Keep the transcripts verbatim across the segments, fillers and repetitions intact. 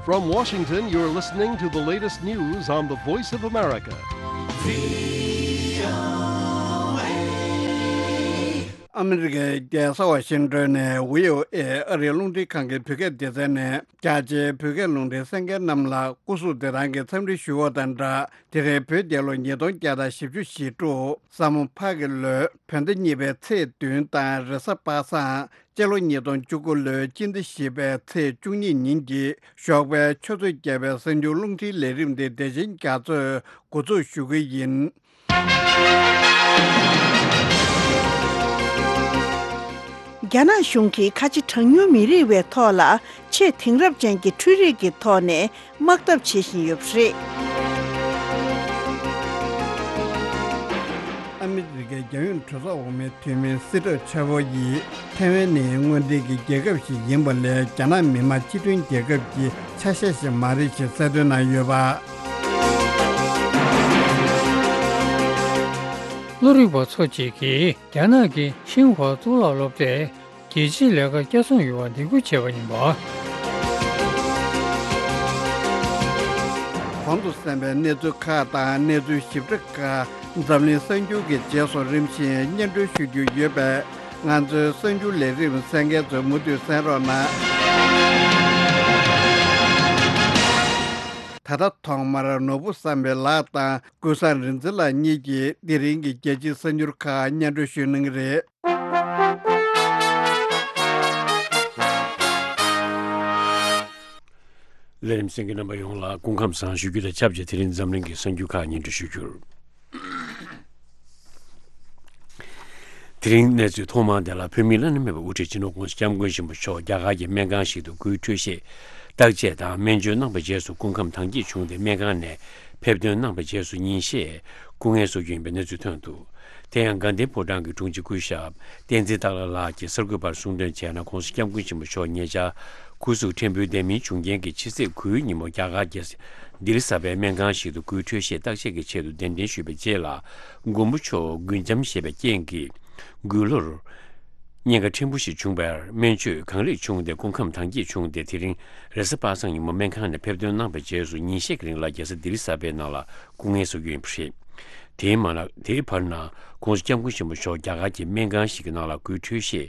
From Washington, you're listening to the latest news on the Voice of America. ཨ་མི་རི་ཀའི་རྒྱལ་ས་ཝ་ཤིང་ཏོན་ནས་བྷི་ཨོ་ཨེ་ཨ་རིའི་རླུང་འཕྲིན་ཁང་གི་བོད་སྐད་སྡེ་ཚན་ནས། རྒྱ་ཆེའི་བོད་སྐད་རླུང་འཕྲིན་གསན་མཁན་རྣམས་ལ་སྐུ་གཟུགས་བདེ་ཐང་གི་འཚམས་འདྲི་ཞུ་བ་དང་སྦྲགས། དེ་རིང་བོད་རྒྱལ་ལོ་ཉིས་སྟོང་བརྒྱ་དང་བཞི་བཅུ་ཞེ་དྲུག་ས་མོ་ཕག་གི་ལོའི་བོད་ཟླ་གཉིས་པའི་ཚེས་བདུན་དང་རེས་གཟའ་པ་སངས། སྤྱི་ལོ་ཉིས་སྟོང་བཅུ་དགུ་ལོའི་སྤྱི་ཟླ་བཞི་པའི་ཚེས་བཅུ་གཉིས་ཉིན་གྱི་ཞོགས་པའི་ཆུ་ཚོད་བརྒྱད་པའི་གསར་འགྱུར་རླུང་འཕྲིན་ལས་རིམ་འདི་བདེ་ཆེན་རྒྱ་མཚོས་འགོ་འཛུགས་ཞུ་གི་ཡིན། རྒྱ་ནག་གཞུང་གིས་ཁ་ཆེ་གྲངས་ཉུང་མི་རིགས་བའི་ཐོག་ལ་ཆེས་དེང་རབས་ཅན་གྱི་འཕྲུལ་རིག་གི་ཐོག་ནས་དམག་འཐབ་བྱེད་བཞིན་ཡོད་པ་རེད། ཨ་མི་རི་ཀའི་རྒྱལ་ཡོངས་གྲོས་ཚོགས་འོག་མའི་འཐུས་མི་སི་ཏྲོ་ཆ་བོ་ཡིས་ཐའེ་ཝན་ནི་དངོས་འབྲེལ་གྱི་རྒྱལ་ཁབ་ཞིག་ཡིན་པ་ལས་རྒྱ་ནག་མི་དམངས་སྤྱི་མཐུན་རྒྱལ་ཁབ་ཀྱི་ཆ་ཤས་ཤིག་མ་རེད་ཅེས་གསལ་སྟོན་གནང་ཡོད་པ། བློ་རིག་པ་ཚོ་གཅིག་གིས་རྒྱ་ནག་གི་ཤིན་ཧྭ་གཙུག་ལག་སློབ་གྲྭས་རྒྱལ་སྤྱིའི་ལས་ཀ་བསྐྱར་བཟུང་ཡོང་བར་འདེད་སྐུལ་བྱས་པ་ཡིན་པ། གོང་དུ་གསན་པའི་གནས་ཚུལ་ཁག་དང་གནས་ཚུལ་ཞིབ་ཕྲ་ཁག་འཛམ་གླིང་གསར་འགྱུར་གྱི་རྗེས་སུ་རིམ་བཞིན་སྙན་སྒྲོན་ཞུ་རྒྱུ་ཡོད་པས། ང་ཚོའི་གསར་འགྱུར་ལས་རིམ་གསན་མཁན་ཚོས་མུ་མཐུད་གསན་རོགས་གནང་། ད་ལྟ་ཐོག་མར་ནོར་བུ་བསམ་འཕེལ་ལགས་དང་ཀུན་བཟང་རིག་འཛིན་ལགས་གཉིས་ཀྱིས་དེ་རིང་གི་རྒྱལ་སྤྱིའི་གསར་འགྱུར་ཁག་སྙན་སྒྲོན་ཞུ་གནང་གི་རེད། ལས་རིམ་གསན་མཁན་རྣམ་པ་ཡོངས་ལ་སྐུ་ཁམས་བཟང་ཞུ་རྒྱུ་དང་ཆབས་ཅིག་དེ་རིང་འཛམ་གླིང་གི་གསར་འགྱུར་ཁག་སྙན་སྒྲོན་ཞུ་རྒྱུར། དེ་རིང་གནས་ཚུལ་ཐོག་མར་དེ་ལ། བོད་མིའི་བླ་ན་མེད་པའི་དབུ་ཁྲིད་སྤྱི་ནོར་༸གོང་ས་༸སྐྱབས་མགོན་ཆེན་པོ་མཆོག་རྒྱ་གར་གྱི་སྨན་ཁང་ཞིག་ཏུ་སྐུའི་འཕྲོད་བཞེས་བརྟག་དཔྱད་དང་སྨན་བཅོས་གནང་བའི་རྗེས་སུ་སྐུ་ཁམས་དྭངས་སྐྱེད་བྱུང་སྟེ། སྨན་ཁང་ནས་ཕེབས་ཐོན་གནང་བའི་རྗེས་སུ་ཉིན་ཤས་སྐུ་ངལ་གསོ་རྒྱུ་ཡིན་པའི་གནས་ཚུལ་ཐོན་འདུག་དེ་ཡང་དགའ་ལྡན་ཕོ་བྲང་གི་དྲུང་ཆེ་སྐུ་ཞབས་བསྟན་འཛིན་སྟག་ལྷ་ལགས་ཀྱིས་གསར་འགོད་པར་གསུངས་དོན་བྱས་ན། ༸གོང་ས་༸སྐྱབས་མགོན་ཆེན་པོ་མཆོག་ཉེ་ཆར་སྐུ་གཟུགས་ཕྲན་བུ་བདེ་མིན་བྱུང་རྐྱེན་གྱིས་ཕྱི་ཚེས་དགུའི་ཉིན་མོ་རྒྱ་གར་གྱི་ལྡི་ལི་གསར་པའི་སྨན་ཁང་ཞིག་ཏུ་སྐུའི་འཕྲོད་བཞེས་བརྟག་དཔྱད་ཀྱི་ཆེད་དུ་གདན་འདྲེན་ཞུས་པའི་རྗེས་ལ། མགོན་པོ་མཆོག་མགུལ་ཆམ་བཞེས་པའི་རྐྱེན་གྱིས་མགུལ་ལོར་གཉན་ཁ་ཕྲན་བུ་ཞིག་བྱུང་བར། སྨན་བཅོས་གང་ལེགས་བྱུང་སྟེ་སྐུ་ཁམས་དྭངས་སྐྱེད་བྱུང་སྟེ། དེ་རིང་རེས་གཟའ་པ་སངས་ཉིན་མོ་སྨན་ཁང་ནས་ཕེབས་ཐོན་གནང་བའི་རྗེས་སུ་ཉིན་ཤས་ཀྱི་རིང་ལ་རྒྱལ་ས་ལྡི་ལི་གསར་པའི་ནང་ལ་སྐུ་ངལ་གསོ་རྒྱུ་ཡིན་པ་རེད། དེའི་མ་ལ། དེའི་བར་ན་༸གོང་ས་༸སྐྱབས་མགོན་ཆེན་པོ་མཆོག་རྒྱ་གར་གྱི་སྨན་ཁང་ཞིག་གི་ནང་ལ་སྐུའི་འཕྲོད་བཞེས་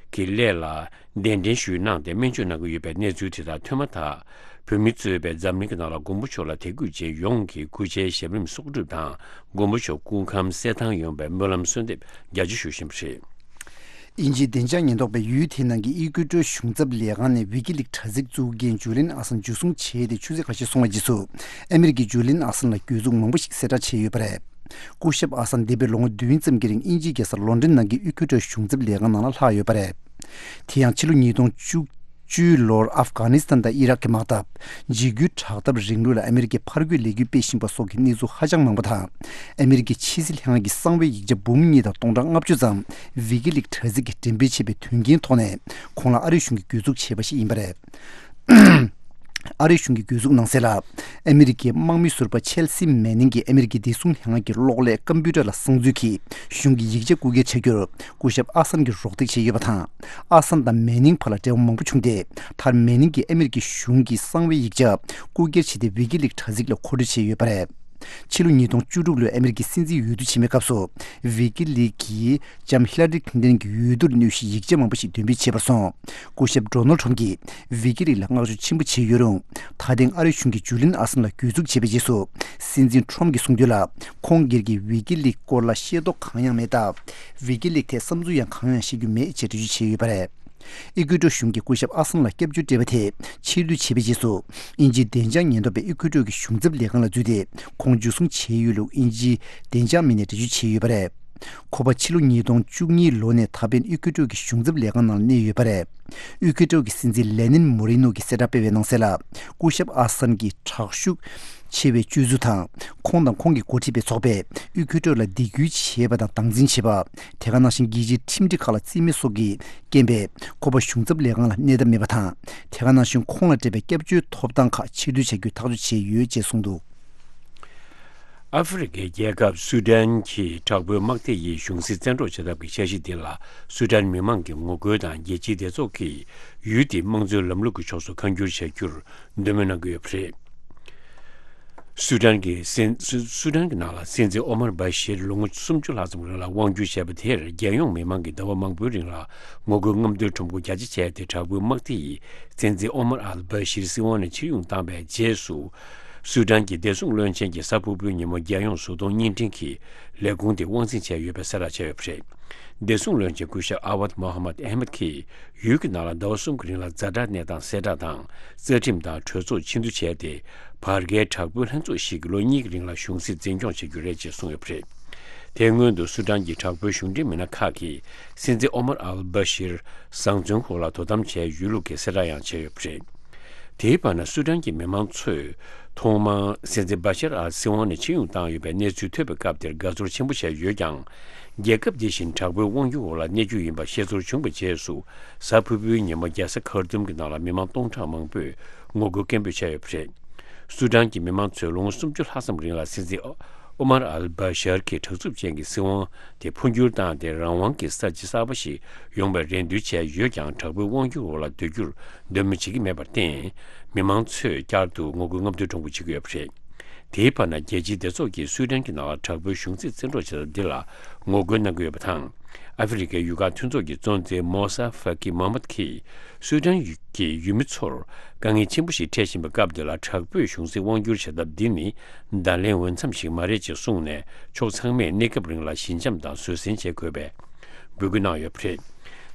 ཀྱི་སླད་ལ་གདན་འདྲེན་ཞུས་གནང་སྟེ་སྨན་བཅོས་གནང་གི་ཡོད་པའི་གནས་ཚུལ་དེ་དག་ཐོན་མ་ཐག། བོད་མི་གཙོས་པའི་འཛམ་གླིང་གི་ནང་ལ་མགོན་པོ་མཆོག་ལ་དད་གུས་ཅན་ཡོངས་ཀྱིས་སྐུ་ཕྱྭའི་ཞབས་རིམ་གསོག་སྒྲུབ་དང་མགོན་པོ་མཆོག་སྐུ་ཁམས་གསལ་ཐང་ཡོང་བའི་སྨོན་ལམ་གསོལ་འདེབས་རྒྱ་ཆེ་ཞུ་བཞིན་པ་རེད། དབྱིན་ཇིའི་བདེ་འཇགས་ཉེན་རྟོག་པས་ཡུལ་དེའི་ནང་གི་ཨི་ཀུའེ་ཏྲོའི་གཞུང་ཚབ་ལས་ཁང་ནས་ཝི་ཀི་ལིག་དྲ་ཚིགས་བཙུགས་མཁན་ཇུ་ལིན་ཨ་སན་འཇུ་བཟུང་བྱས་ཏེ་ཆུ་ཚོད་ཁ་ཤས་སོང་བའི་རྗེས་སུ། ཨ་མི་རི་ཀས་ཇུ་ལིན་ཨ་སན་ལ་གྱོད་འཛུགས་མང་པོ་ཞིག་གསལ་བསྒྲགས་བྱས་ཡོད་པ་རེད། སྐུ་ཞབས་ཨ་སན་འདས་པའི་ལོ་ངོ་བདུན་ཙམ་གྱི་རིང་དབྱིན་ཇིའི་རྒྱལ་ས་ལོན་ཌོན་ནང་གི་ཨི་ཀུའེ་ཏྲོའི་གཞུང་ཚབ་ལས་ཁང་ནང་ལ་ལྷག་ཡོད་པ་རེད། དེ་ཡང་ཕྱི་ལོ་ཉིས་སྟོང་བཅུ་བཅུའི་ལོར་ཨབ་གྷ་ནི་སི་ཐན་དང་ཨི་རག་གི་དམག་འཐབ། འཇིགས་སྐུལ་དྲག་འཐབ་རིང་ལུགས་ལ་ཨ་མི་རི་ཀས་ཕར་རྒོལ་ལས་འགུལ་སྤེལ་བཞིན་པ་སོགས་ཀྱི་གནས་ཚུལ་ཧ་ཅང་མང་པོ་དང་། ཨ་མི་རི་ཀའི་ཕྱི་སྲིད་ལྷན་ཁང་གི་གསང་བའི་ཡིག་ཆ་འབུམ་གཉིས་དང་སྟོང་ཕྲག་ལྔ་བཅུ་ཙམ་ཝི་ཀི་ལིག་དྲ་ཚིགས་ཀྱིས་འགྲེམས་སྤེལ་བྱས་པའི་དོན་རྐྱེན་ཐོག་ནས། ཁོང་ལ་ཨ་རིའི་གཞུང་གིས་གྱོད་འཛུགས་བྱས་པ་ཞིག་ཡིན་པ་རེད། ཨ་རིའི་གཞུང་གི་གྱོད་འཛུགས་ནང་གསལ་ལ། ཨ་མི་རི་ཀའི་དམག་མི་ཟུར་པ་ཆེལ་སི་མེ་ནིང་གིས་ཨ་མི་རི་ཀའི་བདེ་སྲུང་ལྷན་ཁང་གི་གློག་ཀླད་ཀམ་པུ་ཊར་ལ་གསང་འཛུལ་གྱིས་གཞུང་གི་ཡིག་ཆ་རྐུ་འཁྱེར་བྱ་རྒྱུར་སྐུ་ཞབས་ཨ་སན་གྱིས་རོགས་འདེགས་བྱས་ཡོད་པ་དང་། ཨ་སན་དང་མེ་ནིང་བར་ལ་འབྲེལ་བ་མང་པོ་བྱུང་སྟེ། མཐར་མེ་ནིང་གིས་ཨ་མི་རི་ཀའི་གཞུང་གི་གསང་བའི་ཡིག་ཆ་རྐུ་འཁྱེར་བྱས་ཏེ་ཝི་ཀི་ལིག་དྲ་ཚིགས་ལ་མཁོ་སྤྲོད་བྱས་ཡོད་པ་རེད། ཕྱི་ལོ་ཉིས་སྟོང་བཅུ་དྲུག་ལོའི་ཨ་མི་རི་ཀའི་སྲིད་འཛིན་འོས་བསྡུ་ཆེན་མོའི་སྐབས་སུ། ཝི་ཀི་ལིག་གིས་ལྕམ་ཧི་ལ་རི་ཁིན་ཏན་གྱི་འོས་བསྡུར་གནོད་གཞིའི་ཡིག་ཆ་མང་པོ་ཞིག་འདོན་སྤེལ་བྱས་པར་སོང་། སྐུ་ཞབས་ཌོ་ནལ་ཊམ་གྱིས་ཝི་ཀི་ལིག་ལ་བསྔགས་བརྗོད་ཆེན་པོ་བྱས་ཡོད་རུང་། ད་ཐེངས་ཨ་རིའི་གཞུང་གིས་ཇུ་ལིན་ཨ་སན་ལ་གྱོད་འཛུགས་བྱས་པའི་རྗེས་སུ། སྲིད་འཛིན་ཊམ་གྱིས་གསུངས་དོན་ལ། ཁོང་སྒེར་གྱིས་ཝི་ཀི་ལིག་སྐོར་ལ་ཤེས་རྟོགས་གང་ཡང་མེད་སྟབས། ཝི་ཀི་ལིག་ཐད་བསམ་ཚུལ་ཡང་གང་ཡང་བཤད་རྒྱུ་མེད་ཅེས་འགྲེལ་བརྗོད་བྱས་ཡོད་པ་རེད། ཨི་ཀུའེ་ཏྲོ་གཞུང་གིས་སྐུ་ཞབས་ཨ་སན་ལ་སྐྱབས་བཅོལ་སྤྲད་པ་དེ་ཕྱིར་བསྡུ་བྱས་པའི་རྗེས་སུ། དབྱིན་ཇིའི་བདེ་འཇགས་ཉེན་རྟོག་པས་ཨི་ཀུའེ་ཏྲོ་གི་གཞུང་ཚབ་ལས་ཁང་ལ་འཛུལ་ཏེ། ཁོང་འཇུ་བཟུང་བྱས་ཡོད་ལུགས་དབྱིན་ཇིའི་བདེ་འཇགས་མི་སྣས་འགྲེལ་བརྗོད་བྱས་ཡོད་པ་རེད། ཁོ་པ་ཕྱི་ལོ་ཉིས་སྟོང་བཅུ་གཉིས་ལོ་ནས་ད་ཕན་ཨི་ཀུའེ་ཏྲོ་གི་གཞུང་ཚབ་ལས་ཁང་ནང་གནས་ཡོད་པ་རེད། ཨི་ཀུའེ་ཏྲོ་གི་སྲིད་འཛིན་ལེ་ནིན་མོ་རི་ནོ་གིས་གསལ་བསྒྲགས་སྤེལ་བའི་ནང་གསལ་ལ། སྐུ་ཞབས་ཨ་སན་གྱི་དྲག་ཤུགས་ཆེ་བའི་སྤྱོད་ཚུལ་དང་། ཁོང་དང་ཁོང་གིས་འགོ་ཁྲིད་པའི་ཚོགས་པས་ཨི་ཀུའེ་ཏྲོ་ལ་སྡིགས་སྐུལ་བྱས་པ་དང་སྡང་འཛིན་བྱས་པ། དེ་ག་ནང་བཞིན་རྒྱལ་སྤྱིའི་ཁྲིམས་སྒྲིག་ཁག་ལ་རྩིས་མེད་སོགས་ཀྱི་རྐྱེན་པས། ཁོ་པ་གཞུང་ཚབ་ལས་ཁང་ལ་གནས་ཐབས་མེད་པ་དང་། དེ་ག་ནང་བཞིན་ཁོང་ལ་སྤྲད་པའི་སྐྱབས་བཅོལ་ཐོབ་ཐང་ཁག་ཕྱིར་བསྡུ་བྱ་རྒྱུའི་ཐག་གཅོད་བྱས་ཡོད་ཅེས་གསུངས་འདུག་ཨ་ཧྥེ་རི་ཁའི་རྒྱལ་ཁབ་སུ་ཌན་གྱི་དྲག་པོའི་དམག་སྡེ་ཡིས་གཞུང་སྲིད་བཙན་འཕྲོག་བྱེད་ཐབས་ཀྱི་འཆར་གཞི་འདི་ལ་སུ་ཌན་མི་མང་གིས་ངོ་རྒོལ་དང་རྒྱལ་སྤྱིའི་སྡེ་ཚོགས་ཀྱིས་ཡུལ་དེའི་དམངས་གཙོའི་ལམ་ལུགས་ཀྱི་ཕྱོགས་སུ་ཁ་འགྱུར་བྱ་རྒྱུར་འདོད་མོས་གནང་གི་ཡོད་པ་རེད། སུ་ཌན་གྱི་སྲིད་སུ་སུ་ཌན་གྱི་ནང་ལ་སྲིད་འཛིན་ཨོ་མར་བྷ་ཤིར་ལོ་ངོ་སུམ་ཅུ་ལྷག་ཙམ་རིང་ལ་དབང་སྒྱུར་བྱས་པ་དེར་རྒྱལ་ཡོངས་མི་མང་གིས་ཟླ་བ་མང་པོའི་རིང་ལ་ངོ་རྒོལ་རྔམ་སྟོན་ཁྲོམ་སྐོར་རྒྱ་ཆེ་བྱས་ཏེ། དྲག་པོའི་དམག་སྡེ་ཡིས་སྲིད་འཛིན་ཨོ་མར་ཨལ་བྷ་ཤིར་སྲིད་དབང་ནས་ཕྱིར་དབྱུང་བཏང་བའི་རྗེས་སུ། སུ་ཌན་གྱི་བདེ་སྲུང་བློན་ཆེན་གྱིས་གཟའ་ཕུར་བུའི་ཉིན་མོ་རྒྱལ་ཡོངས་བཟོ་ཚོང་བརྙན་འཕྲིན་གྱི་ལས་ཁུངས་དེ་དབང་འཛིན་བྱས་ཡོད་པའི་གསལ་བསྒྲགས་བྱས་ཡོད་པ་རེད། བདེ་སྲུང་བློན་ཆེན་སྐུ་ཞབས་ཨ་ཝད་མོ་ཧ་མད་ཨེ་མད་ཀྱིས། ཡུལ་གྱི་ནང་ལ་ཟླ་བ་གསུམ་གྱི་རིང་ལ་ཛ་དྲག་གནས་སྟངས་གསལ་བསྒྲགས་དང་། རྩ་ཁྲིམས་དང་གྲོས་ཚོགས་ཕྱིར་བསྡུ་བྱས་ཏེ། བར་བརྒལ་དྲག་པོའི་ལྷན་ཚོགས་ཤིག་གིས་ལོ་གཉིས་ཀྱི་རིང་ལ་གཞུང་སྲིད་འཛིན་སྐྱོང་བྱེད་རྒྱུ་རེད་ཅེས་གསུངས་ཡོད་པ་རེད། དེ་སྔོན་དུ་སུ་ཌན་གྱི་དྲག་པོའི་གཞུང་འབྲེལ་མི་སྣ་ཁག་གིས་སྲིད་འཛིན་ཨོ་མར་ཨལ་བྷ་ཤིར་བཟང་བཙོན་འོག་ལ་དོ་དམ་བྱས་ཡོད་ལུགས་ཀྱི་གསལ་བསྒྲགས་ཡང་བྱས་ཡོད་པ་རེད། དེའི་བར་ན་སུ་ཌན་གྱི་མི་མང་ཚོས་ཐོག་མར་སྲིད་འཛིན་བྷ་ཤར་ཨལ་སྲིད་དབང་ནས་ཕྱིར་དབྱུང་བཏང་ཡོད་པའི་གནས་ཚུལ་ཐོས་པའི་སྐབས་དེར་དགའ་ཚོར་ཆེན་པོ་བྱས་ཡོད་ཀྱང་། རྒྱལ་ཁབ་འདི་བཞིན་དྲག་པོའི་དབང་སྒྱུར་འོག་ལ་གནས་རྒྱུ་ཡིན་པ་ཤེས་ཚོར་བྱུང་བའི་རྗེས་སུ། གཟའ་ཕུར་བུའི་ཉིན་མོ་རྒྱལ་ས་ཁར་ཏུམ་གྱི་ནང་ལ་མི་མང་སྟོང་ཕྲག་མང་པོས་ངོ་རྒོལ་སྐད་འབོད་བྱས་ཡོད་པ་རེད། སུ་ཌན་གྱི་མི་མང་ཚོས་ལོ་ངོ་སུམ་ཅུ་ལྷག་ཙམ་རིང་ལ་སྲིད་འཛིན་ཨོ་མར་ཨལ་བྷ་ཤར་གྱི་དྲག་རྩུབ་ཅན་གྱི་སྲིད་དབང་དེ་འཕོ་འགྱུར་བཏང་སྟེ། རང་དབང་གི་ས་ཆ་གསར་པ་ཞིག་ཡོང་བའི་རེ་འདུན་བྱས་ཡོད་ཀྱང་། དྲག་པོའི་དབང་སྒྱུར་འོག་ལ་སྡོད་རྒྱུར་འདོད་མོས་བྱེད་ཀྱི་མེད་པར་བརྟེན། མི་མང་ཚོས་བསྐྱར་དུ་ངོ་རྒོལ་རྔམ་སྟོན་ཁྲོམ་སྐོར་བྱེད་ཀྱི་ཡོད་པ་རེད། དེའི་བར་ན། རྒྱལ་སྤྱིའི་སྡེ་ཚོགས་ཀྱིས་སུའེ་ཏེན་གྱི་ནང་ལ་དྲག་པོའི་གཞུང་སྲིད་བཙན་འཕྲོག་བྱེད་ཐབས་འདི་ལ་ངོ་རྒོལ་གནང་གི་ཡོད་པ་དང་། ཨ་ཧྥེ་རི་ཁའི་ཡུལ་ཁག་མཐུན་ཚོགས་ཀྱི་གཙོ་འཛིན་མོ་ས་ཧྥ་ཀི་མོ་ཧམ་མད་ཀྱིས། སུའེ་ཏེན་གྱི་ཡུལ་མི་ཚོར་དཀའ་ངལ་ཆེན་པོ་ཞིག་འཕྲད་བཞིན་པའི་སྐབས་འདི་ལ། དྲག་པོས་གཞུང་སྲིད་དབང་བསྒྱུར་བྱེད་ཐབས་འདི་ནི་བརྡ་ལན་འོས་འཚམ་ཞིག་མ་རེད་ཅེས་གསུངས་ནས། ཕྱོགས་ཚང་མས་གནས་སྐབས་རིང་ལ་ཞི་འཇམ་དང་བཟོད་བསྲན་བྱེད་དགོས་པའི་འབོད་སྐུལ་གནང་ཡོད་པ་རེད།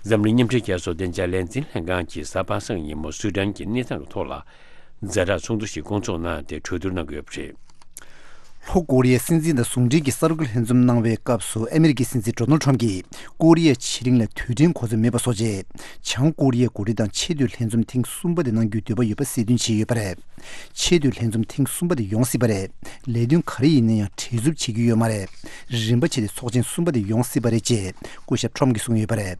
འཛམ་གླིང་མཉམ་འབྲེལ་རྒྱལ་ཚོགས་བདེ་འཇགས་ལས་འཛིན་ལྷན་ཁང་གིས་གཟའ་པ་སངས་ཉིན་མོ་སུའེ་ཏེན་གྱི་གནས་སྟངས་ཀྱི་ཐོག་ལ། ཛ་དྲག་ཚོགས་འདུ་ཞིག་བསྐོང་ཚོགས་གནང་སྟེ་གྲོས་བསྡུར་གནང་གི་ཡོད་པ་རེད། ལྷོ་ཀོ་རི་ཡའི་སྲིད་འཛིན་དང་ཟུང་འབྲེལ་གྱི་གསར་འགོད་ལྷན་འཛོམས་གནང་བའི་སྐབས་སུ། ཨ་མི་རི་ཀའི་སྲིད་འཛིན་ཌོ་ནལ་ཊམ་གྱིས་ཀོ་རི་ཡའི་ཕྱེད་གླིང་ལ་དུས་དྲན་གོ་སྐབས་མེད་པ་བཟོ་ཆེད། བྱང་ཀོ་རི་ཡའི་འགོ་ཁྲིད་དང་ཆེས་མཐོའི་ལྷན་འཛོམས་ཐེངས་གསུམ་པ་དེ་གནང་རྒྱུའི་འདོད་པ་ཡོད་པ་གསལ་སྟོན་བྱས་ཡོད་པ་རེད། ཆེས་མཐོའི་ལྷན་འཛོམས་ཐེངས་གསུམ་པ་དེ་ཡོང་སྲིད་པ་རེད། ལས་དོན་ག་རེ་ཡིན་ན་ཡང་བྲེལ་འཚུབ་བྱེད་ཀྱི་ཡོད་མ་རེད། རིམ་པ་བྱས་ཏེ་ཚོགས་ཆེན་གསུམ་པ་དེ་ཡོང་སྲིད་པ་རེད་ཅེས་སྐུ་ཞབས་ཊམ་གྱིས་གསུངས་ཡོད་པ་རེད།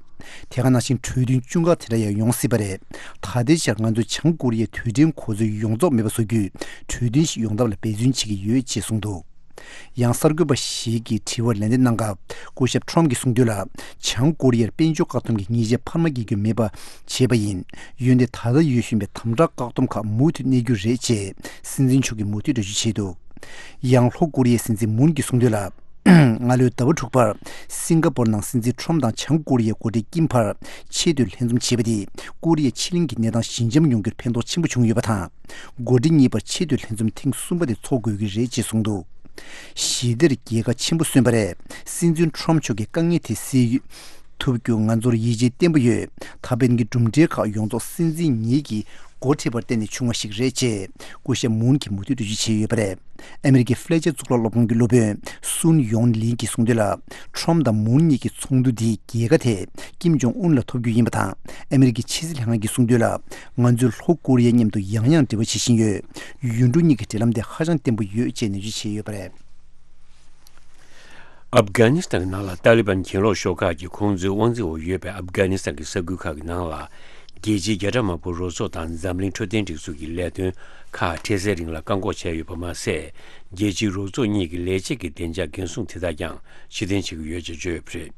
དེ་ག་ནང་བཞིན་གྲོས་མཐུན་ཅུང་ཁག་དེ་འདྲ་ཡང་ཡོང་སྲིད་པ་རེད། ད་ལྟའི་ཆར་ང་ཚོས་བྱང་ཀོ་རི་ཡའི་དུས་དྲན་གོ་སྐབས་ཡོངས་རྫོགས་མེད་པ་བཟོ་རྒྱུའི་གྲོས་མཐུན་ཞིག་ཡོང་ཐབས་ལ་འབད་བརྩོན་བྱེད་ཀྱི་ཡོད་ཅེས་གསུངས་འདུག་ཡང་གསར་འགོད་པ་ཞིག་གིས་དྲི་བར་ལན་འདེབས་གནང་སྐབས། སྐུ་ཞབས་ཊམ་གྱིས་གསུངས་དོན་ལ། བྱང་ཀོ་རི་ཡར་དཔལ་འབྱོར་བཀག་སྡོམ་གྱི་ཉེས་ཆད་འཕར་མ་བརྒྱབ་རྒྱུ་མེད་པ་བྱས་པ་ཡིན། འོན་ཏེ་ད་ལྟ་ཡོད་བཞིན་པའི་དམ་དྲག་བཀག་སྡོམ་ཁག་མུ་མཐུད་གནས་རྒྱུ་རེད་ཅེས་སྲིད་འཛིན་མཆོག་གིས་མུ་མཐུད་འགྲེལ་བརྗོད་བྱས་འདུག་ཡང་ལྷོ་ཀོ་རི་ཡའི་སྲིད་འཛིན་མུན་གྱིས་གསུངས་དོན་ལ། སྔ་ལོའི་ཟླ་བ་དྲུག་པར་སིང་ག་པོར་ནང་སྲིད་འཛིན་ཊམ་དང་བྱང་ཀོ་རི་ཡའི་འགོ་ཁྲིད་ཀིམ་བར་ཆེས་མཐོའི་ལྷན་འཛོམས་བྱས་པ་དེས་ཀོ་རི་ཡའི་ཕྱེད་གླིང་གི་གནས་སྟངས་ཞི་འཇམ་ཡོང་རྒྱུར་ཕན་ཐོགས་ཆེན་པོ་བྱུང་ཡོད་པ་དང་། འགོ་ཁྲིད་གཉིས་བར་ཆེས་མཐོའི་ལྷན་འཛོམས་ཐེངས་གསུམ་པ་དེ་འཚོགས་དགོས་ཀྱི་རེད་ཅེས་གསུངས་འདུག་ཞི་བདེར་རྒྱལ་ཁ་ཆེན་པོ་སོན་པ་རེད། སྲིད་འཛིན་ཊམ་མཆོག་གིས་དཀའ་ངལ་དེ་སེལ་ཐུབ་རྒྱུ་ང་ཚོར་ཡིད་ཆེས་བརྟན་པོ་ཡོད། ད་ཕན་གྱི་གྲུབ་འབྲས་ཁག་ཡོངས་རྫོགས་སྲིད་འཛིན་ཉིད་ཀྱིས་འགོ་ཁྲིད་པར་བརྟེན་ནས་བྱུང་བ་ཞིག་རེད་ཅེས་སྐུ་ཞབས་མུན་གྱིས་མུ་མཐུད་འགྲེལ་བརྗོད་བྱས་ཡོད་པ་རེད། ཨ་མི་རི་ཀའི་ཧྥི་ལེ་ཅར་གཙུག་ལག་སློབ་ཁང་གི་སློབ་དཔོན་སུན་ཡོང་ལིན་གྱིས་གསུངས་དོན་ལ། ཊམ་དང་མུན་གཉིས་ཀྱི་ཚོགས་འདུ་འདིས་རྒྱལ་ཁ་དེ་ཀིམ་ཇོང་ཨུན་ལ་ཐོབ་རྒྱུ་ཡིན་པ་དང་། ཨ་མི་རི་ཀའི་ཕྱི་སྲིད་ལྷན་ཁང་གིས་གསུངས་དོན་ལ། ང་ཚོས་ལྷོ་ཀོ་རི་ཡ་མཉམ་དུ་ཡང་ཡང་འབྲེལ་བ་བྱེད་བཞིན་ཡོད། ཡུལ་གྲུ་གཉིས་ཀྱི་འབྲེལ་ལམ་དེ་ཧ་ཅང་བརྟན་པོ་ཡོད་ཅེས་ནན་བརྗོད་བྱས་ཡོད་པ་རེད། ཨབ་གྷ་ནི་སི་ཐན་གྱི་ནང་ལ་ཏཱ་ལི་བན་གྱེན་ལོག་ཤོག་ཁག་གིས་ཁོང་ཚོའི་དབང་འཛིན་འོག་ཡོད་པའི་ཨབ་གྷ་ནི་སི་ཐན་གྱི་ས་ཁུལ་ཁག་གི་ནང་ལ། རྒྱལ་སྤྱིའི་རྒྱལ་དྲག་དམག་དཔོན་རོགས་ཚོགས་དང་འཛམ་གླིང་འཕྲོད་བསྟེན་སྒྲིག་འཛུགས་ཀྱི་ལས་དོན་ཁག་འཕྲལ་སེལ་རིང་ལ་བཀག་འགོག་བྱས་ཡོད་པ་མ་ཟད། རྒྱལ་སྤྱིའི་རོགས་ཚོགས་གཉིས་ཀྱི་ལས་བྱེད་ཀྱི་བདེ་འཇགས་འགན་སྲུང་དེ་དག་ཀྱང་ཕྱིར་འཐེན་བྱེད་ཀྱི་ཡོད་ཅེས་བརྗོད་ཡོད་པ་རེད།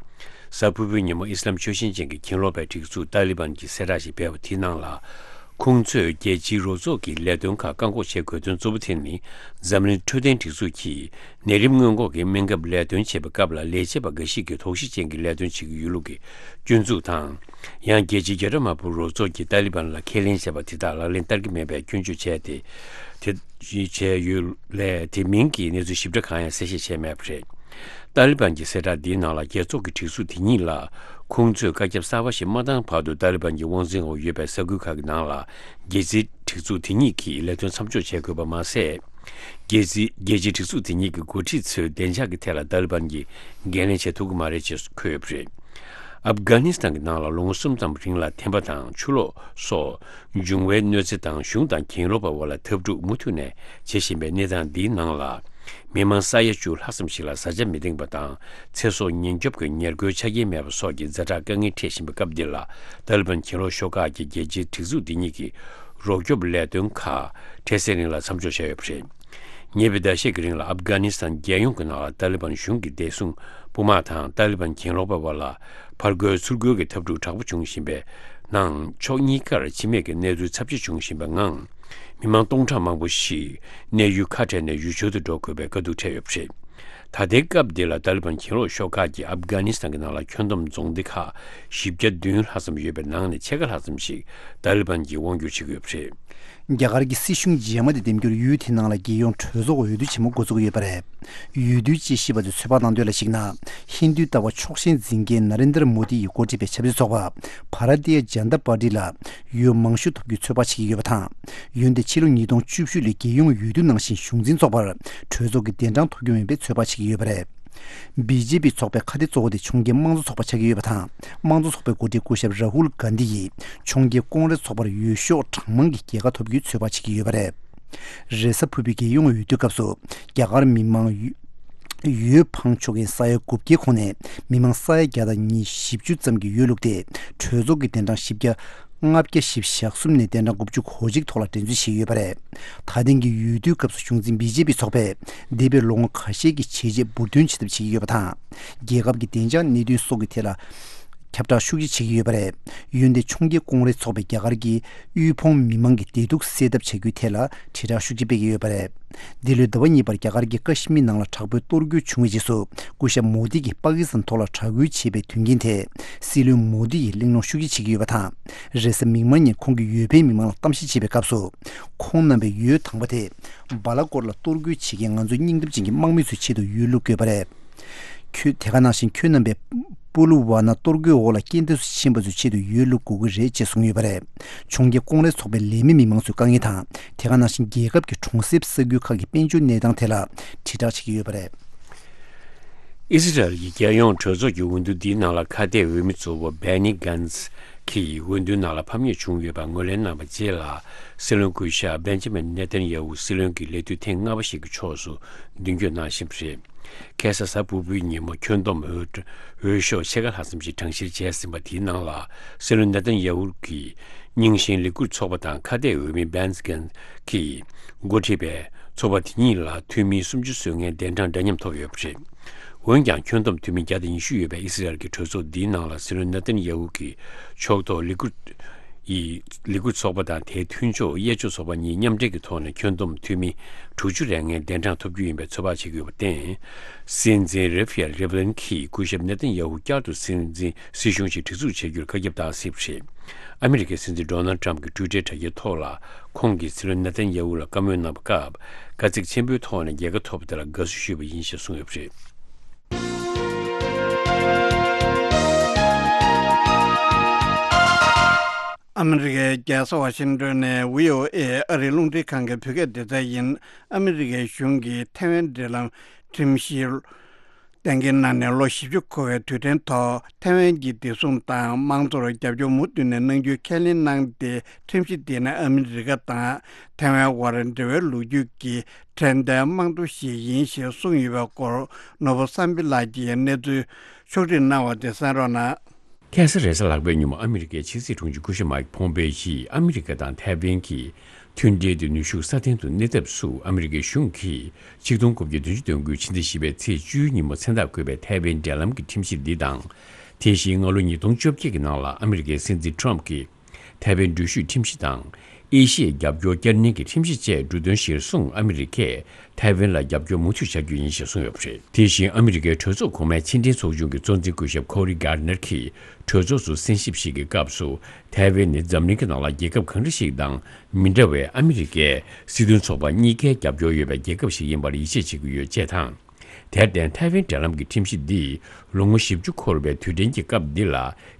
གཟའ་ཕུར་བུའི་ཉིན་མོ་ཨི་སི་ལམ་ཆོས་བཞིན་ཅན་གྱི་གྱེན་ལོག་པའི་སྒྲིག་འཛུགས་ཏཱ་ལི་བན་གྱིས་གསལ་བསྒྲགས་ཤིག་སྤེལ་བ་དེའི་ནང་ལ། ཁོང་ཚོས་རྒྱལ་སྤྱིའི་རོགས་ཚོགས་ཀྱི་ལས་དོན་ཁག་བཀག་འགོག་བྱེད་དགོས་དོན་གཙོ་བོ་དེ་ནི། འཛམ་གླིང་འཕྲོད་བསྟེན་སྒྲིག་འཛུགས་ཀྱིས་ནད་རིམས་སྔོན་འགོག་གི་སྨན་ཁབ་ལས་དོན་བྱེད་པའི་སྐབས་ལ། ལས་བྱེད་པ་འགའ་ཞིག་གིས་དོགས་གཞི་ཅན་གྱི་ལས་དོན་བྱེད་ཀྱི་ཡོད་ལུགས་ཀྱི་སྐྱོན་འཛུགས་དང་། ཡང་རྒྱལ་སྤྱིའི་རྒྱལ་དྲག་དམག་དཔོན་རོགས་ཚོགས་ཀྱིས་ཏཱ་ལི་བན་ལ་ཁས་ལེན་བྱས་པ་དེ་དག་ལག་ལེན་བསྟར་གྱི་མེད་པའི་སྐྱོན་བརྗོད་བྱས་ཏེ། དེ་བྱས་ཡོད་ལས། དེ་མིན་གྱི་གནས་ཚུལ་ཞིབ་ཕྲ་གང་ཡང་གསལ་བཤད་བྱས་མེད་པ་རེད། ཏཱ་ལི་བན་གྱི་གསལ་བསྒྲགས་འདིའི་ནང་ལ། རྒྱལ་ཚོགས་ཀྱི་སྒྲིག་འཛུགས་དེ་ཉིད་ལ་ཁོང་ཚོས་བཀའ་ཁྱབ་གསར་པ་ཞིག་མ་བཏང་བར་དུ། ཏཱ་ལི་བན་གྱི་དབང་འཛིན་འོག་ཡོད་པའི་ས་ཁུལ་ཁག་གི་ནང་ལ། རྒྱལ་སྤྱིའི་སྒྲིག་འཛུགས་དེ་ཉིད་ཀྱིས་ལས་དོན་མཚམས་འཇོག་བྱེད་དགོས་པ་མ་ཟད། རྒྱལ་སྤྱི་རྒྱལ་སྤྱིའི་སྒྲིག་འཛུགས་དེ་ཉིད་ཀྱི་འགོ་ཁྲིད་ཚོའི་བདེ་འཇགས་ཀྱི་ཐད་ལ་ཏཱ་ལི་བན་གྱིས་འགན་ལེན་བྱེད་ཐུབ་ཀྱི་མ་རེད་ཅེས་འཁོད་ཡོད་པ་རེད། ཨབ་གྷ་ནི་སི་ཐན་གྱི་ནང་ལ་ལོ་ངོ་གསུམ་ཙམ་རིང་ལ་ཐན་པ་དང་ཆུ་ལོག་སོགས་འབྱུང་བའི་གནོད་འཚེ་དང་། གཞུང་དང་གྱེན་ལོག་པ་བར་ལ་འཐབ་འཁྲུག་མུ་མཐུད་ནས་བྱེད་བཞིན་པའི་གནས་སྟངས་འདིའི་ནང་ལ། མི་མང་ས་ཡ་བཅུ་ལྷག་ཙམ་ཞིག་ལ་བཟའ་བཅའ་མི་འདེང་བ་དང་། ཚེ་སྲོག་ཉེན་སྐྱོབ་ཀྱི་ཉེར་མཁོའི་ཆ་རྐྱེན་མེད་པ་སོགས་ཀྱི་ཛ་དྲག་དཀའ་ངལ་འཕྲད་བཞིན་པའི་སྐབས་འདི་ལ། ཏཱ་ལི་བན་གྱེན་ལོག་ཤོག་ཁག་གིས་རྒྱལ་སྤྱིའི་སྒྲིག་འཛུགས་འདི་ཉིད་ཀྱི་རོགས་སྐྱོབ་ལས་དོན་ཁག་འཕྲལ་སེལ་རིང་ལ་མཚམས་འཇོག་བྱས་ཡོད་པ་རེད། ཉེ་བའི་ཟླ་ཤས་ཀྱི་རིང་ལ་ཨབ་གྷ་ནི་སི་ཐན་རྒྱལ་ཡོངས་ཀྱི་ནང་ལ་ཏཱ་ལི་བན་གཞུང་གི་བདེ་སྲུང་དཔུང་དམག་དང་ཏཱ་ལི་བན་གྱེན་ལོག་པ་བར་ལ་ཕར་རྒོལ་ཚུར་རྒོལ་གྱི་འཐབ་འཁྲུག་དྲག་པོ་བྱུང་བཞིན་པའི་ནང་། ཕྱོགས་གཉིས་ཀར་འཆི་རྨས་ཀྱི་གནས་ཚུལ་ཚབས་ཆེ་བྱུང་བཞིན་པའི་ངང་། མི་མང་སྟོང་ཕྲག་མང་པོ་ཞིག་གནས་ཡུལ་ཁ་བྲལ་ནས་ཡུལ་ཕྱོགས་སུ་འགྲོ་དགོས་པའི་དཀའ་སྡུག་འཕྲད་ཡོད་པ་རེད། ད་ལྟའི་སྐབས་འདི་ལ་ཏཱ་ལི་བན་གྱེན་ལོག་ཤོག་ཁག་གིས་ཨབ་གྷ་ནི་སི་ཐན་གྱི་ནང་ལ་ཁྱོན་བསྡོམས་རྫོང་སྡེ་ཁག་བཞི་བརྒྱ་བདུན་ལྷག་ཙམ་ཡོད་པའི་ནང་ནས་ཕྱེད་ཀ་ལྷག་ཙམ་ཞིག་ཏཱ་ལི་བན་གྱིས་དབང་བསྒྱུར་བྱེད་ཀྱི་ཡོད་པ་རེད། རྒྱ་གར་གྱི་སྲིད་གཞུང་རྗེས་མ་དེ་འདེམས་རྒྱུར་ཡུལ་དེའི་ནང་ལ་རྒྱལ་ཡོངས་གྲོས་ཚོགས་འོས་བསྡུ་ཆེན་མོ་འགོ་འཛུགས་ཡོད་པ་རེད། འོས་བསྡུའི་དཔྱད་ཞིབ་པ་ཚོས་ཚོད་དཔག་གནང་དོན་ལ་གཞིགས་ན། ཧིན་རྡུའི་ལྟ་བ་ཕྱོགས་ཞེན་འཛིན་མཁན་ན་རེན་དར་མོ་དི་ཡིས་འགོ་ཁྲིད་པའི་ཆབ་སྲིད་ཚོགས་པ་བྷ་ར་ཏི་ཡ་ཇན་ཏ་པར་ཏི་ལ་འོས་མང་ཤོས་ཐོབ་རྒྱུའི་ཚོད་དཔག་བྱེད་ཀྱི་ཡོད་པ་དང་། འོན་ཏེ་ཕྱི་ལོ་ཉིས་སྟོང་བཅུ་བཞི་ལོའི་རྒྱལ་ཡོངས་འོས་བསྡུ་ནང་བཞིན་གཞུང་འཛིན་ཚོགས་པར་གྲོས་ཚོགས་ཀྱི་གདན་གྲངས་ཐོབ་རྒྱུ་མིན་པའི་ཚོད་དཔག་བྱེད་ཀྱི་ཡོད་པ་རེད། བི་ཇེ་པི་ཚོགས་པའི་ཁ་གཏད་གཙོ་བོ་དེ་ཕྱོགས་འགལ་དམངས་གཙོ་ཚོགས་པ་ཆགས་ཀྱི་ཡོད་པ་དང་། དམངས་གཙོ་ཚོགས་པའི་འགོ་ཁྲིད་སྐུ་ཞབས་རཱ་ཧུལ་གྷན་དྷི་ཡིས་ཕྱོགས་འགལ་ཀོང་རེས་ཚོགས་པར་འོས་ཤོག་གྲངས་མང་གི་རྒྱལ་ཁ་ཐོབ་རྒྱུའི་ཚོད་དཔག་བྱེད་ཀྱི་ཡོད་པ་རེད། རེས་གཟའ་ཕུར་བུའི་རྒྱལ་ཡོངས་འོས་བསྡུའི་སྐབས་སུ་རྒྱ་གར་མི་མང་འོས་འཕངས་ཆོག་མཁན་ས་ཡ་དགུ་བརྒྱའི་ཁོངས་ནས་མི་མང་ས་ཡ་བརྒྱ་དང་ཉི་ཤུ་བཅུ་ཙམ་གྱིས་འོས་བླུགས་ཏེ། གྲོས་ཚོགས་ཀྱི་གདན་གྲངས་བཞི་བརྒྱ་ལྔ་བརྒྱ་བཞི་བཅུ་ཞེ་གསུམ་ནས་གདན་གྲངས་དགུ་བཅུ་གོ་གཅིག་ཐོག་ལ་འགྲན་རྩོད་བྱེད་ཀྱི་ཡོད་པ་རེད། ད་ཐེངས་ཀྱི་འོས་བསྡུའི་སྐབས་སུ་གཞུང་འཛིན་བི་ཇེ་པི་ཚོགས་པས་འདས་པའི་ལོ་ངོ་ཁ་ཤས་ཀྱི་བྱས་རྗེས་འབུར་འདོན་བྱེད་ཐབས་བྱེད་ཀྱི་ཡོད་པ་དང་། རྒྱལ་ཁབ་ཀྱི་བདེ་འཇགས་གནད་དོན་སོགས་ཀྱི་ཐད་ལ་ཁྱབ་བསྒྲགས་ཤུགས་ཆེ་བྱེད་ཀྱི་ཡོད་པ་རེད། འོན་ཏེ་ཕྱོགས་འགལ་ཀོང་རེས་ཚོགས་པས་རྒྱ་གར་གྱི་དབུལ་ཕོངས་མི་མང་གི་བདེ་སྡུག་སེལ་ཐབས་བྱ་རྒྱུའི་ཐད་ལ་དྲིལ་བསྒྲགས་ཤུགས་ཆེ་སྤེལ་གྱི་ཡོད་པ་རེད། འདི་ལོའི་ཟླ་བ་གཉིས་པར་རྒྱ་གར་གྱི་ཀ་ཤི་མིར་ནང་ལ་དྲག་པོའི་གཏོར་རྒོལ་བྱུང་བའི་རྗེས་སུ། སྐུ་ཞབས་མོ་དི་གིས་པ་ཀི་སི་ཐན་ཐོག་ལ་དྲག་རྒོལ་བྱས་པའི་དོན་རྐྱེན་ཐད་སྲིད་བློན་མོ་དི་ཡིས་གླེང་སློང་ཤུགས་ཆེ་བྱེད་ཀྱི་ཡོད་པ་དང་། རེས་གཟའ་མིག་དམར་ཉིན་ཁོང་གིས་འོས་འཕེན་མི་མང་ལ་གཏམ་བཤད་བྱེད་པའི་སྐབས་སུ། ཁོང་རྣམ་པས་འོས་དང་པོ་དེ་སྦ་ལ་ཀོར་ལ་གཏོར་རྒོལ་བྱེད་མཁན་ང་ཚོའི་སྙིང་སྟོབས་ཅན་གྱི་དམག་མི་ཚོའི་ཆེད་དུ་འོས་བླུག་དགོས་པ་རེད། ཁྱོད་དེ་ག་ནང་བཞིན་ཁྱོད་རྣམ་པས་པུ་ལུ་ཝ་ན་གཏོར་རྒོལ་འོག་ལ་རྐྱེན་འདས་སུ་ཕྱིན་པ་ཚོའི་ཆེད་དུ་འོས་བླུག་དགོས་ཀྱི་རེད་ཅེས་གསུངས་ཡོད་པ་རེད། གྱོང་རྒྱལ་ཀོང་རེས་ཚོགས་པའི་ལས་མི་མི་མང་ཚོའི་དཀའ་ངལ་དང་། དེ་ག་ནང་བཞིན་རྒྱལ་ཁབ་ཀྱི་གྲོང་གསེབ་ས་ཁུལ་ཁག་གི་དཔལ་འབྱོར་གནས་སྟངས་ཐད་ལ་དྲིལ་བསྒྲགས་བྱེད་ཀྱི་ཡོད་པ་རེད། ཨི་སི་རལ་གྱི་རྒྱལ་ཡོངས་གྲོས་ཚོགས་ཀྱི་འོས་བསྡུ་འདིའི་ནང་ལ་ཁ་གཏད་འོས་མི་གཙོ་བོ་བྷེ་ནི་གྷན་ཛི་གིས་འོས་བསྡུའི་ནང་ལ་ཕམ་ཉེས་བྱུང་ཡོད་པར་ངོས་ལེན་གནང་བའི་རྗེས་ལ། སྲིད་བློན་སྐུ་ཞབས་བེན་ཇ་མིན་ནེ་ཐན་ཡ་ཧུ་སྲིད་བློན་གྱི་ལས་དུས་ཐེངས་ལྔ་པ་ཞིག་གི་ཕྱོགས་སུ་མདུན་སྐྱོད་གནང་བཞིན་པ་རེད། ཁ་སང་གཟའ་ཕུར་བུའི་ཉིན་མོ་ཁྱོན་བསྡོམས་འོས་འོས་ཤོག་ཕྱེད་ཀ་ལྷག་ཙམ་ཞིག་གྲངས་བཤེར་བྱས་ཟིན་པ་དེའི་ནང་ལ། སྲིད་བློན་ནེ་ཐན་ཡ་ཧུ་གི་རྙིང་ཞེན་ལས་འགུལ་ཚོགས་པ་དང་ཁ་གཏད་འོས་མི་བྷེན་ཇ་མིན་གྱིས་འགོ་ཁྲིད་པའི་ཚོགས་པ་དེ་གཉིས་ལ་འཐུས་མི་སུམ་ཅུ་སོན་མཁན་གདན་གྲངས་འདྲ་མཉམ་ཐོབ་ཡོད་པ་རེད། འོན་ཀྱང་ཁྱོན་བསྡོམས་འཐུས་མི་བརྒྱ་དང་ཉི་ཤུ་ཡོད་པའི་ཨི་སི་རལ་གྱི་གྲོས་ཚོགས་འདིའི་ནང་ལ་སྲིད་བློན་ནེ་ཐན་ཡ་ཧུ་གི་ཕྱོགས་གཏོགས་ལས་འགུལ་ཡི་ལས་འགུལ་ཚོགས་པ་དང་དེའི་མཐུན་ཕྱོགས་གཡས་ཕྱོགས་ཚོགས་པ་གཉིས་མཉམ་འབྲེལ་གྱི་ཐོག་ནས་ཁྱོན་བསྡོམས་འཐུས་མི་དྲུག་ཅུ་རེ་ལྔའི་གདན་གྲངས་ཐོབ་རྒྱུ་ཡིན་པའི་ཚོད་དཔག་བྱེད་ཀྱི་ཡོད་པར་བརྟེན། སྲིད་འཛིན་རེ་ཕི་ཨེལ་རེ་བྷ་ལིན་གྱིས་སྐུ་ཞབས་ནེ་ཐན་ཡ་ཧུ་བསྐྱར་དུ་སྲིད་འཛིན་སྲིད་གཞུང་ཞིག་སྒྲིག་འཛུགས་བྱེད་རྒྱུར་བཀའ་ཁྱབ་བཏང་སྲིད་པ་རེད། ཨ་མི་རི་ཀའི་སྲིད་འཛིན་ཌོ་ནལ་ཊམ་གྱིས་ཊུའི་ཊར་དྲ་རྒྱའི་ཐོག་ལ་ཁོང་གིས་སྲིད་བློན་ནེ་ཐན་ཡ་ཧུ་ལ་བཀའ་མོལ་གནང་བའི་སྐབས། དཀའ་ཚེགས་ཆེན་པོའི་ཐོག་ནས་རྒྱལ་ཁ་ཐོབ་པ་དེ་ལ་དགའ་བསུ་ཞུས་པ་ཡིན་ཞེས་གསུངས་ཡོད་པ་རེད། ཨ་མི་རི་ཀའི་རྒྱལ་ས་ཝ་ཤིང་ཏོན་ནས་ཝི་ཨོ་ཨེ་ཨ་རིའི་རླུང་འཕྲིན་ཁང་གི་བོད་སྐད་སྡེ་ཚན་ཡིན། ཨ་མི་རི་ཀའི་གཞུང་གིས་ཐའེ་ཝན་འབྲེལ་ལམ་ཁྲིམས་གཞི་གཏན་འཁེལ་གནང་ནས་ལོ་བཞི་བཅུ་འཁོར་བའི་དུས་དྲན་ཐོག་ཐའེ་ཝན་གྱི་བདེ་སྲུང་དང་དམངས་གཙོར་རྒྱབ་སྐྱོར་མུ་མཐུད་ནས་གནང་རྒྱུའི་ཁས་ལེན་གནང་སྟེ། ཁྲིམས་གཞི་འདི་ནི་ཨ་མི་རི་ཀ་དང་ཐའེ་ཝན་དབར་འབྲེལ་བའི་ལོ་རྒྱུས་ཀྱི་དྲན་རྟེན་རྨང་རྡོ་ཞིག་ཡིན་ཞེས་གསུངས་ཡོད་པའི་སྐོར། ནོར་བུ་བསམ་འཕེལ་ལགས་ཀྱིས་གནས་ཚུལ་ཕྱོགས་སྒྲིག་གནང་བ་དེ་གསན་རོགས་གནང་། ཁ་སང་རེས་གཟའ་ལྷག་པའི་ཉིན་མོ་ཨ་མི་རི་ཀའི་ཕྱི་སྲིད་དྲུང་ཆེ་སྐུ་ཞབས་མའིག་ཕོམ་པེ་ཡིས་ཨ་མི་རི་ཀ་དང་ཐའེ་ཝན་གྱི་མཐུན་འབྲེལ་དེ་ནུས་ཤུགས་སྲ་བརྟན་དུ་གནས་ཐབས་སུ་ཨ་མི་རི་ཀའི་གཞུང་གིས་ཆིག་སྟོང་དགུ་བརྒྱ་བདུན་ཅུ་དོན་དགུ་ཕྱི་ཟླ་བཞི་པའི་ཚེས་བཅུའི་ཉིན་མོ་མཚན་རྟགས་བཀོད་པའི་ཐའེ་ཝན་འབྲེལ་ལམ་གྱི་ཁྲིམས་གཞི་འདི་དང་། དེ་བཞིན་སྔ་ལོ་ཉིས་སྟོང་བཅོ་བརྒྱད་ཀྱི་ནང་ལ་ཨ་མི་རི་ཀའི་སྲིད་འཛིན་ཊམ་གྱིས། ཐའེ་ཝན་འགྲུལ་བཞུད་ཁྲིམས་གཞི་དང་། ཨེ་ཤི་ཡའི་རྒྱབ་སྐྱོར་བསྐྱར་ནན་གྱི་ཁྲིམས་གཞི་བཅས་འབྲུ་དོན་གཞིར་བཟུང་ཨ་མི་རི་ཀས་ཐའེ་ཝན་ལ་རྒྱབ་སྐྱོར་མུ་མཐུད་བྱ་རྒྱུ་ཡིན་ཞེས་གསུངས་ཡོད་པ་རེད། དེ་བཞིན་ཨ་མི་རི་ཀའི་གྲོས་ཚོགས་གོང་མའི་ཕྱི་འབྲེལ་ཚོགས་ཆུང་གི་གཙོ་འཛིན་སྐུ་ཞབས་ཁོ་རི་གྷར་ནར་གྱིས་གྲོས་ཚོགས་སུ་གསན་ཞིབ་ཞིག་གི་སྐབས་སུ། ཐའེ་ཝན་ནི་འཛམ་གླིང་གི་ནང་ལ་རྒྱལ་ཁབ་གང་འདྲ་ཞིག་དང་མི་འདྲ་བའི་ཨ་མི་རི་ཀའི་སྲིད་དོན་ཚོགས་པ་གཉིས་ཀའི་རྒྱབ་སྐྱོར་ཡོད་པའི་རྒྱལ་ཁབ་ཞིག་ཡིན་པར་ཡིད་ཆེས་བྱེད་ཀྱི་ཡོད་ཅེས་དང་། དེར་བརྟེན་ཐའེ་ཝན་འབྲེལ་ལམ་གྱི་ཁྲིམས་གཞི་འདིས་ལོ་ངོ་བཞི་བཅུ་འཁོར་བའི་དུས་དྲན་གྱི་སྐབས་འདི་ལ་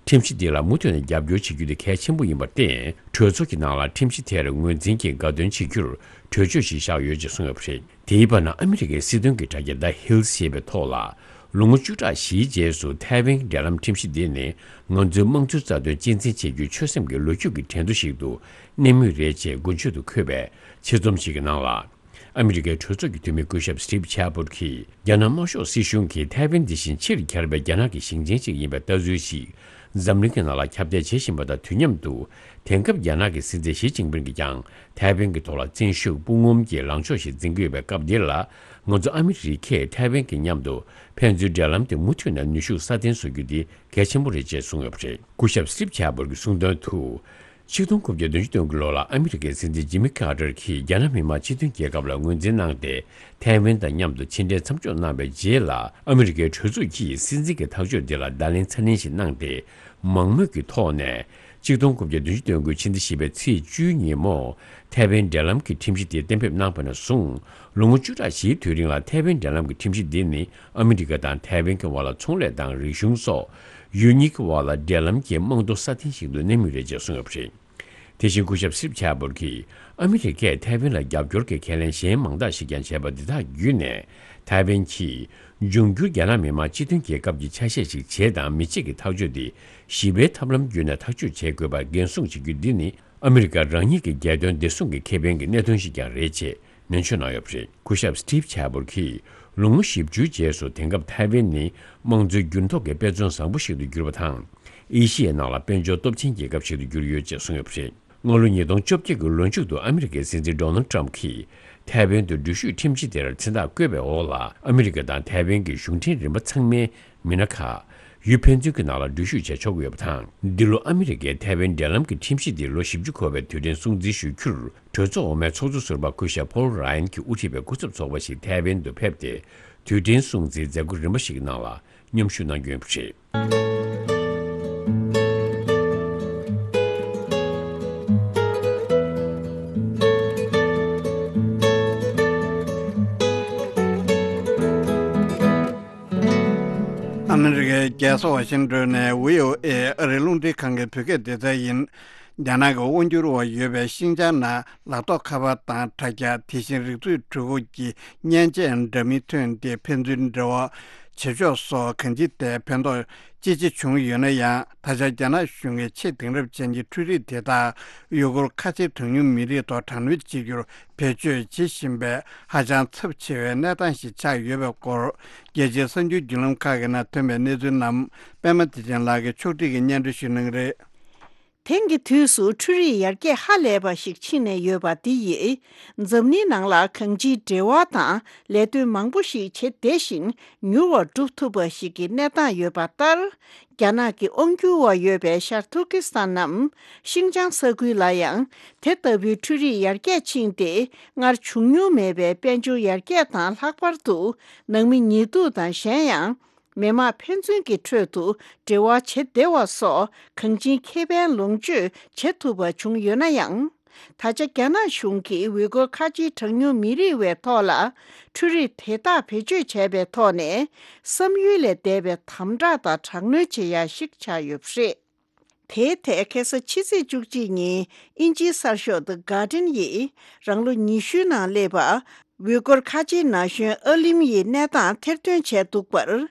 ཁྲིམས་གཞི་འདི་ལ་མུ་མཐུད་ནས་རྒྱབ་སྐྱོར་བྱེད་རྒྱུ་དེ་གལ་ཆེན་པོ་ཡིན་པར་བརྟེན། གྲོས་ཚོགས་ཀྱི་ནང་ལ་ཁྲིམས་གཞི་དེར་ངོས་འཛིན་གྱིས་དགའ་སྟོན་བྱེད་རྒྱུར་གྲོས་ཆོད་ཞིག་བཞག་ཡོད་ཅེས་གསུངས་ཡོད་པ་རེད། དེའི་བར་ན་ཨ་མི་རི་ཀའི་སྲིད་དོན་གྱི་དྲ་རྒྱ་The Hill ཞེས་པའི་ཐོག་ལ། ལོ་ངོ་བཅུ་ཕྲག་བཞིའི་རྗེས་སུ་ཐའེ་ཝན་གྱི་འབྲེལ་ལམ་ཁྲིམས་གཞི་འདི་ནི་ང་ཚོའི་དམངས་གཙོའི་རྩ་དོན་གཅེས་འཛིན་བྱེད་རྒྱུའི་ཆོད་སེམས་ཀྱི་ལོ་རྒྱུས་ཀྱི་དྲན་གདུང་ཞིག་ཏུ་གནས་མུས་རེད་ཅེས་མགོན་ཆེད་དུ་འཁོད་པའི་ཆེད་རྩོམ་ཞིག་གི་ནང་ལ། ཨ་མི་རི་ཀའི་གྲོས་ཚོགས་ཀྱི་འཐུས་མི་སྐུ་ཞབས་སི་ཊིབ་ཆེ་པོར་གྱིས། རྒྱ་ནག་དམར་ཤོག་སྲིད་གཞུང་གིས་ཐའེ་ཝན་འདི་བཞིན་ཕྱིར་གྱར་བའི་རྒྱ་ནག་གི་ཞིང་ཆེན་ཞིག་ཡིན་པའི་ལྟ་ཚུལ་ཞིག་ འཛམ་གླིང་གི་ནང་ལ་ཁྱབ་གདལ་བྱེད་བཞིན་པ་དང་དུས་མཉམ་དུ། དེང་སྐབས་རྒྱ་ནག་གི་སྲིད་འཛིན་ཞི་ཅིན་ཕིང་གིས་ཀྱང་ཐའེ་ཝན་གྱི་ཐོག་ལ་བཙན་ཤུགས་དཔུང་ངོམ་གྱི་ལངས་ཕྱོགས་ཤིག་འཛིན་གྱི་ཡོད་པའི་སྐབས་འདི་ལ། ང་ཚོ་ཨ་མི་རི་ཁས་ཐའེ་ཝན་གྱི་མཉམ་དུ་ཕན་ཚུན་འབྲེལ་ལམ་དེ་མུ་མཐུད་ནས་ནུས་ཤུགས་སྲ་བརྟན་བཟོ་རྒྱུ་དེ་གལ་ཆེན་པོ་རེད་ཅེས་གསུངས་ཡོད་པ་རེད། སྐུ་ཞབས་སི་ཊིབ་ཆེ་བོར་གྱིས་གསུངས་དོན་དུ། ཆིག་སྟོང་དགུ་བརྒྱ་བདུན་ཅུ་དོན་དགུ་ལོ་ལ་ཨ་མི་རི་ཀའི་སྲིད་འཛིན་ཇི་མི་ཀར་ཏར་གྱིས་རྒྱ་ནག་མི་དམངས་སྤྱི་མཐུན་རྒྱལ་ཁབ་ལ་ངོས་འཛིན་གནང་སྟེ། ཐའེ་ཝན་དང་མཉམ་དུ་ཕྱི་འབྲེལ་མཚམས་འཇོག་གནང་བའི་རྗེས་ལ། ཨ་མི་རི་ཀའི་གྲོས་ཚོགས་ཀྱིས་སྲིད་འཛིན་གྱི་ཐག་གཅོད་འདི་ལ་བརྡ་ལན་ཚ་ནན་ཞིག་གནང་སྟེ། མང་མོས་ཀྱི་ཐོག་ནས། ཆིག་སྟོང་དགུ་བརྒྱ་བདུན་ཅུ་དོན་དགུ་ཕྱི་ཟླ་བཞི་པའི་ཚེས་བཅུའི་ཉིན་མོ། ཐའེ་ཝན་འབྲེལ་ལམ་གྱི་ཁྲིམས་གཞི་དེ་གཏན་འབེབས་གནང་བ་ནས་བཟུང་། ལོ་ངོ་བཅུ་ཕྲག་བཞིའི་དུས་རིང་ལ་ཐའེ་ཝན་འབྲེལ་ལམ་གྱི་ཁྲིམས་གཞི་འདི་ནི། ཨ་མི་རི་ཀ་དང་ཐའེ་ཝན་གྱི་བར་ལ་ཚོང་ལས་དང་རིག་གཞུང་སོགས། ཡུལ་གཉིས་ཀྱི་བར་ལ་འབྲེལ་ལམ་གྱི་རྨང་རྡོ་སྲ་བརྟན་ཞིག་ཏུ་གནས་མུས་རེད་ཅེས་གསུངས་ཡོད་པ་རེད། དེ་བཞིན་སྐུ་ཞབས་སི་ཊིབ་ཆེ་བོར་གྱིས། ཨ་མི་རི་ཀས་ཐའེ་ཝན་ལ་རྒྱབ་སྐྱོར་གྱི་ཁས་ལེན་གཞན་མང་དག་ཞིག་ཀྱང་བྱས་པ་འདི་དག་བརྒྱུད་ནས། ཐའེ་ཝན་གྱིས་འབྱུང་འགྱུར་རྒྱ་ནག་མི་དམངས་སྤྱི་མཐུན་རྒྱལ་ཁབ་ཀྱི་ཆ་ཤས་ཤིག་བྱེད་དང་མི་བྱེད་ཀྱི་ཐག་གཅོད་དེ་ཞི་བའི་ཐབས་ལམ་བརྒྱུད་ནས་ཐག་གཅོད་བྱེད་དགོས་པར་འགན་སྲུང་བྱེད་རྒྱུ་འདི་ནི། ཨ་མི་རི་ཀ་རང་ཉིད་ཀྱི་རྒྱལ་དོན་བདེ་སྲུང་གི་ཁེ་ཕན་གྱི་གནད་དོན་ཞིག་ཀྱང་རེད་ཅེས་ནན་བརྗོད་གནང་ཡོད་པ་རེད། སྐུ་ཞབས་སི་ཊིབ་ཆེ་བོར་གྱིས། ལོ་ངོ་བཞི་བཅུའི་རྗེས་སུ་དེང་སྐབས་ཐའེ་ཝན་ནི་དམངས་གཙོའི་འགྱུར་ལྡོག་གི་དཔེ་མཚོན་བཟང་པོ་ཞིག་ཏུ་གྱུར་པ་དང་། ཨེ་ཤི་ཡའི་ནང་ལ་དཔལ་འབྱོར་སྟོབས་ཆེན་རྒྱལ་ཁབ་ཞིག་ཏུ་གྱུར་ཡོད་ཅེས་གསུངས་ཡོད་པ་རེད། སྔ་ལོ་ཉིས་སྟོང་བཅོ་བརྒྱད་ཀྱི་ལོ་མཇུག་ཏུ་ཨ་མི་རི་ཀའི་སྲིད་འཛིན་ཌོ་ནལ་ཊམ་གྱིས་ཐའེ་ཝན་དུ་འགྲུལ་བཞུད་ཁྲིམས་གཞི་དེར་མཚན་རྟགས་བཀོད་པའི་འོག་ལ། ཨ་མི་རི་ཀ་དང་ཐའེ་ཝན་གྱི་གཞུང་འབྲེལ་རིམ་པ་ཚང་མའི་མི་སྣ་ཁག་ཡུལ་ཕན་ཚུན་གྱི་ནང་ལ་འགྲུལ་བཞུད་བྱེད་ཆོག་གི་ཡོད་པ་དང་། འདི་ལོ་ཨ་མི་རི་ཀའི་ཐའེ་ཝན་འབྲེལ་ལམ་གྱི་ཁྲིམས་གཞི་འདི་ལོ་བཞི་བཅུ་འཁོར་བའི་དུས་དྲན་སྲུང་བརྩི་ཞུ་རྒྱུར། གྲོས་ཚོགས་འོག་མའི་ཚོགས་གཙོ་ཟུར་པ་སྐུ་ཞབས་ཕོལ་ར་ཡན་གྱིས་དབུ་ཁྲིད་པའི་སྐུ་ཚབ་ཚོགས་པ་ཞིག་ཐའེ་ཝན་དུ་ཕེབས་ཏེ། དུས་དྲན་སྲུང་བརྩིའི་མཛད་སྒོ་རིམ་པ་ཞིག་གི་ནང་ལ་མཉམ་ཞུགས་གནང་རྒྱུ་ཡིན་པ་རེད། ཨ་མི་རི་ཀའི་རྒྱལ་ས་ཝ་ཤིང་ཏོན་ནས་བྷི་ཨོ་ཨེ་ཨ་རིའི་རླུང་འཕྲིན་ཁང་གི་བོད་སྐད་སྡེ་ཚན་ཡིན། རྒྱ་ནག་གི་དབང་སྒྱུར་འོག་ཡོད་པའི་ཤིན་ཅང་ནང་ལག་ཐོགས་ཁ་པར་དང་དྲ་རྒྱ། དེ་བཞིན་རིག་མཛོད་འཕྲུལ་འཁོར་གྱི་མཉེན་ཆས་འདྲ་མིན་ཐོན་ཏེ་ཕན་ཚུན་འབྲེལ་བ་བྱེད་ཕྱོགས་སོགས་གང་ཅིའི་ཐད་ཕན་ཐོགས་ཅི་ཆེ་བྱུང་ཡོད་ན་ཡང་། ད་ཆ་རྒྱ་ནག་གཞུང་གིས་ཆེས་དེང་རབས་ཅན་གྱི་འཕྲུལ་རིག་དེ་དག་ཡུ་གུར་ཁ་ཆེ་གྲངས་ཉུང་མི་རིགས་ཐོག་དྲག་གནོན་བྱེད་རྒྱུར་བེད་སྤྱོད་བྱེད་བཞིན་པའི་ཧ་ཅང་ཚབས་ཆེ་བའི་གནས་སྟངས་ཤིག་ཆགས་ཡོད་པའི་སྐོར། རྒྱལ་སྤྱིའི་གསར་འགྱུར་བརྒྱུད་ལམ་ཁག་གི་ནང་ཐོན་པའི་གནས་ཚུལ་རྣམས་པད་མ་བདེ་ཆེན་ལགས་ཀྱིས་ཕྱོགས་སྒྲིག་གིས་སྙན་སྒྲོན་ཞུ་གནང་གི་རེད། དེང་གི་དུས་སུ་འཕྲུལ་རིག་ཡར་རྒྱས་ཧ་ལས་པ་ཞིག་ཕྱིན་ནས་ཡོད་པ་འདི་ཡིས། འཛམ་གླིང་ནང་ལ་གང་ཅིའི་འབྲེལ་བ་དང་ལས་དོན་མང་པོ་ཞིག་བྱེད་བདེ་ཞིང་མྱུར་བར་སྒྲུབ་ཐུབ་པ་ཞིག་གི་གནས་སྟངས་ཡོད་པ་ལྟར། རྒྱ་ནག་གི་དབང་སྒྱུར་འོག་ཡོད་པའི་ཤར་ཐུར་ཀི་སི་ཐན་ནམ་ཤིན་ཅང་ས་ཁུལ་ལ་ཡང་དེ་ལྟ་བུའི་འཕྲུལ་རིག་ཡར་རྒྱས་ཕྱིན་ཏེ། སྔར་བྱུང་མྱོང་མེད་པའི་དཔལ་འབྱོར་ཡར་རྒྱས་དང་ལྷག་པར་དུ་ནང་མི་ཉི་གདུགས་དང་གཞན་ཡང་། མི་དམངས་ཕན་ཚུན་གྱི་ཁྲོད་དུ་འབྲེལ་བ་བྱེད་བདེ་བ་སོགས་གང་ཅིའི་ཁེ་ཕན་ལོངས་སྤྱོད་བྱེད་ཐུབ་པ་བྱུང་ཡོད་ན་ཡང་། ད་ཆ་རྒྱ་ནག་གཞུང་གིས་ཝུས་གུར་ཁ་ཆེའི་གྲངས་ཉུང་མི་རིགས་བའི་ཐོག་ལ་འཕྲུལ་རིག་དེ་དག་བེད་སྤྱོད་བྱས་པའི་ཐོག་ནས་བསམ་ཡུལ་ལས་འདས་པའི་དམ་དྲག་དང་དྲག་གནོན་བྱེད་ཡ་ཞིག་ཆགས་ཡོད་པ་རེད། དེའི་ཐད་ཁ་སང་ཕྱི་ཚེས་བཅུ་གཅིག་ཉིན་དབྱིན་ཇིའི་གསར་ཤོག་The Guardian་ཡིས་རང་ལོ་ཉི་ཤུའི་ནང་སླེབས་པ། ཝུས་གུར་ཁ་ཆེའི་ན་གཞོན་ཨ་ལིམ་ཡི་གནས་སྟངས་ཐེར་འདོན་བྱས་འདུག་པར།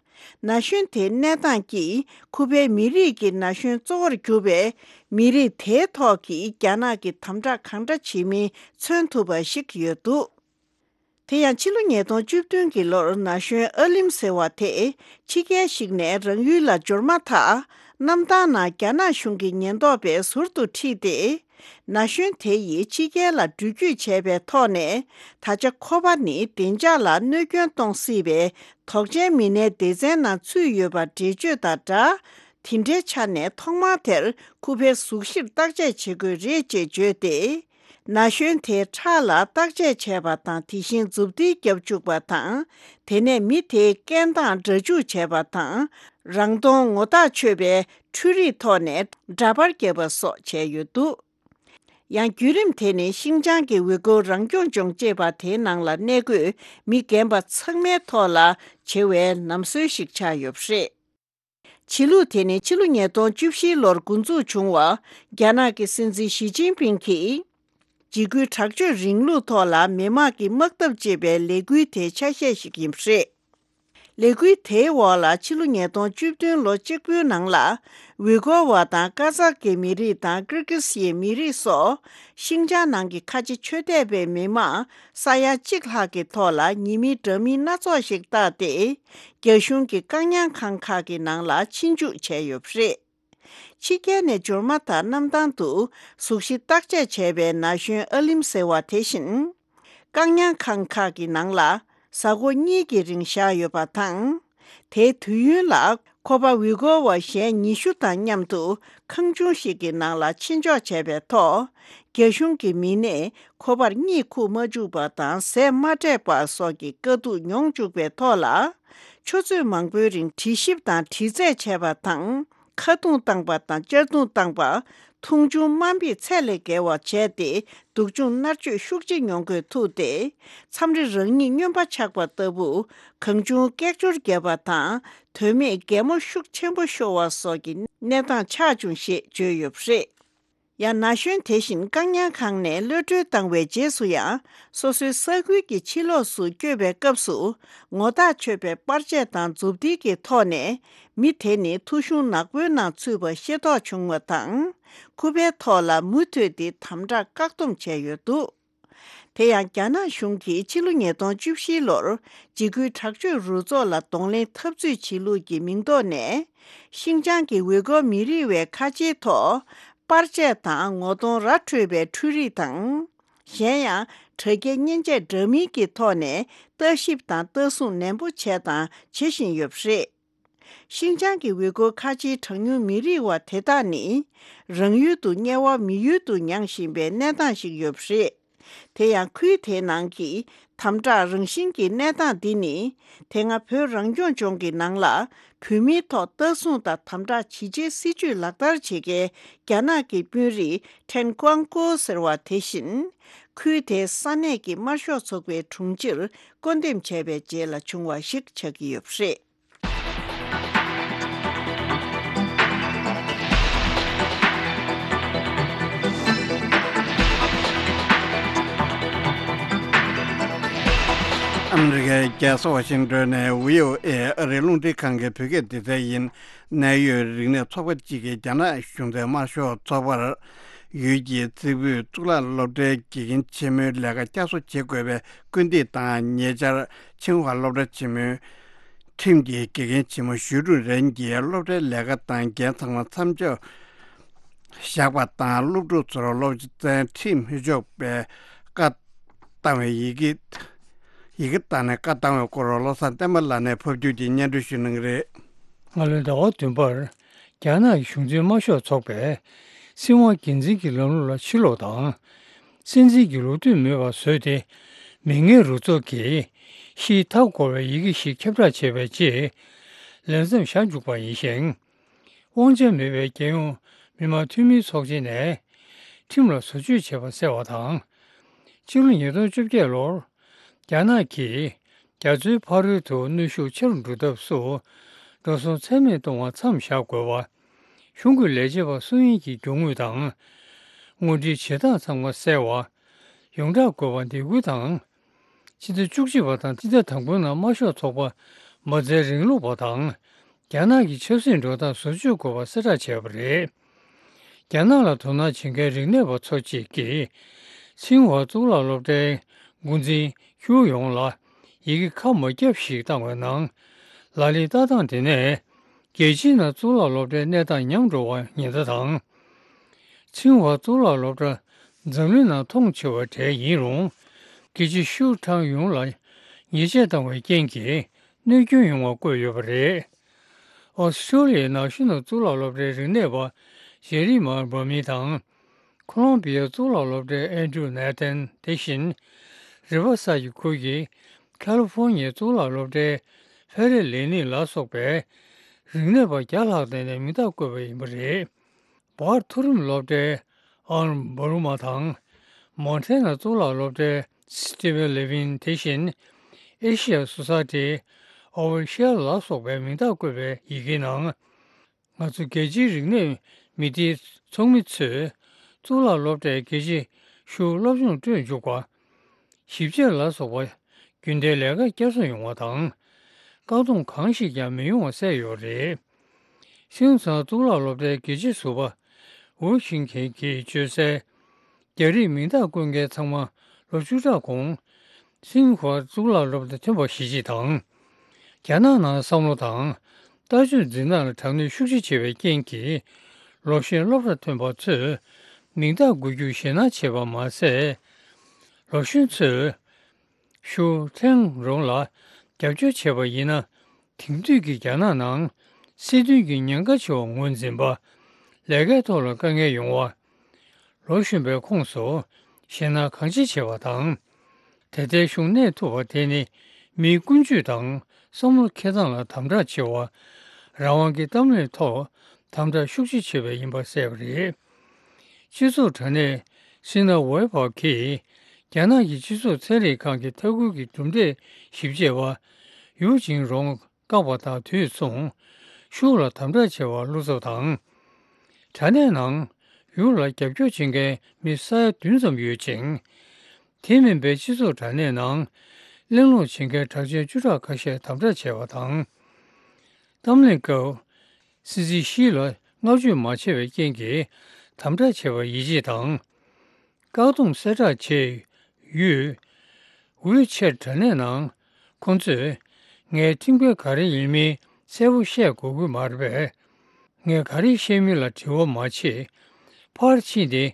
ན་གཞོན་དེའི་གནས་སྟངས་ཀྱིས་ཁུ་པའི་མི་རིགས་ཀྱི་ན་གཞོན་གཙོ་བོར་གྱུར་པའི་མི་རིགས་དེའི་ཐོག་གི་རྒྱ་ནག་གི་དམ་དྲག་གང་འདྲ་བྱེད་མིན་མཚོན་ཐུབ་པ་ཞིག་ཡོད་འདུག་དེ་ཡང་ཕྱི་ལོ་ཉིས་སྟོང་བཅུ་བདུན་གྱི་ལོར་ན་གཞོན་ཨ་ལིམ་ཟེར་བ་དེ་ཕྱི་རྒྱལ་ཞིག་ནས་རང་ཡུལ་ལ་འབྱོར་མ་ཐག་གནམ་ཐང་ནང་རྒྱ་ནག་གཞུང་གི་ཉེན་རྟོག་པས་ཟུར་དུ་ཁྲིད་དེ། ན་གཞོན་དེ་ཡིས་ཕྱི་རྒྱལ་ལ་འགྲུལ་སྐྱོད་བྱས་པའི་ཐོག་ནས། ད་ཆ་ཁོ་པ་ནི་བདེ་འཇགས་ལ་གནོད་སྐྱོན་གཏོང་སྲིད་པའི་དོགས་ཅན་མི་སྣའི་སྡེ་ཚན་ནང་ཚུད་ཡོད་པ་འགྲེལ་བརྗོད་དང་སྦྲགས། དེ་འདྲའི་ཆ་ནས་ཐོག་མར་དེར་ཁུ་པའི་གཟུགས་གཞིར་བརྟག་དཔྱད་བྱེད་དགོས་རེད་ཅེས་བརྗོད་དེ། ན་གཞོན་དེའི་ཁྲག་ལ་བརྟག་དཔྱད་བྱས་པ་དང་། དེ་བཞིན་མཛུབ་ཐེལ་བརྒྱབ་བཅུག་པ་དང་། དེ་ནས་མི་དེའི་སྐད་མདངས་སྒྲ་འཇུག་བྱས་པ་དང་། རང་མཐོང་ངོ་རྟགས་ཆོད་པའི་འཕྲུལ་རིག་ཐོག་ནས་འདྲ་པར་བརྒྱབ་པ་སོགས་བྱས་ཡོད་འདུག་ཡང་བརྒྱུད་རིམ་དེ་ནི་ཤིན་ཅང་གི་ཝུས་གུར་རང་སྐྱོང་ལྗོངས་ཅེས་པ་དེའི་ནང་ལ་གནས་འཁོད་མི་རྒན་པ་ཚང་མའི་ཐོག་ལ་བྱེད་པའི་ལམ་སྲོལ་ཞིག་ཆགས་ཡོད་པ་རེད། བྱེད་ལུགས་དེ་ནི་ཕྱི་ལོ་ཉིས་སྟོང་བཅུ་བཞི་ལོར་འགོ་འཛུགས་བྱུང་བ། རྒྱ་ནག་གི་སྲིད་འཛིན་ཞི་ཅིན་ཕིང་གིས། འཇིགས་སྐུལ་དྲག་སྤྱོད་རིང་ལུགས་ཐོག་ལ་མི་དམངས་ཀྱི་དམག་འཐབ་ཅེས་པའི་ལས་འགུལ་དེའི་ཆ་ཤས་ཤིག་ཡིན་པ་རེད། ལས་འགུལ་དེའི་འོག་ལ་ཕྱི་ལོ་ཉིས་སྟོང་བཅུ་བདུན་ལོ་གཅིག་པུའི་ནང་ལ། ཝུས་གོར་བ་དང་ཀ་ཛག་གི་མི་རིགས་དང་ཀིར་ཀིས་ཡའི་མི་རིགས་སོགས། ཤིང་ཅང་ནང་གི་ཁ་ཆེ་ཆོས་དད་པའི་མི་མང་ས་ཡ་གཅིག་ལྷག་གི་ཐོག་ལ་ཉེས་མིང་འདྲ་མིན་སྣ་ཚོགས་ཤིག་བཏགས་ཏེ། རྒྱ་གཞུང་གི་བཀག་ཉར་ཁང་ཁག་གི་ནང་ལ་ཕྱིན་འཇུག་བྱས་ཡོད་པ་རེད། ཕྱི་རྒྱལ་ནས་འབྱོར་མ་ཐག་གནམ་ཐང་དུ་གཟུགས་གཞི་བརྟག་དཔྱད་བྱས་པའི་ན་གཞོན་ཨ་ལིམ་ཟེར་བ་དེ་བཞིན། བཀག་ཉར་ཁང་ཁག་གི་ནང་ལ་གཟའ་འཁོར་གཉིས་ཀྱི་རིང་བཞག་ཡོད་པ་དང་། དེའི་དུས་ཡུན་ལ་ཁོ་པ་ཝི་གོ་བ་གཞན་ཉི་ཤུ་དང་མཉམ་དུ་ཁང་ཆུང་ཞིག་གི་ནང་ལ་ཕྱིན་འཇོག་བྱས་པའི་ཐོག་རྒྱ་གཞུང་གི་མི་སྣས་ཁོ་པར་གཉིད་ཁུག་མ་བཅུག་པ་དང་ཟས་མ་སྤྲད་པ་སོགས་ཀྱི་དཀའ་སྡུག་མྱོང་བཅུག་པའི་ཐོག་ལ། ཆུ་ཚོད་མང་པོའི་རིང་དྲི་ཞིབ་དང་དྲི་རྩད་བྱས་པ་དང་། ཁ་རྡུང་བཏང་པ་དང་གཅར་རྡུང་བཏང་པ། མཐོང་ཆུང་དམའ་འབེབས་ཚད་ལས་བརྒལ་བ་བྱས་ཏེ། སྡུག་སྦྱོང་མནར་གཅོད་ཤུགས་ཆེ་མྱོང་དགོས་ཐུག་སྟེ། མཚམས་རེ་རང་ཉིད་སྨྱོན་པ་ཆགས་པ་ལྟ་བུ། གང་བྱུང་སྐད་ཅོར་བརྒྱབ་པ་དང་། དོན་མེད་གད་མོ་ཤུགས་ཆེན་པོ་ཤོར་བ་སོགས་ཀྱི་གནས་སྟངས་ཆགས་བྱུང་ཞེས་བརྗོད་ཡོད་པ་རེད། ཡང་ན་གཞོན་དེ་བཞིན་བཀག་ཉར་ཁང་ནས་གློད་གྲོལ་བཏང་བའི་རྗེས་སུ་ཡང་། སོ་སོའི་ས་ཁུལ་གྱི་ཕྱི་ལོགས་སུ་བསྐྱོད་པའི་སྐབས་སུ། ངོ་ཐག་ཆོད་པའི་པར་ཆས་དང་མཛུབ་ཐེལ་གྱི་ཐོག་ནས། མི་དེ་ནི་ཐོ་གཞུང་ནག་པོའི་ནང་ཚུད་པ་ཤེས་རྟོགས་བྱུང་བ་དང་། ཁུ་པའི་ཐོག་ལ་མུ་མཐུད་དེ་དམ་དྲག་བཀག་སྡོམ་བྱས་ཡོད་འདུག་དེ་ཡང་། རྒྱ་ནག་གཞུང་གིས་ཕྱི་ལོ་ཉིས་སྟོང་བཅུ་བཞིའི་ལོར། འཇིགས་སྐུལ་དྲག་སྤྱོད་རུ་ཚོགས་ལ་གདོང་ལེན་འཐབ་རྩོད་བྱེད་ལུགས་ཀྱི་མིང་ཐོག་ནས། ཤིན་ཅང་གི་ཝེ་གོ་མི་རིགས་བའི་ཁ་ཆེའི་ཐོག་པར་ཆས་དང་ངོ་གདོང་ར་འཕྲོད་པའི་འཕྲུལ་རིག་དང་། གཞན་ཡང་། དྲ་རྒྱའི་མཉེན་ཆས་འདྲ་མིན་གྱི་ཐོག་ནས་ལྟ་ཞིབ་དང་ལྟ་སྲུང་ནན་པོ་བྱས་དང་བྱེད་བཞིན་ཡོད་པ་རེད། ཤིན་ཅང་གི་ཝེ་གོ་ཁ་ཆེའི་གྲངས་ཉུང་མི་རིགས་བ་དེ་དག་ནི། རང་ཡུལ་དུ་དམྱལ་བ་མི་ཡུལ་དུ་མྱངས་བཞིན་པའི་གནས་སྟངས་ཤིག་ཡོད་པ་རེད། དེ་ཡང་ཁུལ་དེའི་ནང་གི་དམ་དྲག་རང་བཞིན་གྱི་གནས་སྟངས་འདི་ནི། དེ་སྔ་བོད་རང་སྐྱོང་ལྗོངས་ཀྱི་ནང་ལ་བོད་མིའི་ཐོག་ལྟ་སྲུང་དང་དམ་དྲག་ཇི་བྱེད་སྲིད་ཇུས་ལག་བསྟར་བྱེད་མཁན་རྒྱ་ནག་གི་དཔོན་རིགས་ཁྲེན་ཀོང་ཀོ་ཟེར་བ་དེ་བཞིན། ཁུལ་དེའི་ས་གནས་ཀྱི་དམར་ཤོག་ཚོགས་པའི་དྲུང་ཆེར་བསྐོ་འདེམས་བྱས་པའི་རྗེས་ལ་བྱུང་བ་ཞིག་ཆགས་ཀྱི་ཡོད་པ་རེད། ཨ་མི་རི་ཀའི་རྒྱལ་ས་ཝ་ཤིང་ཏོན་ནས་བྷི་ཨོ་ཨེ་ཨ་རིའི་རླུང་འཕྲིན་ཁང་གི་བོད་སྐད་སྡེ་ཚན་ཡིན། གནད་ཡོད་རིག་གནས་ཚོགས་པ་གཅིག་གིས་རྒྱ་ནག་གཞུང་འབྲེལ་དམར་ཤོག་ཚོགས་པར་ཡུལ་གྱི་རྩེ་ཕུད་གཙུག་ལག་སློབ་གྲྭའི་དགེ་རྒན་ཆེན་མོའི་ལས་ཀ་བསྐྱར་གསོ་བྱེད་དགོས་པའི་སྐུལ་འདེད་དང་། ཉེ་ཆར་ཆིང་ཧྭ་སློབ་གྲྭ་ཆེན་མོའི་ཁྲིམས་ཀྱི་དགེ་རྒན་ཆེན་མོ་ཞུས་ཀྲུང་རེན་གྱིས་སློབ་གྲྭའི་ལས་ཀ་དང་འགན་ཚང་མ་མཚམས་འཇོག་བཞག་པ་དང་། སློབ་ཕྲུག་ཚོར་སློབ་ཚན་ཁྲིད་མི་ཆོག་པའི་བཀའ་བཏང་བའི་ཡི་གེ། ཡི་གེ་བཏང་ནས་བཀའ་བཏང་བའི་སྐོར་བློ་བཟང་བསྟན་པ་ལགས་ནས་ཕབ་སྒྱུར་གྱིས་སྙན་སྒྲོན་ཞུ་གནང་གི་རེད། སྔ་ལོའི་ཟླ་བ་བདུན་པར། རྒྱ་ནག་གི་གཞུང་འཛིན་དམར་ཤོག་ཚོགས་པས་སྲིད་དབང་སྒེར་འཛིན་གྱི་ལམ་ལུགས་ལ་ཕྱིར་ལོག་དང་། སྲིད་འཛིན་གྱི་ལོ་དུས་མེད་པར་བཟོས་ཏེ། མི་ངན་རུ་ཚོགས་ཀྱིས་ཕྱིའི་མཐའ་བསྐོར་བའི་ཡི་གེ་ཞིག་ཁྱབ་བསྒྲགས་བྱས་པའི་རྗེས། ལས་མཚམས་བཞག་འཇུག་པ་ཡིན་ཞིང་། དབང་ཆ་མེད་པའི་རྒྱལ་ཡོངས་མི་དམངས་འཐུས་མིའི་ཚོགས་ཆེན་ནས་ཁྲིམས་ལ་བཟོ་བཅོས་བྱས་པ་གསལ་བ་དང་། ཕྱི་ལོ་ཉིས་སྟོང་བཅོ་བརྒྱད་ལོར་རྒྱ་ནག་གིས་རྒྱ་མཚོའི་ཕ་རོལ་དུ་གནོན་ཤུགས་ཆེ་རུ་འགྲོ་ཐབས་སུ་འགྲོ་སོང་ཚད་མེད་གཏོང་བར་མཚམས་བཞག་དགོས་པ། གཞུང་གི་ལས་བྱེད་པ་སུ་ཡིན་གྱི་རྒྱུ་དངོས་དང་། དངོས་འབྲེལ་བྱེད་སྟངས་ཚང་མ་གསལ་བ། ཡོངས་བསྒྲགས་དགོས་པ་འདེད་སྐུལ་དང་། ཕྱི་ཟླ་བཅུ་གཅིག་པ་དང་ཕྱི་ཟླ་དང་པོའི་ནང་དམར་ཤོག་ཚོགས་པ་མ་རྩའི་རིང་ལུགས་པ་དང་། རྒྱ་ནག་གི་ཆབ་སྲིད་འགྲོ་སྟངས་བཟོ་བཅོས་དགོས་པ་གསལ་བསྒྲགས་བྱས་པ་རེད། རྒྱ་ནག་ལ་དོ་སྣང་བྱེད་མཁན་རིག་གནས་པ་ཚོ་གཅིག་གིས། ཚིང་ཧྭ་གཙུག་ལག་སློབ་གྲྭའི་འགོ་འཛིན་ཧུའུ་ཡོང་ལ་ཡི་གེ་ཁ་མ་བརྒྱབ་ཞིག་བཏང་བའི་ནང་། ལག་ལེན་བསྟར་སྟངས་དེ་ནས། རྒྱལ་སྤྱིའི་ནང་གཙུག་ལག་སློབ་གྲྭའི་གནས་སྟངས་ཉམས་འགྲོ་བར་ཉེན་བརྡ་དང་། ཚིང་ཧྭ་གཙུག་ལག་སློབ་གྲྭ་འཛམ་གླིང་ནང་མཐོང་ཆེ་བའི་གྲས་ཡིན་རུང་། དགེ་བྱེད་ཧྲུའུ་ཁྲང་ཡུང་ལ་ཉེས་ཆད་བཏང་བའི་རྐྱེན་གྱིས་གནོད་སྐྱོན་ཡོང་བ་བཀོད་ཡོད་པ་རེད། ཨོ་སི་ཀྲོ་ལི་ཡའི་ནང་ཤུལ་ནང་གཙུག་ལག་སློབ་གྲྭའི་རིག་གནས་པ་ཇེ་རི་མ་བྷ་མི་དང་། ཁོ་ལོམ་བི་ཡའི་གཙུག་ལག་སློབ་གྲྭའི་ཨན་ཌྲུ་ནེ་ཐན། དེ་བཞིན། རི་ཝར་སའི་ཁུལ་གྱི་ཁ་ལི་ཧྥོར་ནི་ཡའི་གཙུག་ལག་སློབ་གྲྭའི་ཧྥེ་རེ་ལེ་ནི་ལ་སོགས་པའི་རིག་གནས་པ་བརྒྱ་ལྷག་བསྡད་ནས་མིང་རྟགས་བཀོད་པ་ཡིན་པ་རེད། བར་མཐོ་རིམ་སློབ་གྲྭའི་ཨར་འབར་མ་དང་། མོན་ཊེ་ནའི་གཙུག་ལག་སློབ་གྲྭའི་སི་ཊི་ཝེན་ལེ་ཝིན། དེ་བཞིན། ཨེ་ཤི་ཡ་སོ་སའི་ཊི་ཨོ་ཝར་ཤེལ་ལ་སོགས་པའི་མིང་རྟགས་བཀོད་པའི་ཡི་གེའི་ནང་། ང་ཚོ་རྒྱལ་སྤྱིའི་རིག་གནས་མི་སྡེའི་ཚོགས་མི་ཚོས་གཙུག་ལག་སློབ་གྲྭའི་དགེ་བྱེད་ཧྲུའུ་སློབ་སྦྱོང་སྤྲོད་འཇུག་པ། ཞིབ་དཔྱད་ལ་སོགས་པ་རྒྱུན་ལྡན་ལས་ཀ་བསྐྱར་གསོ་ཡོང་བ་དང་། བཀག་སྡོམ་གང་ཞིག་ཀྱང་མི་ཡོང་བ་གསལ་ཡོད་པ་རེད། ཤིན་ཚང་གཙུག་ལག་སློབ་གྲྭའི་དགེ་བྱེད་ཟུར་པ་ཝུ་ཤིང་ཁེན་གྱིས་བརྗོད་གསལ། རྒྱ་རིགས་མིང་རྟགས་བཀོད་མཁན་ཚང་མ་ལོ་བཅུ་ཕྲག་གོང་། ཚིང་ཧྭ་གཙུག་ལག་སློབ་གྲྭ་ཐོན་པ་ཞིག་དང་། རྒྱ་ནག་ནང་བསམ་བློ་དང་ལྟ་སྤྱོད་འཛིན་སྟངས་ལ་དྲག་གནོན་ཤུགས་ཆེ་བྱས་པའི་རྐྱེན་གྱིས། ལོ་གཞོན་སློབ་གྲྭ་ཐོན་པ་ཚོས་མིང་རྟགས་འགོད་རྒྱུར་ཞེད་སྣང་བྱེད་པ་མ་ཟད། ལོ་གཞོན་ཚོས་ཤུགས་ཕྲན་རུང་ལ་རྒྱབ་སྐྱོར་བྱས་པ་ཡིན་ན། དེང་དུས་ཀྱི་རྒྱ་ནག་ནང་སྲིད་དོན་གྱི་ཉེན་ཁ་ཆེ་བ་ངོས་འཛིན་པ། ལས་ཀའི་ཐོག་ལ་དཀའ་ངལ་ཡོང་བ། ལོ་གཞོན་པའི་ཁོངས་སུ་ཞེད་སྣང་གང་ཆེ་བྱེད་པ་དང་། དེ་ལྟའི་གཞུང་གནས་ཐུབ་པ་དེ་ནི་མིའི་ཀུན་སྤྱོད་དང་བསམ་བློ་འཁྱེར་སྟངས་ལ་དམ་དྲག་ཆེ་བ། རང་དབང་གི་གཏམ་གླེང་ཐོག་དམ་དྲག་ཤུགས་ཆེ་བྱེད་པ་ཡིན་པ་གསལ་པ་རེད། སྤྱི་ཚོགས་དྲ་གནས་སི་ན་ཝེ་བྷ་གིས་རྒྱ་ནག་གི་སྤྱི་ཚོགས་ཚན་རིག་ཁང་གི་ལྟ་སྐུལ་གྱི་གྲུབ་འབྲས་ཞིབ་དཔྱད་པ་ཡུའུ་ཅིང་རོང་བཀག་པ་དང་དུས་མཚུངས་ཤུགས་ལ་དམ་དྲག་བྱས་པ་བློ་འཚབ་དང་། དྲ་གནས་ནང་ཡུའུ་ལ་རྒྱབ་སྐྱོར་བྱེད་མཁན་མི་ས་ཡ་བདུན་ཙམ་ཡོད་ཅིང་། དེ་མིན་པའི་སྤྱི་ཚོགས་དྲ་གནས་ནང་གླེང་སློང་བྱེད་མཁན་གྲགས་ཅན་བཅུ་ཕྲག་ཁ་ཤས་དམ་དྲག་བྱས་པ་དང་། གཏམ་གླེང་སྐབས་སྲིད་འཛིན་ཞི་ལ་བསྔགས་བརྗོད་མ་བྱས་པའི་རྐྱེན་གྱིས་དམ་དྲག་བྱས་པར་ཡིད་ཆེས་དང་། བཀག་སྡོམ་གསལ་བསྒྲགས་བྱས་ཡོད། ཝི་ཆེད་དྲ་གནས་ནང་ཁོང་ཚོས་ངས་ཁྲིམས་འགལ་ག་རེ་ཡིན་མིན་གསལ་པོ་བཤད་དགོས་ཀྱི་མ་རེད་པས། ངས་ག་རེ་བཤད་མིན་ལ་དྲི་བ་མ་བྱེད། ཕར་ཕྱིན་ཏེ་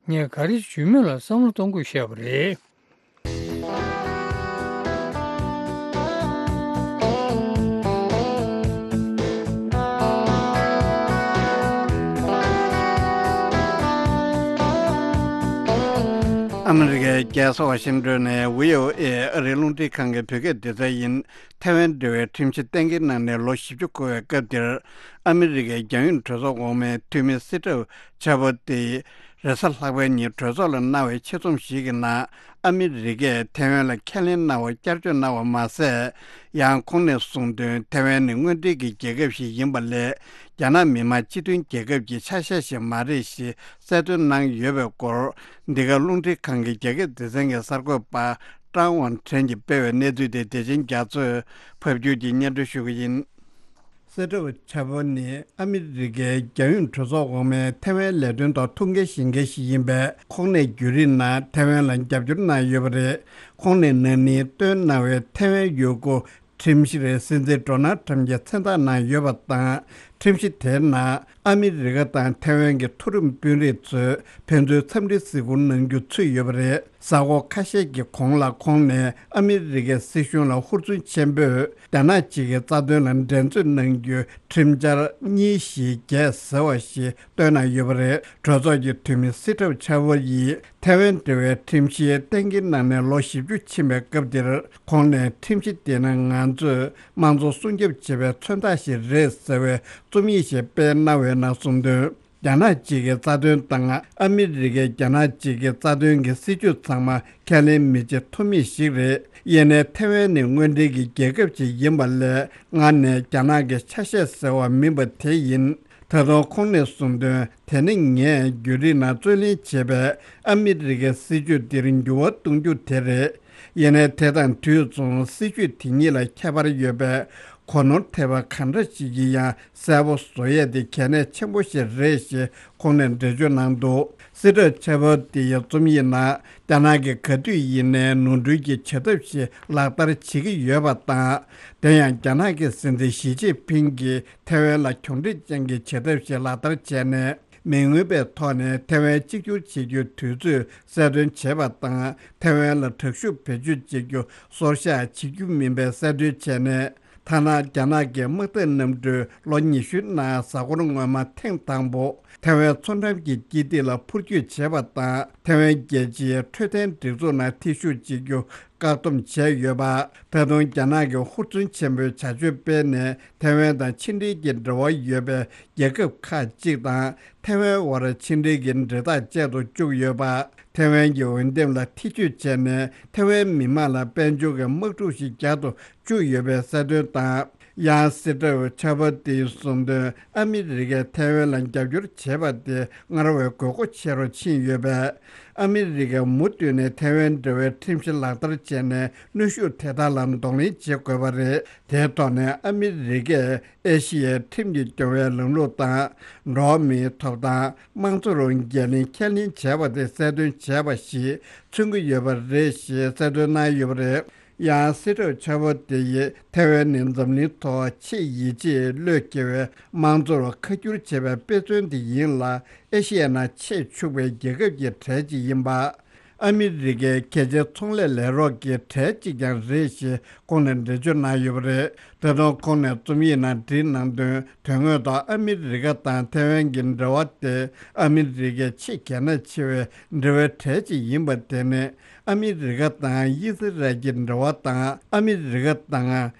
ངས་ག་རེ་བརྗོད་མིན་ལ་བསམ་བློ་གཏོང་དགོས་བཤད་པ་རེད། ཨ་མི་རི་ཀའི་རྒྱལ་ས་ཝ་ཤིང་ཏོན་ནས་ཝི་ཨོ་ཨེ་ཨ་རིའི་རླུང་འཕྲིན་ཁང་གི་བོད་སྐད་སྡེ་ཚན་ཡིན། ཐའེ་ཝན་འབྲེལ་བའི་ཁྲིམས་གཞི་གཏན་འཁེལ་གནང་ནས་ལོ་བཞི་བཅུ་འཁོར་བའི་སྐབས་འདིར། ཨ་མི་རི་ཀའི་རྒྱལ་ཡོངས་གྲོས་ཚོགས་འོག་མའི་འཐུས་མི་སི་ཏྲབ་ཆ་པོ་ཏི་རེས་གཟའ་ལྷག་པའི་ཉིན་གྲོས་ཚོགས་ལ་གནང་བའི་ཆེད་རྩོམ་ཞིག་གི་ནང་། ཨ་མི་རི་ཀས་ཐའེ་ཝན་ལ་ཁས་ལེན་གནང་བར་བསྐྱར་བཅོས་གནང་བ་མ་ཟད། ཡང་ཁོང་ནས་གསུངས་དོན། ཐའེ་ཝན་ནི་དངོས་འབྲེལ་གྱི་རྒྱལ་ཁབ་ཞིག་ཡིན་པ་ལས། རྒྱ་ནག་མི་དམངས་སྤྱི་མཐུན་རྒྱལ་ཁབ་ཀྱི་ཆ་ཤས་ཤིག་མ་རེད་ཞེས་གསལ་སྟོན་གནང་ཡོད་པའི་སྐོར། འདི་ག་རླུང་འཕྲིན་ཁང་གི་རྒྱ་སྐད་སྡེ་ཚན་གྱི་གསར་འགོད་པ་ཀྲང་ཝང་ཁྲེན་གྱིས་སྤེལ་བའི་གནས་ཚུལ་དེ། བདེ་ཆེན་རྒྱ་མཚོས་ཕབ་བསྒྱུར་གྱིས་སྙན་སྒྲོན་ཞུ་གི་ཡིན། སེ་ཏོ་ཆ་པོ་ནི་ཨ་མི་རི་ཀའི་རྒྱལ་ཡོངས་གྲོས་ཚོགས་འོག་མའི་ཐའེ་ཝན་ལས་དོན་ཐོག་ཐུགས་འགན་བཞེས་མཁན་ཞིག་ཡིན་པས། ཁོང་ནས་བརྒྱུད་རིམ་ནང་ཐའེ་ཝན་ལ་རྒྱབ་སྐྱོར་གནང་ཡོད་པ་རེད། ཁོང་ནས་ན་ནིང་བཏོན་གནང་བའི་ཐའེ་ཝན་ཡུལ་སྐོར་ཁྲིམས་གཞིར་སྲིད་འཛིན་ཌོ་ནལ་ཁྲམ་གྱིས་མཚན་རྟགས་གནང་ཡོད་པ་དང་། ཁྲིམས་གཞི་དེའི་ནང་ཨ་མི་རི་ཀ་དང་ཐའེ་ཝན་གྱི་མཐོ་རིམ་དཔོན་རིགས་ཚོས་ཕན་ཚུན་འཚམས་འདྲིའི་གཟིགས་སྐོར་གནང་རྒྱུ་ཚུད་ཡོད་པ་རེད། གཟའ་འཁོར་ཁ་ཤས་ཀྱི་གོང་ལ་ཁོང་ནས་ཨ་མི་རི་ཀའི་སྲིད་གཞུང་ལ་ཧུར་བརྩོན་ཆེན་པོས་རྒྱ་ནག་གཅིག་གི་རྩ་དོན་ལ་འགྲན་རྩོད་གནང་རྒྱུའི་ཁྲིམས་འཆར་གཉིས་བཞི་བརྒྱད་ཟེར་བ་ཞིག་བཏོན་གནང་ཡོད་པ་རེད། གྲོས་ཚོགས་ཀྱི་འཐུས་མི་སི་ཁྲབ་ཆ་ཝོ་ཡིས་ཐའེ་ཝན་འབྲེལ་བའི་ཁྲིམས་གཞི་གཏན་འཁེལ་གནང་ནས་ལོ་བཞི་བཅུ་ཕྱིན་པའི་སྐབས་འདིར། ཁོང་ནས་ཁྲིམས་གཞི་དེ་ནི་ང་ཚོས་དམངས་གཙོ་སྲུང་སྐྱོབ་བྱེད་པའི་མཚོན་རྟགས་ཤིག་རེད་ཟེར་བའི་རྩོམ་ཡིག་ཞིག་སྤེལ་གནང་བའི་ནང་གསུངས་དོན། རྒྱ་ནག་གཅིག་གི་རྩ་དོན་དང་ཨ་མི་རི་ཀའི་རྒྱ་ནག་གཅིག་གི་རྩ་དོན་གྱི་སྲིད་ཇུས་ཚང་མ་ཁས་ལེན་མི་བྱེད་ཐུབ་མེད་ཞིག་རེད། ཡིན་ནའི་ཐའེ་ཝན་ནི་དངོས་འབྲེལ་གྱི་རྒྱལ་ཁབ་ཅིག་ཡིན་པ་ལས། ང་ནི་རྒྱ་ནག་གི་ཆ་ཤས་ཟེར་བ་མིན་པ་དེ་ཡིན། ད་དུང་ཁོང་ནས་གསུངས་དོན། དེ་ནི་ངས་བརྒྱུད་རིམ་ནང་རྩོད་ལེན་བྱས་པའི་ཨ་མི་རི་ཀའི་སྲིད་ཇུས་འདིར་འགྱུར་བ་གཏོང་རྒྱུ་དེ་རེད། ཡིན་ནའི་དེ་དང་དུས་མཚུངས་སྲིད་ཇུས་དེ་གཉིས་ལ་ཁྱད་པར་ཡོད་པས། གོ་ནོར་ཐེབས་པ་གང་འདྲ་ཞིག་གིས་ཡང་གསལ་པོ་བཟོ་ཡས་དེ་གལ་གནད་ཆེན་པོ་ཞིག་རེད་ཞེས་ཁོང་ནས་འགྲེལ་བརྗོད་གནང་འདུག་སི་ཁྲབ་ཆ་པོ་ཏི་ཡི་རྩོམ་ཡིག་ནང་རྒྱ་ནག་གིས་ག་དུས་ཡིན་ནའི་ནོར་འཁྲུལ་གྱི་བྱ་ཐབས་ཤིག་ལག་བསྟར་བྱེད་ཀྱི་ཡོད་པ་དང་། དེ་ཡང་རྒྱ་ནག་གི་སྲིད་འཛིན་ཞི་ཅིན་ཕིང་གིས་ཐའེ་ཝན་ལ་གྱོང་འཕྲུག་ཅན་གྱི་བྱ་ཐབས་ཤིག་ལག་བསྟར་བྱས་ནས། མི་མངོན་པའི་ཐོག་ནས་ཐའེ་ཝན་གཅིག་གྱུར་བྱེད་རྒྱུའི་དུས་ཚོད་གསལ་སྟོན་བྱས་པ་དང་། ཐའེ་ཝན་ལ་དྲག་ཤུགས་བེད་སྤྱོད་བྱེད་རྒྱུ་སོར་བཞག་བྱེད་རྒྱུ་མིན་པའི་གསལ་སྟོན་བྱས་ནས། ཐ་ན་རྒྱ་ནག་གི་དམག་འཐབ་གནམ་གྲུས་ལོ་ཉི་ཤུའི་ནང་གཟའ་འཁོར་སྔོན་མ་ཐེངས་དང་པོ་ཐའེ་ཝན་མཚོ་འགྲམ་གྱི་སྐྱིད་སྡེ་ལ་འཕུར་སྐྱོད་བྱས་པ་དང་། ཐའེ་ཝན་རྒྱལ་སྤྱིའི་འཕྲོད་བསྟེན་སྒྲིག་འཛུགས་ནང་ཐེ་ཞུགས་བྱེད་རྒྱུ་བཀག་སྡོམ་བྱས་ཡོད་པ། ད་དུང་རྒྱ་ནག་གིས་ཧུར་བརྩོན་ཆེན་པོས་བྱ་སྤྱོད་སྤེལ་ནས། ཐའེ་ཝན་དང་ཕྱི་འབྲེལ་གྱི་འབྲེལ་བ་ཡོད་པའི་རྒྱལ་ཁབ་ཁག་ཅིག་དང་། ཐའེ་ཝན་དབར་ཕྱི་འབྲེལ་གྱི་འབྲེལ་ཐག་བཅད་དུ་བཅུག་ཡོད་པ། ཐའེ་ཝན་གྱི་འོས་འདེམས་ལ་ཐེ་ཇུས་བྱས་ནས། ཐའེ་ཝན་མི་དམངས་ལ་དཔལ་འབྱོར་གྱི་དམག་འཁྲུག་ཞིག་རྒྱག་ཏུ་བཅུག་ཡོད་པའི་གསལ་སྟོན་དང་། ཡང་སི་ཁྲབ་ཆ་པོ་ཏིའི་གསུངས་དོན། ཨ་མི་རི་ཀས་ཐའེ་ཝན་ལ་རྒྱབ་སྐྱོར་བྱེད་པ་དེ་སྔར་བས་དགོས་མཁོ་ཆེ་རུ་ཕྱིན་ཡོད་པས། ཨ་མི་རི་ཀས་མུ་མཐུད་ནས་ཐའེ་ཝན་འབྲེལ་བའི་ཁྲིམས་གཞི་ལག་བསྟར་བྱས་ནས། གནོན་ཤུགས་དེ་དག་ལ་གདོང་ལེན་བྱེད་དགོས་པ་རེད། དེའི་ཐོག་ནས་ཨ་མི་རི་ཀས་ཨེ་ཤི་ཡའི་ཁྲིམས་ཀྱིས་སྐྱོང་བའི་ལམ་ལུགས་དང་། འགྲོ་བ་མིའི་ཐོབ་ཐང་། དམངས་གཙོ་རུ་འགན་ལེན་ཁས་ལེན་བྱས་པ་དེ་གསལ་སྟོན་བྱས་པ་ཞིག་མཚོན་གྱི་ཡོད་པ་རེད་ཞེས་གསལ་སྟོན་གནང་ཡོད་པ་རེད། ཡང་སྲིད་ཁྲིམས་འཆར་འབུལ་དེ་ཡིས་ཐའེ་ཝན་ནི་འཛམ་གླིང་ཐོག་ཆེས་ཡིད་ཆེས་བློས་འཁེལ་བའི་དམངས་གཙོར་ཁ་བསྒྱུར་བྱས་པའི་དཔེ་མཚོན་དེ་ཡིན་ལ། ཨེ་ཤི་ཡའི་ནང་ཆེས་ཕྱུག་པའི་རྒྱལ་ཁབ་ཀྱི་གྲས་གཅིག་ཡིན་པ། ཨ་མི་རི་ཀའི་རྒྱལ་སྤྱིའི་ཚོང་ལས་ལས་རོགས་ཀྱི་གྲས་གཅིག་ཀྱང་རེད་ཞེས་ཁོང་ནས་འགྲེལ་བརྗོད་གནང་ཡོད་པ་རེད། ད་དུང་ཁོང་ནས་རྩོམ་ཡིག་ནང་བྲིས་གནང་དོན། དོན་དངོས་ཐོག་ཨ་མི་རི་ཀ་དང་ཐའེ་ཝན་གྱི་འབྲེལ་བ་དེ་ཨ་མི་རི་ཀའི་ཆེས་གལ་གནད་ཆེ་བའི་འབྲེལ་བའི་གྲས་གཅིག་ཡིན་པ་དེ་ནི། ཨ་མི་རི་ཀ་དང་དབྱི་སི་རལ་གྱི་འབྲེལ་བ་དང་། ཨ་མི་རི་ཀ་དང་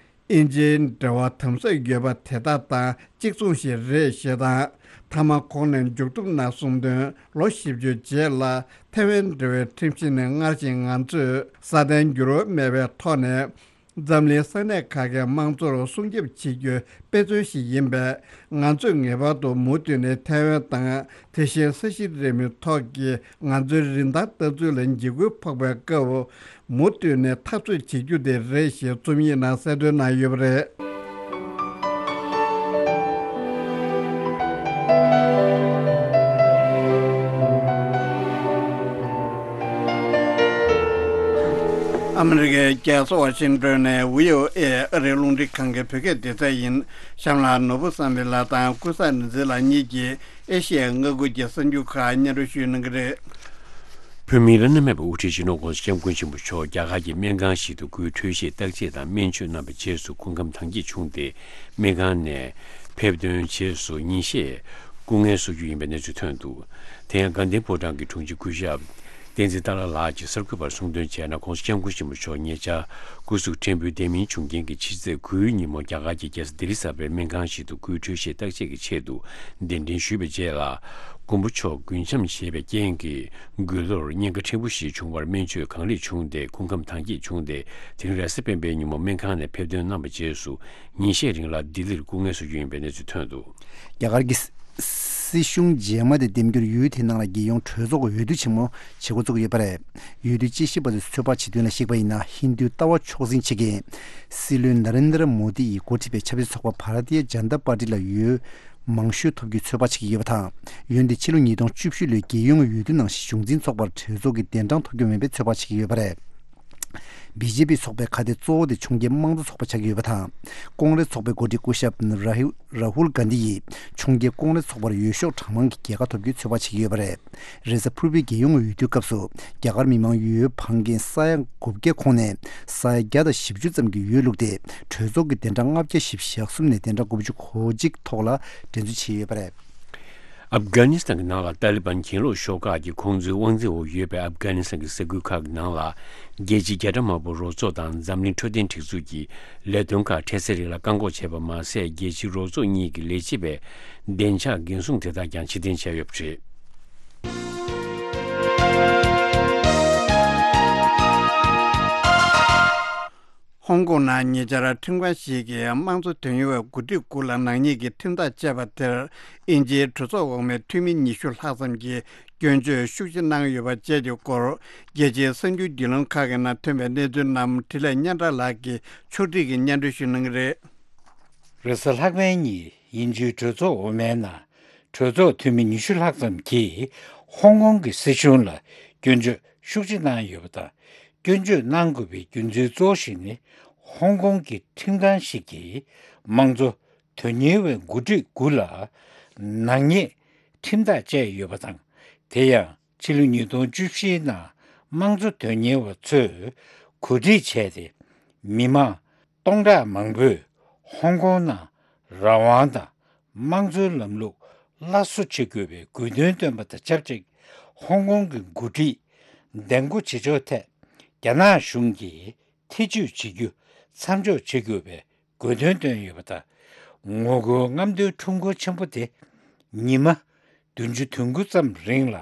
དབྱིན་ཇིའི་འབྲེལ་བ་དམ་ཟབ་ཡོད་པ་དེ་དག་དང་གཅིག་མཚུངས་ཤིག་རེད་ཞེས་དང་། མཐའ་མ་ཁོང་ནས་མཇུག་བསྡོམས་ནང་གསུངས་དོན། ལོ་བཞི་བཅུ་རྗེས་ལ་ཐའེ་ཝན་འབྲེལ་བའི་ཁྲིམས་གཞི་ནི་སྔར་བཞིན་ང་ཚོས་སྲ་བརྟན་འགྱུར་བ་མེད་པའི་ཐོག་ནས། འཛམ་གླིང་ས་གནས་ཁག་གི་དམངས་གཙོར་སྲུང་སྐྱོབ་བྱེད་རྒྱུའི་དཔེ་མཚོན་ཞིག་ཡིན་པས། ང་ཚོས་ངེས་པར་དུ་མུ་མཐུད་ནས་ཐའེ་ཝན་དང་། དེ་བཞིན་ས་གཞི་རིལ་མོའི་ཐོག་གི་ང་ཚོའི་རིན་ཐང་ལྟ་ཚུལ་ལ་འཇིགས་སྐུལ་ཕོག་པའི་སྐབས། མུ་མཐུད་ནས་འཐབ་རྩོད་བྱེད་རྒྱུ་དེ་རེད་ཞེས་རྩོམ་ཡིག་ནང་གསལ་སྟོན་གནང་ཡོད་པ་རེད། ཨ་མི་རི་ཀའི་རྒྱལ་ས་ཝ་ཤིང་ཏོན་ནས་བྷི་ཨོ་ཨེ་ཨ་རིའི་རླུང་འཕྲིན་ཁང་གི་བོད་སྐད་སྡེ་ཚན་ཡིན། གཤམ་ལ་ནོར་བུ་བསམ་འཕེལ་ལགས་དང་ཀུན་བཟང་ནོར་འཛིན་ལགས་གཉིས་ཀྱིས་ཨེ་ཤི་ཡའི་མངའ་ཁུལ་གྱི་གསར་འགྱུར་ཁག་སྙན་སྒྲོན་ཞུ་གནང་གི་རེད། བོད་མིའི་བླ་ན་མེད་པའི་དབུ་ཁྲིད་སྤྱི་ནོར་༸གོང་ས་༸སྐྱབས་མགོན་ཆེན་པོ་མཆོག་རྒྱ་གར་གྱི་སྨན་ཁང་ཞིག་ཏུ་སྐུའི་འཕྲོད་བཞེས་བརྟག་དཔྱད་དང་སྨན་བཅོས་གནང་བའི་རྗེས་སུ་སྐུ་ཁམས་དྭངས་སྐྱེད་བྱུང་སྟེ། སྨན་ཁང་ནས་ཕེབས་ཐོན་རྗེས་སུ་ཉིན་ཤས་སྐུ་ངལ་གསོ་རྒྱུ་ཡིན་པའི་གནས་ཚུལ་ཐོན་འདུག་དེ་ཡང་དགའ་ལྡན་ཕོ་བྲང་གི་དྲུང་ཆེ་སྐུ་ཞབས་བསྟན་འཛིན་ཏཱ་ལ་ལགས་ཀྱིས་གསར་འགོད་པར་གསུངས་དོན་བྱས་ན། ༸གོང་ས་༸སྐྱབས་མགོན་ཆེན་པོ་མཆོག་ཉེ་ཆར་སྐུ་གཟུགས་ཕྲན་བུ་བདེ་མིན་བྱུང་རྐྱེན་གྱིས་ཕྱི་ཚེས་དགུའི་ཉིན་མོ་རྒྱ་གར་གྱི་རྒྱལ་ས་ལྡི་ལི་གསར་པའི་སྨན་ཁང་ཞིག་ཏུ་སྐུའི་འཕྲོད་བཞེས་བརྟག་དཔྱད་ཀྱི་ཆེད་དུ་གདན་འདྲེན་ཞུས་པའི་རྗེས་ལ། མགོན་པོ་མཆོག་རྒུན་འབྱམས་བཞེས་པའི་རྐྱེན་གྱིས་མགུལ་ལོར་གཉན་ཁ་ཕྲན་བུ་ཞིག་བྱུང་བར་སྨན་བཅོས་གང་ལེགས་བྱུང་སྟེ་སྐུ་ཁམས་དྭངས་སྐྱེད་བྱུང་སྟེ། དེ་རིང་རེས་གཟའ་སྤེན་པའི་ཉིན་མོ་སྨན་ཁང་ནས་ཕེབས་ཐོན་གནང་བའི་རྗེས་སུ་ཉིན་ཤས་རིང་ལ་ལྡི་ལིར་སྐུ་ངལ་གསོ་རྒྱུ་ཡིན་པའི་གནས་ཚུལ་ཐོན་འདུག་རྒྱ་གར་གྱི་སྲིད་གཞུང་རྗེས་མ་དེ་འདེམས་རྒྱུར་ཡུལ་དེའི་ནང་ལ་རྒྱལ་ཡོངས་གྲོས་ཚོགས་ཀྱི་འོས་བསྡུ་ཆེན་མོ་བྱེད་འགོ་བཙུགས་ཡོད་པ་རེད། འོས་བསྡུ་དཔྱད་ཞིབ་པ་ཚོས་ཚོད་དཔག་བྱེད་དོན་ལ་གཞིགས་པ་ཡིན་ན། ཧིན་རྡུའི་ལྟ་བ་མཆོག་འཛིན་བྱེད་མཁན་སྲིད་བློན་ན་རེན་དྲ་མོ་དི་ཡིས་འགོ་ཁྲིད་པའི་ཆབ་སྲིད་ཚོགས་པ་བྷ་ར་ཏི་ཡ་ཇན་ཏ་པར་ཏི་ལ་འོས་མང་ཤོས་ཐོབ་རྒྱུའི་ཚོད་དཔག་བྱེད་ཀྱི་ཡོད་པ་དང་། འོན་ཏེ་ཕྱི་ལོ་ཉིས་སྟོང་བཅུ་བཞི་ལོའི་རྒྱལ་ཡོངས་འོས་བསྡུ་ནང་བཞིན་གཞུང་འཛིན་ཚོགས་པར་གྲོས་ཚོགས་ཀྱི་གདན་གྲངས་ཐོབ་རྒྱུ་མིན་པའི་ཚོད་དཔག་བྱེད་ཀྱི་ཡོད་པ་རེད། བི་ཇེ་པི་ཚོགས་པའི་ཁ་གཏད་གཙོ་བོ་དེ་ཕྱོགས་འགལ་དམངས་གཙོ་ཚོགས་པ་ཆགས་ཀྱི་ཡོད་པ་དང་། ཀོང་རེས་ཚོགས་པའི་འགོ་ཁྲིད་སྐུ་ཞབས་ར་ཧུ་ར་ཧུལ་གྷན་དྷི་ཡིས་ཕྱོགས་འགལ་ཀོང་རེས་ཚོགས་པར་འོས་ཤོག་གྲངས་མང་གི་རྒྱལ་ཁ་ཐོབ་རྒྱུའི་ཚོད་དཔག་བྱེད་ཀྱི་ཡོད་པ་རེད། རེས་གཟའ་ཕུར་བུའི་རྒྱལ་ཡོངས་འོས་བསྡུའི་སྐབས་སུ་རྒྱ་གར་མི་མང་འོས་འཕངས་མཁན་ས་ཡ་དགུ་བརྒྱ་ཁོངས་ནས་ས་ཡ་བརྒྱ་དང་བཞི་བཅུ་ཙམ་གྱིས་འོས་བླུགས་ཏེ། གྲོས་ཚོགས་ཀྱི་གདན་གྲངས་ལྔ་བརྒྱ་བཞི་བཅུ་ཞེ་གསུམ་ནས་གདན་གྲངས་དགུ་བཅུ་གོ་གཅིག་ཐོག་ལ་འགྲན་རྩོད་བྱས་ཡོད་པ་རེད། ཨབ་གྷ་ནི་སི་ཐན་གྱི་ནང་ལ་ཏཱ་ལི་བན་གྱེན་ལོག་ཤོག་ཁག་གིས་ཁོང་ཚོའི་དབང་འཛིན་འོག་ཡོད་པའི་ཨབ་གྷ་ནི་སི་ཐན་གྱི་ས་ཁུལ་ཁག་གི་ནང་ལ། རྒྱལ་སྤྱིའི་རྒྱ་ཁྲ་དམར་པོ་རོགས་ཚོགས་དང་འཛམ་གླིང་འཕྲོད་བསྟེན་སྒྲིག་འཛུགས་ཀྱི་ལས་དོན་ཁག་འཕྲལ་སེལ་རིགས་ལ་བཀག་འགོག་བྱས་པ་མ་ཟད། རྒྱལ་སྤྱིའི་རོགས་ཚོགས་གཉིས་ཀྱི་ལས་བྱེད་པའི་བདེ་འཇགས་འགན་སྲུང་དེ་དག་ཀྱང་ཕྱིར་འཐེན་བྱས་ཡོད་པ་རེད། ཧོང་ཀོང་ནང་ཉེ་ཆར་ཁྲིམས་ཁང་ཞིག་གིས་དམངས་གཙོ་དོན་གཉེར་བའི་འགོ་ཁྲིད་དགུ་ལ་ནག་ཉེས་ཀྱི་ཁྲིམས་ཐག་བཅད་པ་དེར། དབྱིན་ཇིའི་གྲོས་ཚོགས་འོག་མའི་འཐུས་མི་ཉི་ཤུ་ལྷག་ཙམ་གྱིས་སྐྱོན་བརྗོད་ཤུགས་ཆེ་གནང་ཡོད་པ་བཅས་ཀྱི་སྐོར། རྒྱལ་སྤྱིའི་གསར་འགྱུར་བརྒྱུད་ལམ་ཁག་གི་ནང་ཐོན་པའི་གནས་ཚུལ་རྣམས་འཕྲིན་ལས་སྙན་གྲགས་ལགས་ཀྱིས་ཕྱོགས་སྒྲིག་གིས་སྙན་སྒྲོན་ཞུ་གནང་གི་རེད། རེས་གཟའ་ལྷག་པའི་ཉིན་དབྱིན་ཇིའི་གྲོས་ཚོགས་འོག་མའི་ནང་གྲོས་ཚོགས་འཐུས་མི་ཉི་ཤུ་ལྷག་ཙམ་གྱིས་ཧོང་ཀོང་གི་སྲིད་གཞུང་ལ་སྐྱོན་བརྗོད་ཤུགས་ཆེ་གནང་ཡོད་པ་དང་། སྐྱོན་བརྗོད་གནང་དགོས་པའི་རྒྱུ་མཚན་གཙོ་བོ་ཞིག་ནི། ཧོང་ཀོང་གི་ཁྲིམས་ཁང་ཞིག་གིས་དམངས་གཙོ་དོན་གཉེར་བའི་འགོ་ཁྲིད་དགུ་ལ་ནག་ཉེས་ཁྲིམས་ཐག་བཅད་ཡོད་པ་དང་། དེ་ཡང་ཕྱི་ལོ་ཉིས་སྟོང་བཅུ་བཞིའི་ནང་དམངས་གཙོ་དོན་གཉེར་བ་ཚོས་གོ་སྒྲིག་བྱས་ཏེ། མི་མང་སྟོང་ཕྲག་མང་པོས་ཧོང་ཀོང་ནང་རང་དབང་དང་དམངས་གཙོའི་ལམ་ལུགས་སླར་གསོ་བྱེད་དགོས་པའི་དགོས་འདུན་བཏོན་པ་དང་ཆབས་ཅིག་ཧོང་ཀོང་གི་འགོ་ཁྲིད་འདེམས་བསྐོ་བྱེད་ཕྱོགས་ཐད་རྒྱ་ནག་གཞུང་གིས་ཐེ་ཇུས་བྱེད་རྒྱུ་མཚམས་འཇོག་བྱེད་དགོས་པའི་དགོས་འདུན་བཏོན་ཡོད་པ་དང་། ངོ་རྒོལ་རྔམ་སྟོན་ཁྲོམ་སྐོར་ཆེན་པོ་དེ་ཉི་མ་བདུན་ཅུ་དོན་དགུ་ཙམ་རིང་ལ་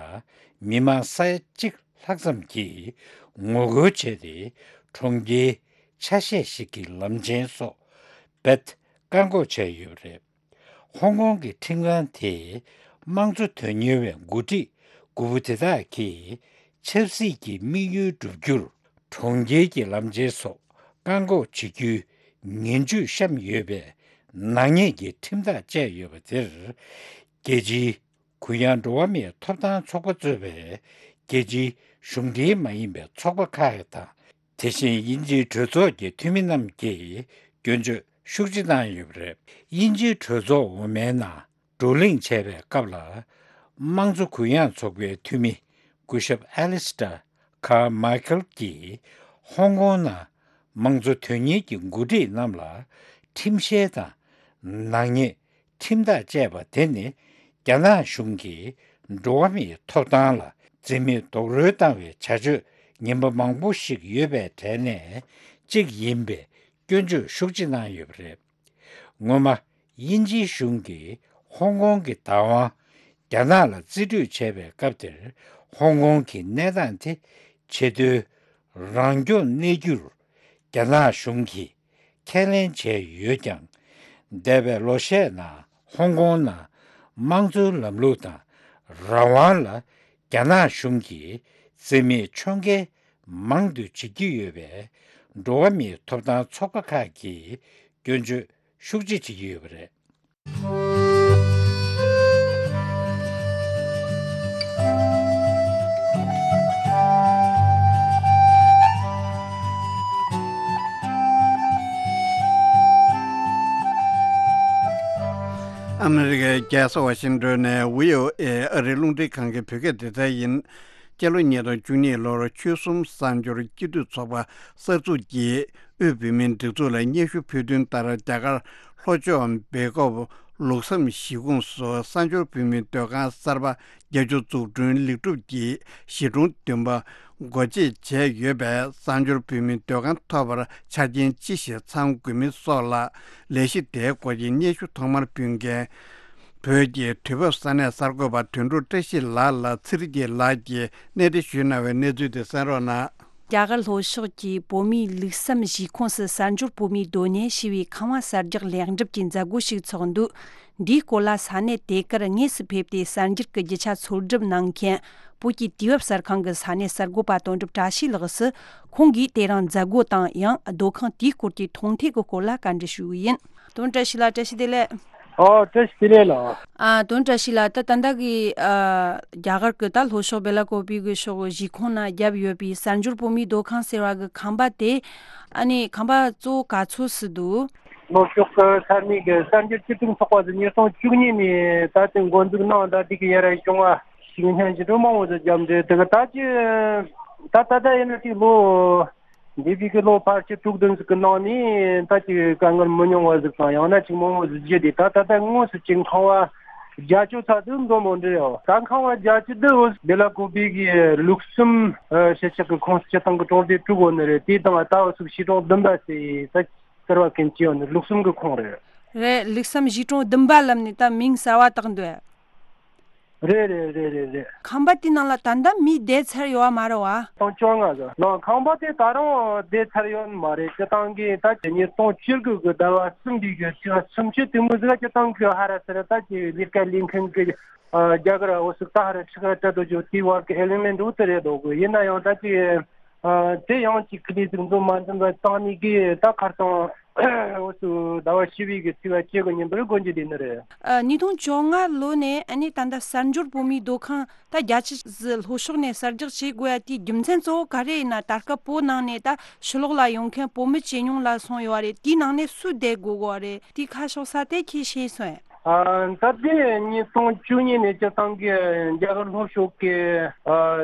མི་མང་ས་ཡ་གཅིག་ལྷག་ཙམ་གྱིས་ངོ་རྒོལ་བྱས་ཏེ། གྲོང་ཁྱེར་ཆ་ཤས་ཤིག་གི་ལམ་ཆེན་སོགས་རྦད་བཀག་འགོག་བྱས་ཡོད་པ་རེད། ཧོང་ཀོང་གི་ཁྲིམས་ཁང་དེས་དམངས་གཙོ་དོན་གཉེར་བའི་འགོ་ཁྲིད་དགུ་པོ་དེ་དག་གིས་ཆབ་སྲིད་ཀྱི་དམིགས་ཡུལ་བསྒྲུབ་རྒྱུར་གྲོང་ཁྱེར་གྱི་ལམ་ཆེན་སོགས་བཀག་འགོག་བྱེད་རྒྱུའི་ངན་ཇུས་བཤམས་ཡོད་པའི་ནག་ཉེས་ཀྱི་ཁྲིམས་ཐག་བཅད་ཡོད་པ་དེར། རྒྱལ་སྤྱིའི་གུ་ཡངས་འགྲོ་བ་མིའི་ཐོབ་ཐང་ཚོགས་པ་གཙོས་པའི་རྒྱལ་སྤྱིའི་གཞུང་འབྲེལ་མ་ཡིན་པའི་ཚོགས་པ་ཁག་དང་ དེ་བཞིན་དབྱིན་ཇིའི་གྲོས་ཚོགས་ཀྱི་འཐུས་མི་རྣམས་ཀྱིས་སྐྱོན་བརྗོད་ཤུགས་ཆེ་གནང་ཡོད་པ་རེད། དབྱིན་ཇིའི་གྲོས་ཚོགས་འོག་མའི་ནང་བགྲོ་གླེང་བྱས་པའི་སྐབས་ལ། དམངས་གཙོ་གུ་ཡངས་ཚོགས་པའི་འཐུས་མི་སྐུ་ཞབས་ཨེ་ལི་སི་ཏྲ་ཁར་མའི་ཁལ་གྱིས། ཧོང་ཀོང་ནང་དམངས་གཙོ་དོན་གཉེར་གྱི་འགོ་ཁྲིད་རྣམས་ལ་ཁྲིམས་བཤེར་དང་ནག་ཉེས་ཁྲིམས་ཐག་བཅད་པ་དེ་ནི། རྒྱ་ནག་གཞུང་གིས་འགྲོ་བ་མིའི་ཐོབ་ཐང་ལ་འཛིན་མེད་རྡོག་རོལ་བཏང་བའི་བྱ་སྤྱོད་ངན་པ་མང་པོ་ཞིག་ཡོད་པའི་གྲས་ནས་གཅིག་ཡིན་པའི་སྐྱོན་བརྗོད་ཤུགས་ཆེ་གནང་ཡོད་པ་རེད། སྔོན་མ། དབྱིན་ཇིའི་གཞུང་གིས་ཧོང་ཀོང་གི་བདག་དབང་རྒྱ་ནག་ལ་རྩིས་སྤྲོད་བྱས་པའི་སྐབས་དེར། ཧོང་ཀོང་གི་གནས་སྟངས་དེ་ཆེས་མཐོའི་རང་སྐྱོང་གནས་རྒྱུར་རྒྱ་ནག་གཞུང་གིས་ཁས་ལེན་བྱས་ཡོད་ཀྱང་། འདས་པའི་ལོ་ཤས་ནང་ཧོང་ཀོང་ནང་དམངས་གཙོའི་ལམ་ལུགས་དང་རང་དབང་ལ་རྒྱ་ནག་གཞུང་གིས་རྩིས་མེད་ཕྱོགས་འགལ་མང་དུ་བྱེད་ཀྱི་ཡོད་པས། འགྲོ་བ་མིའི་ཐོབ་ཐང་ཚོགས་པ་ཁག་གིས་སྐྱོན་བརྗོད་ཤུགས་ཆེ་བྱེད་ཀྱི་ཡོད་པ་རེད། ཨ་མི་རི་ཀའི་རྒྱལ་ས་ཝ་ཤིང་ཏོན་ནས་བྷི་ཨོ་ཨེ་ཨ་རིའི་རླུང་འཕྲིན་ཁང་གི་བོད་སྐད་སྡེ་ཚན་ཡིན། སྤྱི་ལོ་ཉིས་སྟོང་བཅུ་གཉིས་ལོར་ཆོལ་གསུམ་གསར་འབྱོར་སྤྱི་འཐུས་ཚོགས་པ་གསར་འཛུགས་ཀྱིས་དབུས་བོད་མིའི་སྒྲིག་འཛུགས་ལ་སྙན་ཞུ་ཕུལ་དོན་ལྟར། རྒྱ་གར་ལྷོ་ཕྱོགས་སྦེལ་ཀོབ་ལུགས་བསམ་གཞིས་ཁོངས་སུ་གསར་འབྱོར་བོད་མིའི་སྡོད་ཁང་གསར་པ་བརྒྱད་ཅུ་འཛུགས་སྐྲུན་ལེགས་གྲུབ་ཀྱིས་གཞིས་གྲོང་བདུན་པ་སྒོ་འབྱེད་བྱས་ཡོད་པས། གསར་འབྱོར་བོད་མིའི་སྡོད་ཁང་ཐོབ་པར་ཆ་རྐྱེན་ཅི་ཞིག་ཚང་དགོས་མིན་སོགས་ལ་ལས་གཞི་དེའི་སྐོར་གྱི་སྙན་ཞུ་ཐོག་མར་ཕུལ་མཁན། བོད་ཀྱི་དུས་བབ་ས་གནས་གསར་འགོད་པ་དོན་གྲུབ་བཀྲ་ཤིས་ལགས་ལ་ཚེ་རིང་སྐྱིད་ལགས་ཀྱིས་གནས་འདྲི་ཞུས་གནང་བའི་གནས་ཚུལ་དེ་གསན་རོགས་གནང་། རྒྱ་གར་ལྷོ་ཕྱོགས་ཀྱི་བོད་མིའི་ལུགས་བསམ་གཞིས་ཁོངས་སུ་གསར་འབྱོར་བོད་མིའི་སྡོད་གནས་ཞེས་པའི་ཁང་བ་གསར་རྒྱག་ལེགས་འགྲུབ་ཀྱི་མཛད་སྒོ་ཞིག་ཚོགས་འདུག་འདིའི་སྐོར་ལ་ས་གནས་དེ་གར་དངོས་སུ་ཕེབས་ཏེ་གསར་འགྱུར་གྱི་རྒྱུ་ཆ་འཚོལ་སྒྲུབ་གནང་མཁན་བོད་ཀྱི་དུས་བབ་གསར་ཁང་གི་ས་གནས་གསར་འགོད་པ་དོན་གྲུབ་བཀྲ་ཤིས་ལགས་སུ། ཁོང་གིས་དེ་རིང་མཛད་སྒོ་དང་ཡང་སྡོད་ཁང་དེའི་སྐོར་གྱི་མཐོང་ཐོས་ཀྱི་སྐོར་ལ་བཀའ་འདྲི་ཞུ་གི་ཡིན། དོན་བཀྲ་ཤིས་ལགས། བཀྲ་ཤིས་བདེ་ལེགས། ཨོ། བཀྲ་ཤིས་བདེ་ལེགས་ལགས། ཨ། དོན་བཀྲ་ཤིས་ལགས། ད་ད་ལྟ་གི་ཨ་རྒྱ་གར་གྱི་ད་ལྷོ་ཕྱོགས་སྦེ་ལ་ཀོ་པི་གི་ཕྱོགས་གཞིས་ཁོངས་ན་བརྒྱབ་ཡོད་པའི་གསར་འབྱོར་བོད་མིའི་སྡོད་ཁང་ཟེར་བ་གི་ཁང་པ་དེ། ཨ་ནི་ཁང་པ་གཙོ་བོ་ག་ཚོད་ཙམ་འདུག་ལྷོ་ཕྱོགས་ཀྱི་ས་གནས་ཀྱི་གསར་འགྱུར་སྤྱི་སྟེགས་ཚོགས་པ་ཟེར་ཉིས་སྟོང་བཅུ་གཉིས་ནས་ད་ལྟའི་འགོ་འཛུགས་གནང་། ད་དེ་གི་ཡར་བྱུང་བ་ཞིག་སྙན་ཞུ་འདྲ་མང་བོ་ཟིག་བརྒྱབ་འདུག་དེ་གི་ད་ཅི་ད་ད་ལྟ་ཡིན་ན་ཅིག་ལོ་འདས་པའི་གི་ལོ་ཕལ་ཆེར་དྲུག་བདུན་ཟིག་གི་ནང་ནས་ད་ཅིག་དཀའ་ངལ་མི་ཉུང་བ་ཟིག་དང་། ཡང་ན་ཅིག་མང་བོ་ཟིག་བརྒྱུད་དེ། ད་ད་ལྟ་དངོས་སུ་ཅིག་ཁང་བ་བརྒྱད་ཅུ་ཙམ་འདུག་འདྲ་མོ་འདྲ་ཡོད། ད་ཁང་བ་བརྒྱད་ཅུ་འདི་འོ་སྦེ་ལ་ཀོ་པི་གི་ལུགས་གསུམ་ཨ་གཞིས་ཆགས་ཀྱི་ཁོངས་སུ་སྤྱི་བཏང་གི་གྲོང་སྡེ་དྲུག་ཡོད་ནི་རེད། དེ་དང་ད་འོ་ཟུག་གཞིས་གྲོང་བདུན་པ་ཟེར་ད་ཟེར་བ་མཁན་ཅིག་ཡོད་ནི་ལུགས་གསུམ་གྱི་ཁོངས་རེད། རེད། ལུགས་བསམ་གཞིས་གྲོང་བདུན་པ་ལབ་ནི་ད་མིང་གསར་བ་བཏགས་འདུག་རེད་རེད་རེད་རེད་རེད། ཁང་པ་དེ་ནང་ལ་ད་ལྟ་མི་བསྡད་ཚར་ཡོད་བ་མ་རེད་བ། སྟོང་བཅོ་ལྔ་ཟེར་ནང་ཁང་པ་དེ་ད་རུང་བསྡད་ཚར་ཡོད་མ་རེད། སྤྱི་བཏང་གི་ད་ཉིས་སྟོང་བཅུ་དགུ་གི་ཟླ་བ་གསུམ་པའི་གི་ཚེས་པ་སུམ་ཅུ་དེ་མོ་ཟིག་སྤྱི་བཏང་གི་ཧ་ར་ས་ར་ད་ཀྱི་ལས་ཀ་ལས་མཁན་གི་ཨ་རྒྱ་གར་འོ་ཟུག་ད་ཧ་ར་ཕྱི་ག་ཏྲ་དོ་ཇོ་དེ་བར་གི་ཨེ་ལིང་ལེན་འགྲོ་དེ་རེད་འདུག་གི། ཡིན་ན་ཡང་ད་ཀྱི་ཨ་དེ་ཡང་ཅིག་ཁི་ལི་ཟིག་འཛོམས་མ་འཛོམས་ལ་བཏང་ནི་གི་ད་ཁར་སང་འོ་ཚོ་ཟླ་བ་བཞི་པའི་གི་ཚེས་པ་བཅུ་དགུ་ཉིན་པར་སྒོ་འབྱེད་དེ་ནི་རེད། ཨ། ཉིས་སྟོང་བཅོ་ལྔ་ལོ་ནས་ཨ་ནི་ད་ལྟ་གསར་འབྱོར་བོད་མིའི་སྡོད་ཁང་ད་རྒྱ་ཆེ་ཟི་ལྷོ་ཕྱོགས་ནས་གསར་རྒྱག་བྱེད་དགོས་ཡ་དེའི་རྒྱུ་མཚན་གཙོ་བོ་ག་རེ་ཡིན་ན། ད་སྐབས་བོད་ནང་ནས་ད་ཕྱི་ལོགས་ལ་ཡོང་མཁན་བོད་མི་ཇེ་ཉུང་ལ་སོང་ཡོད་རེད། དེའི་ནང་ནས་སུ་བསྡད་དགོས་གོ་རེད། དེའི་ཁ་ཕྱོགས་ས་དེ་ཁྱེད་ཤེས་སོང་ངས། ཨ། ད་ལྟའི་ཉིས་སྟོང་བཅུ་གཉིས་ནས་སྤྱི་བཏང་གི་རྒྱ་གར་ལྷོ་ཕྱོགས་ཀྱི་ཨ་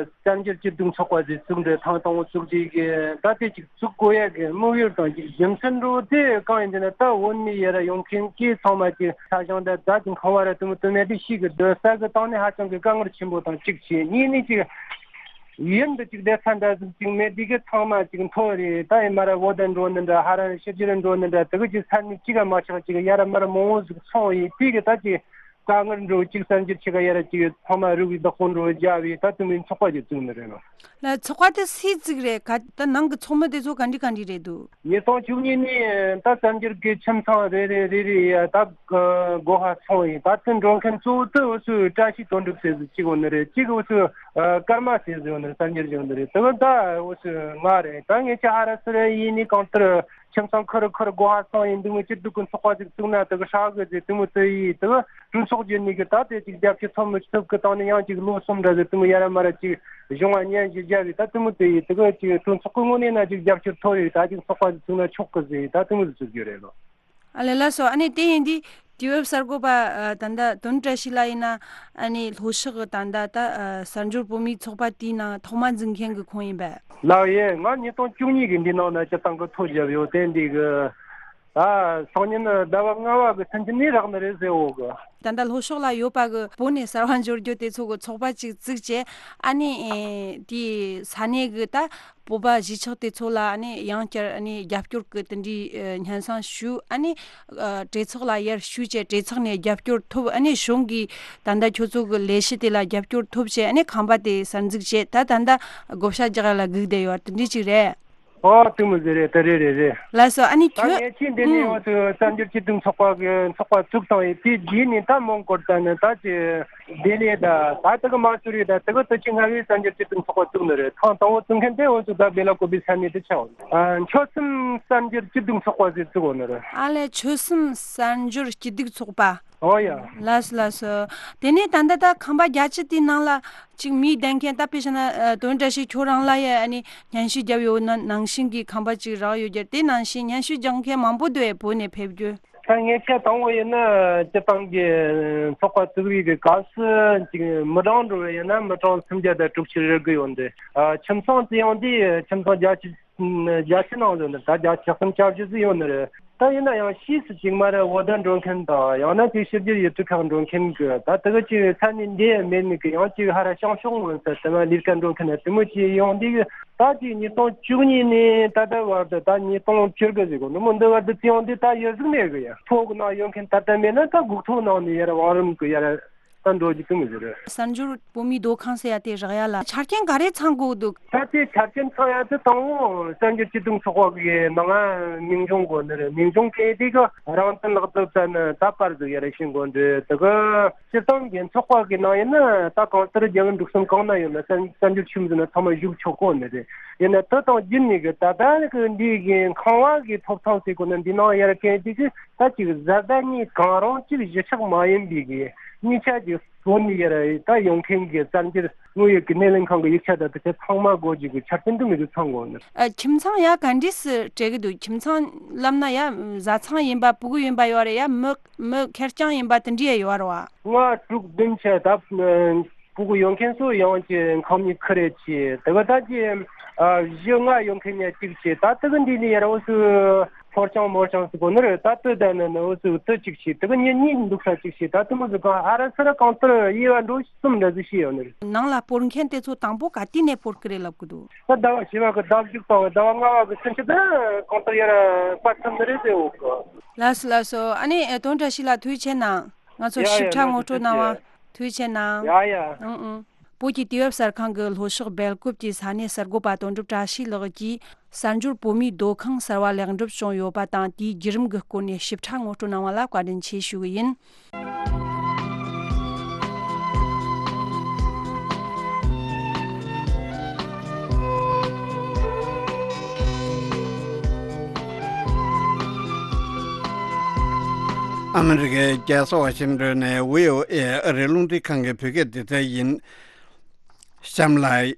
གསར་འགྱུར་སྤྱི་སྟེགས་ཚོགས་པ་ཟེར་བཙུགས་འདྲ་ཐང་དང་བཙུགས་དེ་གི་ད་ལྟའི་ཅིག་བཙུགས་དགོས་ཡ་གི་དམིགས་ཡུལ་དང་ཅིག་རྒྱུ་མཚན་འདྲ་བོ་དེ་གང་ཡིན་ཟེར་ན། ད་བོད་ནས་ཡར་ཡོང་མཁན་གྱི་ཚང་མ་ཅིག་ས་ཞིང་དང་ད་ཅིག་ཁང་བ་ར་དུ་མི་དུ་མེད་དེ་ཞིག་གི་སྡོད་ས་གི་སྟེང་ནས་ཧ་ཅང་གི་དཀའ་ངལ་ཆེན་པོ་དང་གཅིག་བྱས། གཉིས་ནས་ཅིག་ཡུལ་འདི་ཅིག་བསྡད་ས་འདྲ་ཟིག་ཅིག་མེད་དེ་གི་ཚང་མ་ཅིག་མཐོ་རེད། ད་ཡིན་མ་ར་བོད་དུ་འགྲོ་ནི་འདྲ་ཧ་ར་ཕྱི་རྒྱལ་འགྲོ་ནི་འདྲ་དེ་གི་ཅིག་ས་གནས་གཅིག་ག་མ་ཆགས་ཅིག་ཡ་ར་མ་ར་མང་བོ་ཟིག་སོང་ཡིན་དེ་གི་ད་ཅིག་དཀའ་ངལ་འགྲོ་གཅིག་གསར་འགྱུར་ཆེ་ག་ཡ་ར་གཅིག་ཚང་མ་རུ་བའི་བདག་པོ་འགྲོ་རྒྱ་བའི་ད་དུ་མིན་ཚོགས་པ་ཅིག་བཙུགས་ནི་རེད་ལ། ལ་ཚོགས་པ་དེ་སུས་བཙུགས་རེད། ག་ད་ནང་གི་ཚོགས་མི་དེ་ཚོ་ག་འདྲ་ག་འདྲ་རེད་འདུག་ཉིས་སྟོང་བཅུ་གཉིས་ནས་ད་གསར་འགྱུར་གི་ཁྱིམ་ཚང་རེ་རེ་རེ་རེ་ཡ་ད་སྒོ་ཧ་སོང་ཡིན། ད་དུ་འགྲོ་མཁན་གཙོ་བོ་དུ་འུ་ཚོའི་བཀྲ་ཤིས་དོན་གྲུབ་ཟེར་ཟིག་གཅིག་འོ་ནི་རེད། གཅིག་འུ་ཚོའི་ ཨ་ཀརྨ་ཟེར་ཟེར་ཡོད་ནི་རེད། གསར་འགྱུར་བྱུང་ནི་རེད། དེ་གི་ད་འོ་ཚོད་ང་རེད། ད་ངས་ཅི་ཧ་ར་སི་ར་ཡིན་ནི་གང་ལྟར་ཁྱིམ་ཚང་ཁུར་ཁུར་སྒོ་ཧ་སང་ཡིན་འདུག་མི་སྐྱིད་སྡུག་གི་ཚོགས་པ་ཟིག་བཙུགས་ན་དེ་གི་ཧྲ་གི་ཟེར་དེ་མོ་དེ་ཡིན། དེ་གི་གྲོས་ཚོགས་བརྒྱུད་ནི་གི་ད་དེ་ཅིག་རྒྱབ་སྐྱོར་ཐོབ་མི་ཐོབ་གི་སྟེང་ནས་ཡང་ཅིག་ལོ་གསུམ་འདྲ་ཟིག་དེ་མོ་ཡ་ར་མ་ར་ཅིག་གཞུང་བ་ཉན་ཞིག་རྒྱབ་ཡིན། ད་དེ་མོ་དེ་ཡིན། དེ་གི་ཅིག་གྲོས་ཚོགས་གི་ངོས་ནས་ན་ཅིག་རྒྱབ་སྐྱོར་ཐོབ་ཡོད། ད་ཅིག་ཚོགས་པ་ཟིག་བཙུགས་ན་ཆོག་གི་ཟེར་ཡིན། ད་དེ་མོ་ཟིག་བཙུགས་རྒྱུ་རེད་ལོ། ཨ་ལས་ལགས་སོ། ཨ་ནི་དེ་ཡིན་དུས་དུས་བབ་གསར་འགོད་པ་ཨ་ད་ལྟ་དོན་བཀྲ་ཤིས་ལགས་ཡིན་ན་ཨ་ནི་ལྷོ་ཕྱོགས་ཀྱི་ད་ལྟ་ད་ཨ་གསར་འབྱོར་བོད་མིའི་ཚོགས་པ་དེའི་ནང་ཐོག་མ་འཛུགས་མཁན་གྱི་ཁོང་ཡིན་པས། ལགས་ཡེ། ང་ཉིས་སྟོང་བཅུ་གཉིས་གི་འདི་ནང་ན་སྤྱི་བཏང་གི་ཐོ་བརྒྱབ་ཡོད། དེ་འདི་གི་ད་སང་ཉིན་ཟླ་བ་ལྔ་བ་གི་ཚུན་ཆད་ནས་རག་ནི་རེད་ཟེར་འོ་གི། ད་ལྟ་ལྷོ་ཕྱོགས་ལ་ཡོད་པ་གི་བོད་ནས་གསར་བ་འབྱོར་རྒྱུ་དེ་ཚོ་གི་ཚོགས་པ་ཅིག་བཙུགས་བྱས། ཨ་ནི་ཨེ་དེའི་ས་གནས་གི་ད་བོད་པ་གཞིས་ཆགས་དེ་ཚོ་ལ་ཨ་ནི་ཡང་བསྐྱར་ཨ་ནི་རྒྱབ་སྐྱོར་གི་དེ་འདྲའི་ཨ་སྙན་སེང་ཞུས། ཨ་ནི་ཨ་གྲོས་ཚོགས་ལ་ཡར་ཞུས་བྱས་གྲོས་ཚོགས་ནས་རྒྱབ་སྐྱོར་ཐོབ། ཨ་ནི་གཞུང་གིས་ད་ལྟ་ཁྱོད་ཚོ་གི་ལས་གཞི་དེ་ལ་རྒྱབ་སྐྱོར་ཐོབ་བྱས། ཨ་ནི་ཁང་པ་དེ་གསར་འཛུགས་བྱས། ད་ད་ལྟ་བགོ་བཤའ་རྒྱག་ཡ་ལ་སྒུག་བསྡད་ཡོད་དེ་འདྲ་ཅིག་རེད། ཨོ་དེ་མོ་ཟེར་རེད། དེ་རེད་རེད་རེད། ལགས་སོ། ཨ་ནི་ད་ཁྱོད་ངས་ཁྱེད་འདི་ནས་ཡོང་དུས་གསར་འགྱུར་སྤྱི་འཐུས་ཚོགས་པ་གི་ཚོགས་པ་བཙུགས་བཏང་ཡོད། དེ་རྗེས་ནས་ད་མོན་གྷོ་ད་ནི་ད་ཅི་ལྡི་ལི་ད་ད་དེ་གི་མ་སུ་རི་ད་དེ་གི་དུ་ཆི་ང་གི་གསར་འགྱུར་སྤྱི་འཐུས་ཚོགས་པ་བཙུགས་ནི་རེད། ཐེངས་དང་པོ་བཙུགས་མཁན་དེ་འོ་ཚོ་ད་སྦེ་ལ་ཀོ་བི་ས་གནས་དུ་ཆགས། ཨ་ཆོལ་གསུམ་གསར་འགྱུར་སྤྱི་འཐུས་ཚོགས་པ་ཟེར་བཙུགས་ཡོད་ནི་རེད། ཨ་ལས་ཆོལ་གསུམ་གསར་འགྱུར་སྤྱི་འཐུས་ཚོགས་པ། ཨོ་ཡ། ལགས་སོ་ལགས་སོ། དེ་ནས་ད་ལྟ་ད་ཁང་པ་བརྒྱད་ཅུ་དེའི་ནང་ལ་ཅིག་མིའི་བདེན་མཁན་ད་དཔེ་བྱས་ན་ཨ་དོན་བཀྲ་ཤིས་ཁྱོད་རང་ལ་ཡ་ཨ་ནི་སྙན་ཞུ་བརྒྱབ་ཡོད་ན་ནང་བཞིན་གྱི་ཁང་པ་ཅིག་རག་ཡོད་རྒྱུ་དེ་ནང་བཞིན་སྙན་ཞུ་རྒྱག་མཁན་མང་པོ་འདུག་ཨེ་བོད་ནས་ཕེབས་རྒྱུ། ད་ངས་ཆ་དང་པོ་ཡིན་ན་སྤྱི་བཏང་གི་ཚོགས་པ་བཙུགས་པའི་གི་སྐབས་སུ་ཅིག་མི་གྲངས་འགྲོ་བ་ཡིན་ན་མི་གྲངས་སུམ་བརྒྱ་དང་དྲུག་ཅུ་རེ་དགུ་ཡོད་འདུག་ཨ་ཁྱིམ་ཚང་བརྩི་ཡོང་དུས་ཁྱིམ་ཚང་བརྒྱད་ཅུ་བརྒྱད་ཅུ་ནང་ལོ་ནི་ད་བརྒྱ་ཆ་གསུམ་ཆ་བཞི་ཟིག་ཡོད་ནི་རེད། ད་ཡིན་ན་ཡང་ཕྱིས་སུ་ཅིག་མ་རེད་འོ་ད་འགྲོ་མཁན་དང་ཡང་ན་ཅིག་ཕྱི་རྒྱལ་ཡུལ་གྲུ་ཁག་འགྲོ་མཁན་གི་ད་དེ་གི་ཅིག་ས་གནས་འདི་མེད་ནི་གི་ཡང་ཅིག་ཧ་ར་བྱང་ཕྱོགས་ངོས་ཟེར་དེ་མ་ལིར་ཀ་འགྲོ་མཁན་དེ་མོ་ཅིག་ཡོང་དུས་གི་ད་ཅིག་ཉིས་སྟོང་བཅུ་གཉིས་ནས་ད་ལྟ་བར་དུ་ད་ཉིས་སྟོང་བཅུ་དགུ་ཟིག་གོ་ནི་མོ་འདི་བར་དུ་བརྩི་ཡོང་དུས་ད་ཡོད་ཟིག་མེད་གི་ཡ། ཕོ་གི་ནང་ཡོད་མཁན་ད་ལྟ་མེད་ན་ད་སྒུག་ཐོ་ནང་ནས་ཡར་བང་རིམ་གི་ཡར། ད་འགྲོ་རྒྱུ་དེ་མི་ཟེར། གསར་འབྱོར་བོད་མིའི་སྡོད་ཁང་ཟེར་ཡ་དེ་རག་ཡ་ལ་ཆ་རྐྱེན་ག་རེ་ཚང་དགོས་འདུག་ད་དེ་ཆ་རྐྱེན་ཚང་ཡ་དེ་དང་པོ་གསར་འགྱུར་སྤྱི་འཐུས་ཚོགས་པ་གི་ནང་ང་མིང་རྐྱང་དགོས་ནི་རེད། མིང་རྐྱང་གི་དེ་གི་རང་བཙན་ལག་དེབ་ཙམ་ནི་ད་པར་ཟིག་ཡ་རེ་ཤིང་དགོས་འདུག་དེ་གི་སྤྱིར་བཏང་གི་ཚོགས་པ་གི་ནང་ཡིན་ན་ད་གང་ལྟར་རྒྱལ་བ་འབྲུག་གསུམ་གང་ན་ཡོད་ན་གསར་གསར་འགྱུར་ཆུང་ཟིག་ན་ཚང་མ་བཞུགས་ཆོག་གོ་ནི་རེད། ཡིན་ན་དེ་དང་རྒྱུད་ནས་གི་ད་ལྟ་གི་འདི་གི་ཁང་བ་གི་ཐོབ་ཐང་ཟེར་གོ་ན་འདི་ནང་ཡ་ར་གན་དེ་གི་ད་ཅིག་བཟའ་ཟླ་གཉིས་གང་རུང་གཅིག་གཞིས་ཆགས་མ་ཡིན་པའི་གི་གཉིས་ཆ་གི་བོད་ནས་ཡར་ད་ཡོང་མཁན་གི་གསར་འགྱུར་དངོས་ཡོད་ཀྱི་སྣེ་ལེན་ཁང་གི་ཡིག་ཆ་དང་དེ་ཚོ་ཚང་མ་དགོས་རྒྱུ་གི་ཆ་རྐྱེན་དུ་མི་འདུག་ཚང་དགོས་ནི། ཨ་ཁྱིམ་ཚང་ཡ་ག་འདྲས་སུ་སྤྲད་གི་འདུག་ཁྱིམ་ཚང་ལབ་ན་ཡ་བཟའ་ཚང་ཡིན་པ་ཕྲུ་གུ་ཡིན་པ་ཡོད་རེད། ཡ་མི་མི་ཁེར་རྐྱང་ཡིན་པ་དེ་འདྲས་ཡ་ཡོད་རེད་བ། ང་དྲུག་བདུན་ཆ་ད་ཕྲུ་གུ་ཡོད་མཁན་ཚོ་ཡང་གི་ཁང་མིག་ཁུ་རེ་ཆེ་དེ་ག་ད་ཀྱི་བཞི་ལྔ་ཡོད་མཁན་ཡ་གཅིག་ཆེ་ད་དེ་གི་འདི་ནས་ཡ་ར་འུ་ཚོ། ཕོར་ཆང་མོར་ཆང་ཟེར་གོ་ནི་རེད། ད་ལྟོས་ད་ནི་ནི་འུ་ཚོ་ལྟོས་གཅིག་བྱས་དེ་གི་ཉིན་གཉིས་འདུག་ས་གཅིག་བྱས་ད་དེ་མོ་ཟིག་གང་ཨ་ར་སི་ར་གང་ལྟར་དབྱེ་བ་འགྲོ་གསུམ་འདྲ་ཟིག་བྱས་ཡོད་ནི་རེད། ནང་ལ་སྤོར་མཁན་དེ་ཚོ་དང་པོ་ག་དུས་ནས་སྤོར་གི་རེད་ལབ་གི་འདུག་ད་ཟླ་བ་བཞི་བ་གི་ཟླ་བཞི་དང་ཟླ་བ་ལྔ་བ་གི་ཚུན་ཆད་ད་གང་ལྟར་ཡར་སྤར་ཐུབ་ནི་རེད་ཟེར་འོ་གི། ལགས་སོ་ལགས་སོ། ཨ་ནི་དོན་བཀྲ་ཤིས་ལགས་ཐུགས་རྗེ་ཆེ་གནང་། ང་ཚོ་ཡ་ཞིབ་ཡ་ཕྲ་ང་ངོ་སྤྲོད་ཚོ་གནང་བ་ཐུགས་རྗེ་ཆེ་གནང་། ཡ་ཡ། ཨང་ཨང་། བོད་ཀྱི་དུས་བབ་གསར་ཁང་གི་ལྷོ་ཕྱོགས་སྦེལ་ཀོབ་ཀྱི་ས་གནས་གསར་འགོད་པ་དོན་གྲུབ་བཀྲ་ཤིས་ལགས་ཀྱིས་གསར་འབྱོར་བོད་མིའི་སྡོད་ཁང་གསར་བ་ལེགས་འགྲུབ་བྱུང་ཡོད་པ་དང་དེའི་བརྒྱུད་རིམ་གྱི་སྐོར་ནས་ཞིབ་ཕྲ་ངོ་སྤྲོད་གནང་བ་ལ་བཀའ་དྲིན་ཆེ་ཞུ་གི་ཡིན། ཨ་མི་རི་ཀའི་རྒྱལ་ས་ཝ་ཤིང་ཏོན་ནས་བྷི་ཨོ་ཨེ་ཨ་རིའི་རླུང་འཕྲིན་ཁང་གི་བོད་སྐད་སྡེ་ཚན་ཡིན། གཤམ་ལ།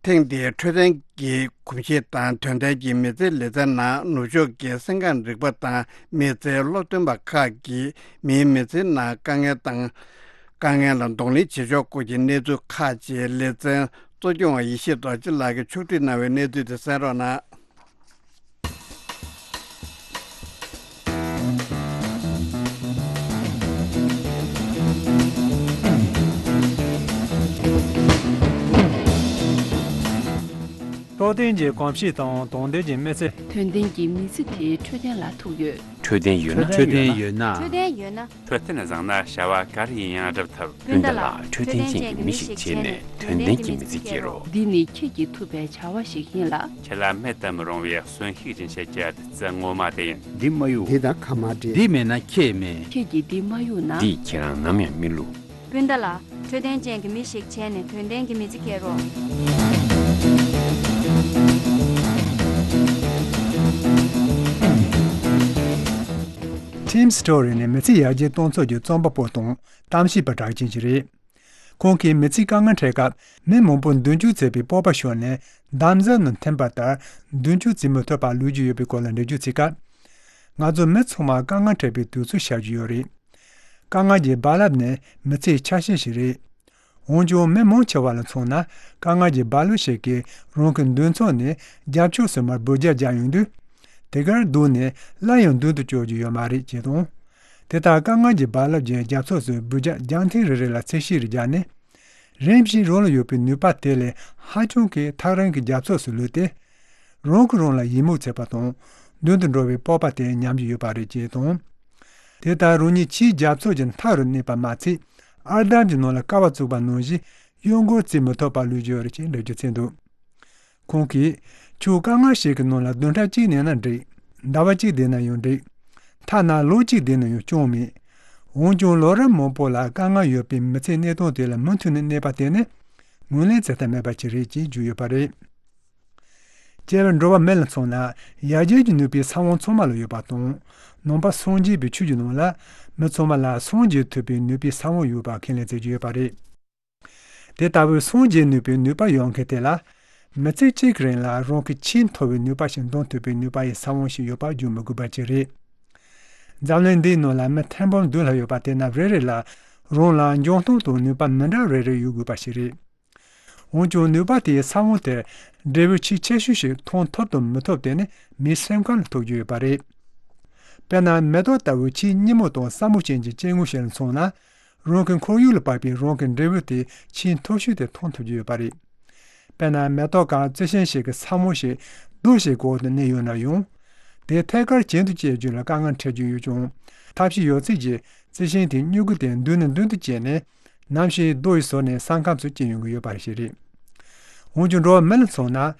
ཐེངས་འདིའི་འཕྲོད་བསྟེན་གྱི་གོམས་གཤིས་དང་དོན་ལྡན་གྱི་མི་ཚེའི་ལེ་ཚན་ནང་ནུབ་ཕྱོགས་ཀྱི་སེམས་ཁམས་རིག་པ་དང་མི་ཚེའི་སློབ་སྟོན་པ་ཁག་གིས་མིའི་མི་ཚེའི་ནང་དཀའ་ངལ་དང་། དཀའ་ངལ་ལ་གདོང་ལེན་བྱེད་ཕྱོགས་སྐོར་གྱི་གནས་ཚུལ་ཁག་ཅིག་ལེ་ཚན་གཙོ་སྐྱོང་བ་ཡེ་ཤེས་རྡོ་རྗེ་ལགས་ཀྱིས་ཕྱོགས་སྒྲིག་གནང་བའི་གནས་ཚུལ་དེ་གསན་རོགས་གནང་། འཕྲོད་བསྟེན་གྱི་གོམས་གཤིས་དང་དོན་ལྡན་གྱི་མི་ཚེ། དོན་ལྡན་གྱི་མི་ཚེ་དེ་འཕྲོད་བསྟེན་ལ་ཐུག་ཡོད། འཕྲོད་བསྟེན་ཡོད་ན། འཕྲོད་བསྟེན་ཡོད་ན། འཕྲོད་བསྟེན་ཡོད་ན། འཕྲོད་བསྟེན་བཟང་ན་བྱ་བ་ག་རེ་ཡིན་ཡང་འགྲུབ་ཐུབ། སྤུན་ཟླ་ལགས་འཕྲོད་བསྟེན་ཅན་གྱི་མི་ཞིག་བྱས་ནས་དོན་ལྡན་གྱི་མི་ཚེ་སྐྱེལ་རོགས། འདི་ནི་ཁྱེད་ཀྱིས་ཐུབ་པའི་བྱ་བ་ཞིག་ཡིན་ལ། ཁྱེད་ལ་མེད་དུ་མི་རུང་བའི་གསོན་ཤུགས་སྦྱིན་བྱེད་ཀྱི་བདུད་རྩི་ངོ་མ་དེ་ཡིན། འདི་མ་གཡུག་འདི་དང་ཁ་མ་འབྲལ། འདི་མེད་ན་ཁྱེད་མེད། ཁྱེད་ཀྱིས་འདི་མ་གཡུག་ན། འདིས་ཁྱེད་རང་ནམ་ཡང་མི་བསླུ། སྤུན་ཟླ་ལགས། འཕྲོད་བསྟེན་ཅན་གྱི་མི་ཞིག་བྱས་ནས་དོན་ལྡན་གྱི་མི་ཚེ་སྐྱེལ་རོགས། Tim Storey ནི་མི་ཚེ་ཡར་རྒྱས་གཏོང་ཕྱོགས་ཀྱི་རྩོམ་པ་པོ་དང་གཏམ་བཤད་པ་གྲགས་ཅན་ཞིག་རེད། ཁོང་གིས་མི་ཚེའི་དཀའ་ངལ་འཕྲད་སྐབས་མི་མང་པོ་མདུན་སྐྱོད་བྱེད་པའི་སྤོབས་པ་ཤོར་ནས་འདམ་རྫབ་ནང་འཐིམ་པ་ལྟར་མདུན་སྐྱོད་བྱེད་མི་ཐུབ་པར་ལུས་ཀྱི་ཡོད་པའི་སྐོར་ལ་འགྲེལ་བརྗོད་བྱེད་སྐབས། ང་ཚོ་མི་ཚང་མ་དཀའ་ངལ་འཕྲད་པའི་དུས་ཚོད་ཤར་གྱི་ཡོད་རེད། དཀའ་ངལ་གྱི་རྦ་རླབས་ནི་མི་ཚེའི་ཆ་ཤས་ཤིག་རེད། འོན་ཀྱང་མི་མང་ཆེ་བ་ལ་མཚོན་ན་དཀའ་ངལ་གྱི་རྦ་རླབས་ཤིག་གིས་རང་གི་མདུན་ཚོགས་ནས་རྒྱབ་ཕྱོགས་སུ་མར་འབུད་རྒྱག་རྒྱག་ཡོང་དུས། དེ་གར་བསྡད་ནས་སླར་ཡང་མདུན་དུ་བསྐྱོད་རྒྱུ་ཡོད་མ་རེད་ཅེས་དང་། དེ་ལྟར་དཀའ་ངལ་གྱི་རྦ་རླབས་ཀྱི་རྒྱབ་ཕྱོགས་སུ་འབུད་རྒྱག་རྒྱག་མཁན་རེ་རེ་ལ་ཚད་གཞི་རེ་བརྒྱབ་ནས། རིམ་བཞིན་རང་ལ་ཡོད་པའི་ནུས་པ་དེ་ལས་ཧ་ཅང་གིས་ཐག་རིང་གི་རྒྱབ་ཕྱོགས་སུ་ལུས་ཏེ། རང་གིས་རང་ལ་ཡིད་མུག་བྱེད་པ་དང་མདུན་དུ་འགྲོ་བའི་སྤོབས་པ་དེ་ཉམས་ཀྱི་ཡོད་པ་རེད་ཅེས་དང་། དེ་ལྟར་རང་ཉིད་ཕྱིའི་རྒྱབ་ཕྱོགས་ཀྱི་མཐའ་རུ་གནས་པ་མ་ཚད། ཨར་འདམ་གྱི་ནང་ལ་ཀ་བ་བཙུགས་པ་ནང་བཞིན་གཡོ་འགུལ་བྱེད་མི་ཐུབ་པར་ལུས་ཀྱི་ཡོད་རེད་ཅེས་འགྲེལ་བརྗོད་བྱས་འདུག་ཁོང་གིས། ཁྱོད་དཀའ་ངལ་ཞིག་གི་ནང་ལ་བདུན་ཕྲག་གཅིག་གནས་ན་འགྲིག་ཟླ་བ་གཅིག་བསྡད་ན་ཡང་འགྲིག་ཐ་ན་ལོ་གཅིག་བསྡད་ན་ཡང་སྐྱོན་མེད། འོན་ཀྱང་ལོ་རབས་མང་པོ་ལ་དཀའ་ངལ་ཡོད་པའི་མི་ཚེའི་གནས་སྟངས་དེ་ལ་མུ་མཐུད་ནས་གནས་པ་དེ་ནི་ངོས་ལེན་བྱེད་ཐབས་མེད་པ་ཅིག་རེད་ཅེས་བརྗོད་ཡོད་པ་རེད། སྐྱེ་བ་འགྲོ་བ་མི་ལ་མཚོན་ན་ཡར་རྒྱས་ཀྱི་ནུས་པའི་ས་བོན་ཚང་མ་ལ་ཡོད་པ་དང་། ནང་པ་སངས་རྒྱས་པའི་ཆོས་ཀྱི་ནང་ལ་མི་ཚང་མ་ལ་སངས་རྒྱས་ཐུབ་པའི་ནུས་པའི་ས་བོན་ཡོད་པ་ཁས་ལེན་བྱེད་ཀྱི་ཡོད་པ་རེད། དེ་ལྟ་བུའི་སངས་རྒྱས་ནུས་པའི་ནུས་པ་ཡོད་མཁན་དེ་ལ། མི་ཚེ་གཅིག་གི་རིང་ལ་རང་གི་ཆེས་མཐོ་བའི་ནུས་པ་ཞིག་འདོན་ཐུབ་པའི་ནུས་པ་ཡི་ས་བོན་ཞིག་ཡོད་པ་བརྗོད་མི་དགོས་པ་ཅིག་རེད། འཛམ་གླིང་འདིའི་ནང་ལ་མི་ཐེར་འབུམ་བདུན་ལྷག་ཡོད་པ་དེ་རྣམས་རེ་རེ་ལ་རང་ལ་འཇོན་ཐང་དང་ནུས་པ་མི་འདྲ་རེ་རེ་ཡོད་དགོས་པ་ཞིག་རེད། འོན་ཀྱང་ནུས་པ་དེའི་ས་བོན་དེར་འབྲས་བུ་ཆེས་ཆེ་ཤོས་ཤིག་མཐོང་ཐུབ་དང་མི་ཐུབ་དེ་ནི་མིའི་སེམས་ཁམས་ལ་ཐུག་རྒྱུ་ཡོད་པ་རེད། དཔེར་ན་མེ་ཏོག་ལྟ་བུའི་ཆེས་སྙན་མོ་དང་སྲ་མོ་ཅན་གྱི་སྐྱེ་དངོས་ཤིག་ལ་མཚོན་ན། རང་གི་ཁོར་ཡུག་ལ་བབས་པའི་རང་གི་འབྲས་བུ་དེ་ཆེས་མཐོ་ཤོས་དེ་མཐོང་ཐུབ་ཀྱི་ཡོད་པ་རེད། དཔེར་ན་མེ་ཏོག་གམ་རྩི་ཤིང་ཞིག་གི་ས་བོན་ཞིག་རྡོ་ཞིག་གི་འོག་ཏུ་གནས་ཡོད་ན་ཡང་། དེ་ཐད་ཀར་གྱེན་དུ་བསྐྱལ་རྒྱུ་ལ་དཀའ་ངལ་འཕྲད་རྒྱུ་ཡོད་ཀྱང་། ཐབས་ཤེས་ཡོད་ཚད་ཀྱིས་རྩི་ཤིང་དེའི་སྨྱུ་གུ་དེ་མདུན་ནས་མདུན་དུ་བསྐྱལ་ནས། ནམ་ཞིག་རྡོ་ཡི་ཟུར་ནས་ས་ཁམས་སུ་སྐྱེ་ཡོང་གི་ཡོད་པ་ཞིག་རེད། འོན་ཀྱང་འགྲོ་བ་མི་ལ་མཚོན་ན།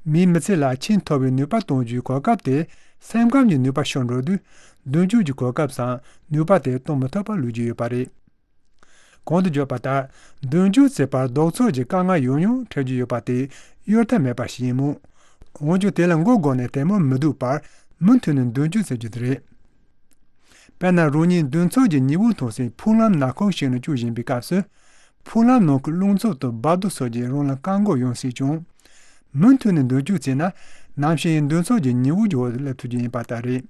མིའི་མི་ཚེ་ལ་ཆེས་མཐོ་བའི་ནུས་པ་གཏོང་རྒྱུའི་གོ་སྐབས་དེ་སེམས་ཁམས་ཀྱི་ནུས་པ་ཤོར་འགྲོ་དུས་མདུན་སྐྱོད་ཀྱི་གོ་སྐབས་སམ་ནུས་པ་དེ་གཏོང་མི་ཐུབ་པར་ལུས་ཀྱི་ཡོད་པ་རེད། གོང་དུ་བརྗོད་པ་ལྟར་མདུན་སྐྱོད་བྱེད་པར་ལྡོག་ཕྱོགས་ཀྱི་དཀའ་ངལ་ཡང་ཡང་འཕྲད་རྒྱུ་ཡོད་པ་དེ་གཡོལ་ཐབས་མེད་པ་ཞིག་ཡིན་མོད། འོན་ཀྱང་དེ་ལ་མགོ་སྒུར་ནས་དལ་མོར་མི་འདུག་པར་མུ་མཐུད་ནས་མདུན་སྐྱོད་བྱེད་རྒྱུ་དེ་རེད། དཔེར་ན་རང་ཉིད་མདུན་ཕྱོགས་ཀྱི་ཉི་འོད་མཐོང་སའི་འཕྲུལ་ལམ་ནག་ཁུང་ཞིག་ནང་བསྐྱོད་བཞིན་པའི་སྐབས་སུ། འཕྲུལ་ལམ་ནང་གི་རླུང་འཚུབ་དང་འབབ་རྡོ་སོགས་ཀྱིས་རང་ལ་བཀག་འགོག་ཡོང་སྲིད་ཀྱང་། མུ་མཐུད་ནས་མདུན་སྐྱོད་བྱས་ན་ནམ་ཞིག་མདུན་ཕྱོགས་ཀྱི་ཉི་འོད་ཀྱི་འོག་ཏུ་སླེབས་ཐུབ་རྒྱུ་ཡིན་པ་ལྟར་རེད།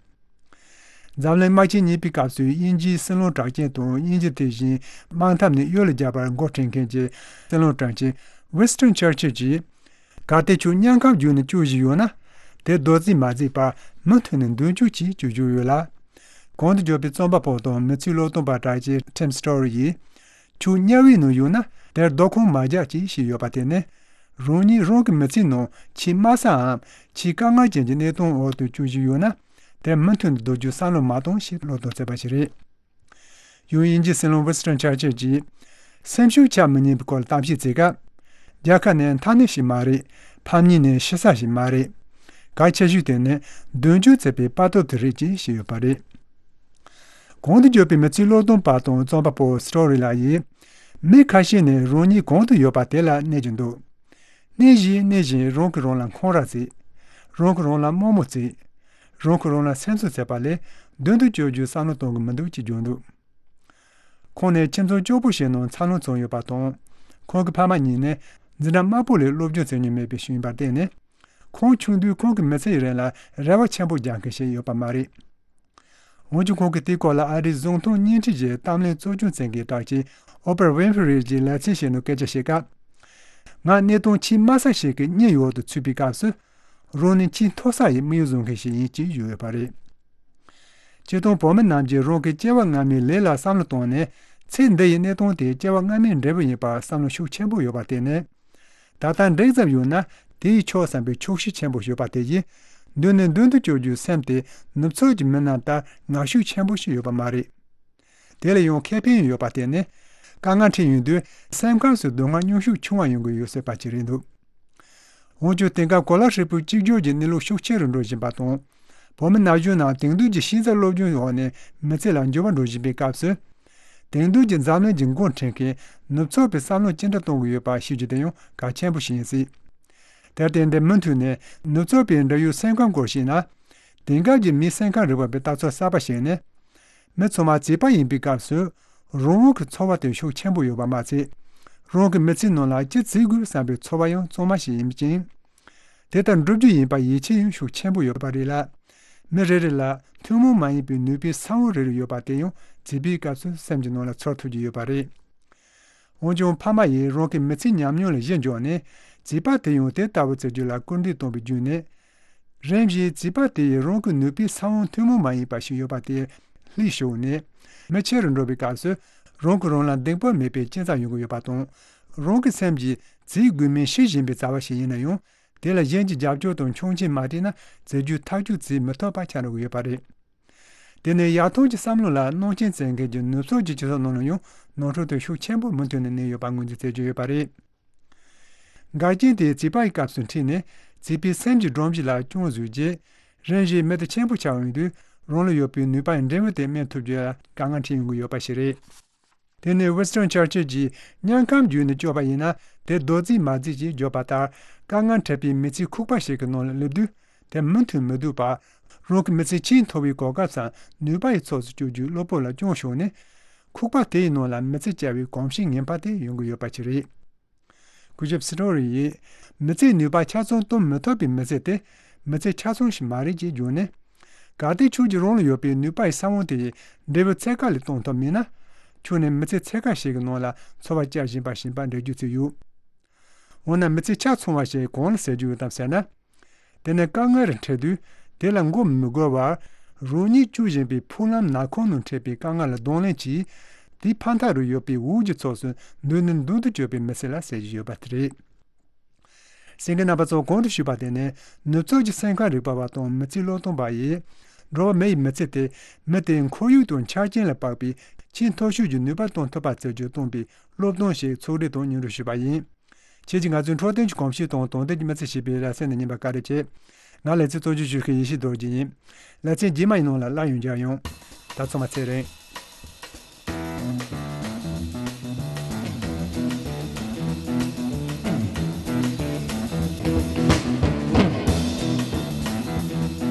འཛམ་གླིང་དམག་ཆེན་གཉིས་པའི་སྐབས་སུ་དབྱིན་ཇིའི་སྲིད་བློན་གྲགས་ཅན་དང་དབྱིན་ཇི་དེ་བཞིན་དམག་འཐབ་ནས་གཡུལ་ལ་རྒྱག་པར་འགོ་ཁྲིད་མཁན་གྱི་སྲིད་བློན་དྲུང་ཆེ་ཝིན་སི་ཊོན་ཆར་ཆིལ་གྱིས། གལ་ཏེ་ཁྱོད་དམྱལ་ཁམས་བརྒྱུད་ནས་སྐྱོད་བཞིན་ཡོད་ན། དེ་རྡོག་རྫིས་མ་རྫིས་པར་མུ་མཐུད་ནས་མདུན་སྐྱོད་ཀྱིས་སྐྱོད་རྒྱུ་ཡོད་ལ། གོང་དུ་བརྗོད་པའི་རྩོམ་པ་པོ་དང་མི་ཚེའི་བློས་གཏོང་པ་གྲགས་ཅན་ཊིམ་སི་ཊོ་རི་ཡིས། ཁྱོད་དམྱལ་བའི་ནང་ཡོད་ན་དེར་རྡོ་ཁུང་མ་རྒྱག་ཅེས་བཤད་ཡོད་པ་དེ་ནི། རང་ཉིད་རང་གི་མི་ཚེའི་ནང་ཆེས་དམའ་སའམ་ཆེས་དཀའ་ངལ་ཅན་གྱི་གནས་སྟངས་འོག་ཏུ་སྐྱོད་བཞིན་ཡོད་ན། དེར་མུ་མཐུད་དུ་སྡོད་རྒྱུ་བསམ་བློ་མ་གཏོང་ཞེས་བློས་གཏོང་བྱས་པ་ཞིག་རེད། ཡང་དབྱིན་ཇིའི་སྲིད་བློན་ཝིན་སི་ཊོན་ཆར་ཆིལ་གྱིས། སེམས་ཤུགས་ཆག་མི་ཉན་པའི་སྐོར་ལ་གཏམ་བཤད་བྱེད་སྐབས། རྒྱལ་ཁབ་ནི་མཐའ་སྣེ་ཞིག་མ་རེད། ཕམ་ཉེས་ནི་ཤི་ས་ཞིག་མ་རེད། གལ་ཆེ་ཤོས་དེ་ནི་མདུན་སྐྱོད་བྱེད་པའི་དཔའ་སྟོབས་དེ་རེད་ཅེས་བཤད་ཡོད་པ་རེད། གོང་དུ་བརྗོད་པའི་མི་ཚེའི་བློས་གཏོང་པ་དང་རྩོམ་པ་པོ་སི་ཊོ་རི་ལགས་ཡིས། མི་ཁ་ཤས་ནི་རང་ཉིད་གང་དུ་ཡོད་པ་དེ་ལ་གནས་ཀྱི་འདུག་གནས་བཞིན་གནས་བཞིན་རང་གིས་རང་ལ་འཁོན་ར་བྱེད། རང་གིས་རང་ལ་དམའ་མོ་བརྩི། རང་གིས་རང་ལ་སེམས་གསོ་བྱེད་པ་ལས་མདུན་དུ་སྐྱོད་རྒྱུའི་བསམ་བློ་གཏོང་གི་མི་འདུག་ཅེས་བརྗོད་འདུག་ཁོང་ནི་ཁྱིམ་ཚང་སྐྱོ་པོ་ཞིག་ནང་འཚར་ལོངས་བྱུང་ཡོད་པ་དང་། ཁོང་གི་ཕ་མ་གཉིས་ནི་འཛིན་གྲྭ་དམའ་པོ་ལས་སློབ་སྦྱོང་བྱེད་མྱོང་མེད་པའི་ཞིག་ཡིན་པར་བརྟེན་ནས། ཁོང་ཆུང་དུས་ཁོང་གི་མི་ཚེ་ཡི་རིང་ལ་རེ་བ་ཆེན་པོ་རྒྱག་མཁན་ཞིག་ཡོད་པ་མ་རེད། འོན་ཀྱང་ཁོང་གིས་དེའི་སྐོར་ལ་ཨ་རིའི་གཟུགས་མཐོང་བརྙན་འཕྲིན་གྱི་གཏམ་གླེང་གཙོ་སྐྱོང་མཛད་མཁན་གྲགས་ཅན་ཨོ་པ་ར་ཝིན་ཧྥི་རི་ཡི་ལེ་ཚན་ཞིག་ནང་སྐད་ཆ་བཤད་སྐབས། ང་གནས་སྟངས་ཆེས་དམའ་ས་ཞིག་གི་གཉིད་འོག་ཏུ་ཚུད་པའི་སྐབས་སུ། རང་ནི་ཆེས་མཐོ་ས་ཡི་དམིགས་ཡུལ་བཟུང་མཁན་ཞིག་ཡིན་ཅེས་བརྗོད་ཡོད་པ་རེད། སྤྱིར་བཏང་བོད་མི་རྣམས་ཀྱིས་རང་གི་སྐྱེ་བ་སྔ་མའི་ལས་ལ་བསམ་བློ་བཏང་ནས་ཚེ་འདི་ཡི་གནས་སྟངས་དེ་སྐྱེ་བ་སྔ་མའི་འབྲས་བུ་ཡིན་པར་བསམ་བློ་ཤུགས་ཆེན་པོ་ཡོད་པར་བརྟེན་ནས། ད་ལྟ་འགྲིག་ཙམ་ཡོད་ན་དེ་ཡིས་ཆོག་བསམ་པའི་ཆོག་ཤེས་ཆེན་པོ་ཡོད་པ་དེ་ཡིས་མདུན་ནས་མདུན་དུ་སྐྱོད་རྒྱུའི་སེམས་དེ་ནུབ་ཕྱོགས་ཀྱི་མི་རྣམས་ལྟར་ངར་ཤུགས་ཆེན་པོ་ཞིག་ཡོད་པ་མ་རེད། དེ་ལ་ཡང་ཁེ་ཕན་ཡོད་པ་དེ་ནི་དཀའ་ངལ་འཕྲད་ཡོང་དུས་སེམས་ཁམས་སུ་སྡུག་བསྔལ་སྙུང་ཤུགས་ཆུང་བ་ཡོང་གི་ཡོད་སྲིད་པ་ཅིག་རེད་འདུག་འོན་ཀྱང་དེང་སྐབས་གོ་ལ་ཧྲིལ་པོའི་གཅིག་གྱུར་གྱི་གནས་ལུགས་ཤུགས་ཆེ་རུ་འགྲོ་བཞིན་པ་དང་། བོད་མི་ན་གཞོན་རྣམས་དེང་དུས་ཀྱི་ཤེས་ཚད་སློབ་སྦྱོང་འོག་ནས་མི་ཚེ་ལ་འགྱུར་བ་འགྲོ་བཞིན་པའི་སྐབས་སུ། དེང་དུས་ཀྱི་འཛམ་གླིང་གི་འགོ་འཁྲིད་མཁན་ནུབ་ཕྱོགས་པའི་བསམ་བློ་ཅི་འདྲ་གཏོང་གི་ཡོད་པ་ཤེས་རྒྱུ་དེ་ཡང་གལ་ཆེན་པོ་ཞིག་ཡིན་སྲིད། དེར་བརྟེན་འདི་མུ་མཐུད་ནས་ནུབ་ཕྱོགས་པའི་འབྲེལ་ཡོད་སེམས་ཁམས་སྐོར་ཞིག་ན། དེང་སྐབས་ཀྱི་མིའི་སེམས་ཁམས་རིག་པ་པའི་ལྟ་ཚུལ་གསར་པ་ཞིག་ནི། མི་ཚང་མ་བྱིས་པ་ཡིན་པའི་སྐབས་སུ། རང་དབང་གི་ཚོར་བ་དེ་ཤུགས་ཆེན་པོ་ཡོད་པ་མ་ཚད། རང་གི་མི་ཚེའི་ནང་ལ་ཅི་བྱེད་དགོས་བསམ་པའི་ཚོར་བ་ཡང་གཙང་མ་ཞིག་ཡིན་ཅིང་། དེ་ལྟར་འགྲུབ་རྒྱུ་ཡིན་པར་ཡིད་ཆེས་ཡང་ཤུགས་ཆེན་པོ་ཡོད་པ་རེད་ལ། མི་རེ་རེ་ལ་ཐུན་མོང་མ་ཡིན་པའི་ནུས་པའི་ས་བོན་རེ་རེ་ཡོད་པ་དེ་ཡང་བྱིས་པའི་སྐབས་སུ་སེམས་ཀྱི་ནང་ལ་ཚོར་ཐུབ་ཀྱི་ཡོད་པ་རེད། འོན་ཀྱང་ཕ་མ་ཡིས་རང་གི་མི་ཚེའི་ཉམས་མྱོང་ལ་གཞི་འཇོག་ནས་བྱིས་པ་དེ་ཡང་དེ་ལྟ་བུ་བྱེད་རྒྱུ་ལ་སྐུལ་འདེད་གཏོང་བའི་བརྒྱུད་ནས། རིམ་བཞིན་བྱིས་པ་དེ་ཡིས་རང་གི་ནུས་པའི་ས་བོན་ཐུན་མོང་མ་ཡིན་པ་ཞིག་ཡོད་པ་དེ་ལྷིད་ཞུགས་ནས། མི་ཆེ་རུ་འགྲོ་བའི་སྐབས་སུ་རང་གིས་རང་ལ་གདེང་སྤོབས་མེད་པའི་སྐྱེ་མཚམས་ཡོང་གི་ཡོད་པ་དང་། རང་གི་སེམས་ཀྱིས་བྱིས་དགོས་མིན་ཤེས་བཞིན་པའི་བྱ་བ་ཞིག་ཡིན་ན་ཡང་། དེ་ལ་གཞན་གྱི་རྒྱབ་སྐྱོར་དང་མཆོང་མཆན་མ་སྤྲད་ན་བྱེད་རྒྱུ་ཐག་གཅོད་བྱེད་མི་ཐུབ་པ་ཆགས་འགྲོ་གི་ཡོད་པ་རེད། དེ་ནི་ཡར་ཐོན་གྱི་བསམ་བློ་ལ་སྣང་ཆེན་བྱེད་མཁན་གྱི་ནུབ་ཕྱོགས་ཀྱི་སྤྱི་ཚོགས་ནང་ལ་ཡང་ནོར་འཁྲུལ་དེ་ཤུགས་ཆེན་པོས་མུ་མཐུད་ནས་གནས་ཡོད་པ་ངོས་འཛིན་བྱེད་ཀྱི་ཡོད་པ་རེད། འགལ་རྐྱེན་དེ་བྱིས་པའི་སྐབས་སུ་འཁྲིད་ནས་བྱིས་པའི་སེམས་ཀྱི་སྒྲོམ་གཞི་ལ་རྐྱོང་བཟོས་རྗེས། རིམ་བཞིན་མི་དེ་ཆེན་པོ་ཆགས་ཡོང་དུས་རང་ལ་ཡོད་པའི་ནུས་པ་ཡི་འབྲས་བུ་དེ་སྨིན་ཐུབ་རྒྱུ་ལ་དཀའ་ངལ་འཕྲད་ཡོང་གི་ཡོད་པ་ཞིག་རེད། དེ་ནི་ཝིན་སི་ཊོན་ཆར་ཆིལ་གྱིས་དམྱལ་ཁམས་བརྒྱུད་ནས་སྐྱོབ་པ་ཡིན་ན་དེ་རྡོ་རྫིས་མ་རྫིས་ཀྱིས་བརྗོད་པ་ལྟར། དཀའ་ངལ་འཕྲད་པའི་མི་ཚེའི་ཁུག་པ་ཞིག་གི་ནང་ལ་སླེབས་དུས་དེ་མུ་མཐུད་མི་སྡོད་པར། རང་གི་མི་ཚེ་ཆེས་མཐོ་བའི་གོ་སྐབས་སམ་ནུས་པ་ཡི་ཚོགས་སུ་བསྐྱོད་རྒྱུའི་བློ་སྤོབས་ལ་རྐྱོང་ཤོར་ནས། ཁུག་པ་དེ་ཡི་ནང་ལ་མི་ཚེ་བསྐྱལ་བའི་གོམས་གཤིས་ངན་པ་དེ་ཡོང་གི་ཡོད་པ་ཅིག་རེད། གུ་ཞབས་སི་ཏོ་རི་ཡིས། མི་ཚེའི་ནུས་པ་ཆ་ཚང་གཏོང་མི་ཐུབ་པའི་མི་ཚེ་དེ་མི་ཚེ་ཆ་ཚང་ཞིག་མ་རེད་ཅེས་བརྗོད་ནས། གལ་ཏེ་ཁྱོད་ཀྱིས་རང་ལ་ཡོད་པའི་ནུས་པ་ཡི་ས་བོན་དེ་ཡི་འབྲས་བུ་ཚད་བཀག་ལས་གཏོང་ཐུབ་མེད་ན། ཁྱོད་ནི་མི་ཚེ་ཚད་བཀག་ཞིག་གི་ནང་ལ་འཚོ་བ་བསྐྱལ་བཞིན་པ་བཞིན་པ་འགྲིག་རྒྱུ་ཅིག་ཡོད། འོ་ན་མི་ཚེ་ཆ་ཚང་བ་ཞིག་གང་ལ་ཟེར་རྒྱུ་ཡོད་དམ་ཟེར་ན། དེ་ནི་དཀའ་ངལ་རེ་འཕྲད་དུས་དེ་ལ་མགོ་མི་སྒུར་བར། རང་ཉིད་སྐྱོད་བཞིན་པའི་འཕྲུལ་ལམ་ནག་ཁུང་ནང་འཕྲད་པའི་དཀའ་ངལ་ལ་གདོང་ལེན་གྱིས། དེའི་ཕ་མཐའ་རུ་ཡོད་པའི་འོག་གི་ཕྱོགས་སུ་མདུན་ནས་མདུན་དུ་སྐྱོད་པའི་མི་ཚེ་ལ་ཟེར་གྱི་ཡོད་པ་དེ་རེད། གསན་མཁན་རྣམ་པ་ཚོ། གོང་དུ་ཞུས་པ་དེ་ནི་ནུབ་ཕྱོགས་ཀྱི་སེམས་ཁམས་རིག་པ་བ་དང་མི་ཚེའི་སློབ་སྟོན་པ་ཡིས། འགྲོ་བ་མི་ཡི་མི་ཚེ་དེ་མི་དེའི་ཁོར་ཡུག་དང་ཆ་རྐྱེན་ལ་དཔག་པའི་ཆེས་མཐོ་ཤོས་ཀྱི་ནུས་པ་གཏོང་ཐུབ་པ་བྱེད་རྒྱུ་གཏོང་པའི་སློབ་སྟོན་ཞིག་ཚོགས་སྒྲིག་དང་སྙན་སྒྲོན་ཞུས་པ་ཡིན། ཁྱེད་ཀྱིས་ང་ཚོའི་འཕྲོད་བསྟེན་གྱི་གོམས་གཤིས་དང་དོན་ལྡན་གྱི་མི་ཚེ་ཞེས་པའི་ལེ་ཚན་འདི་ཉན་པར་བཀའ་དྲིན་ཆེ། ང་ལེ་ཚན་གཙོ་སྐྱོང་ཞུ་མཁན་ཡེ་ཤེས་རྡོ་རྗེ་ཡིན། ལེ་ཚན་རྗེས་མ་ཡི་ནང་ལ་སླར་ཡང་མཇལ་ཡོང་། ད་ཚང་མ་ཚེ་རིང་།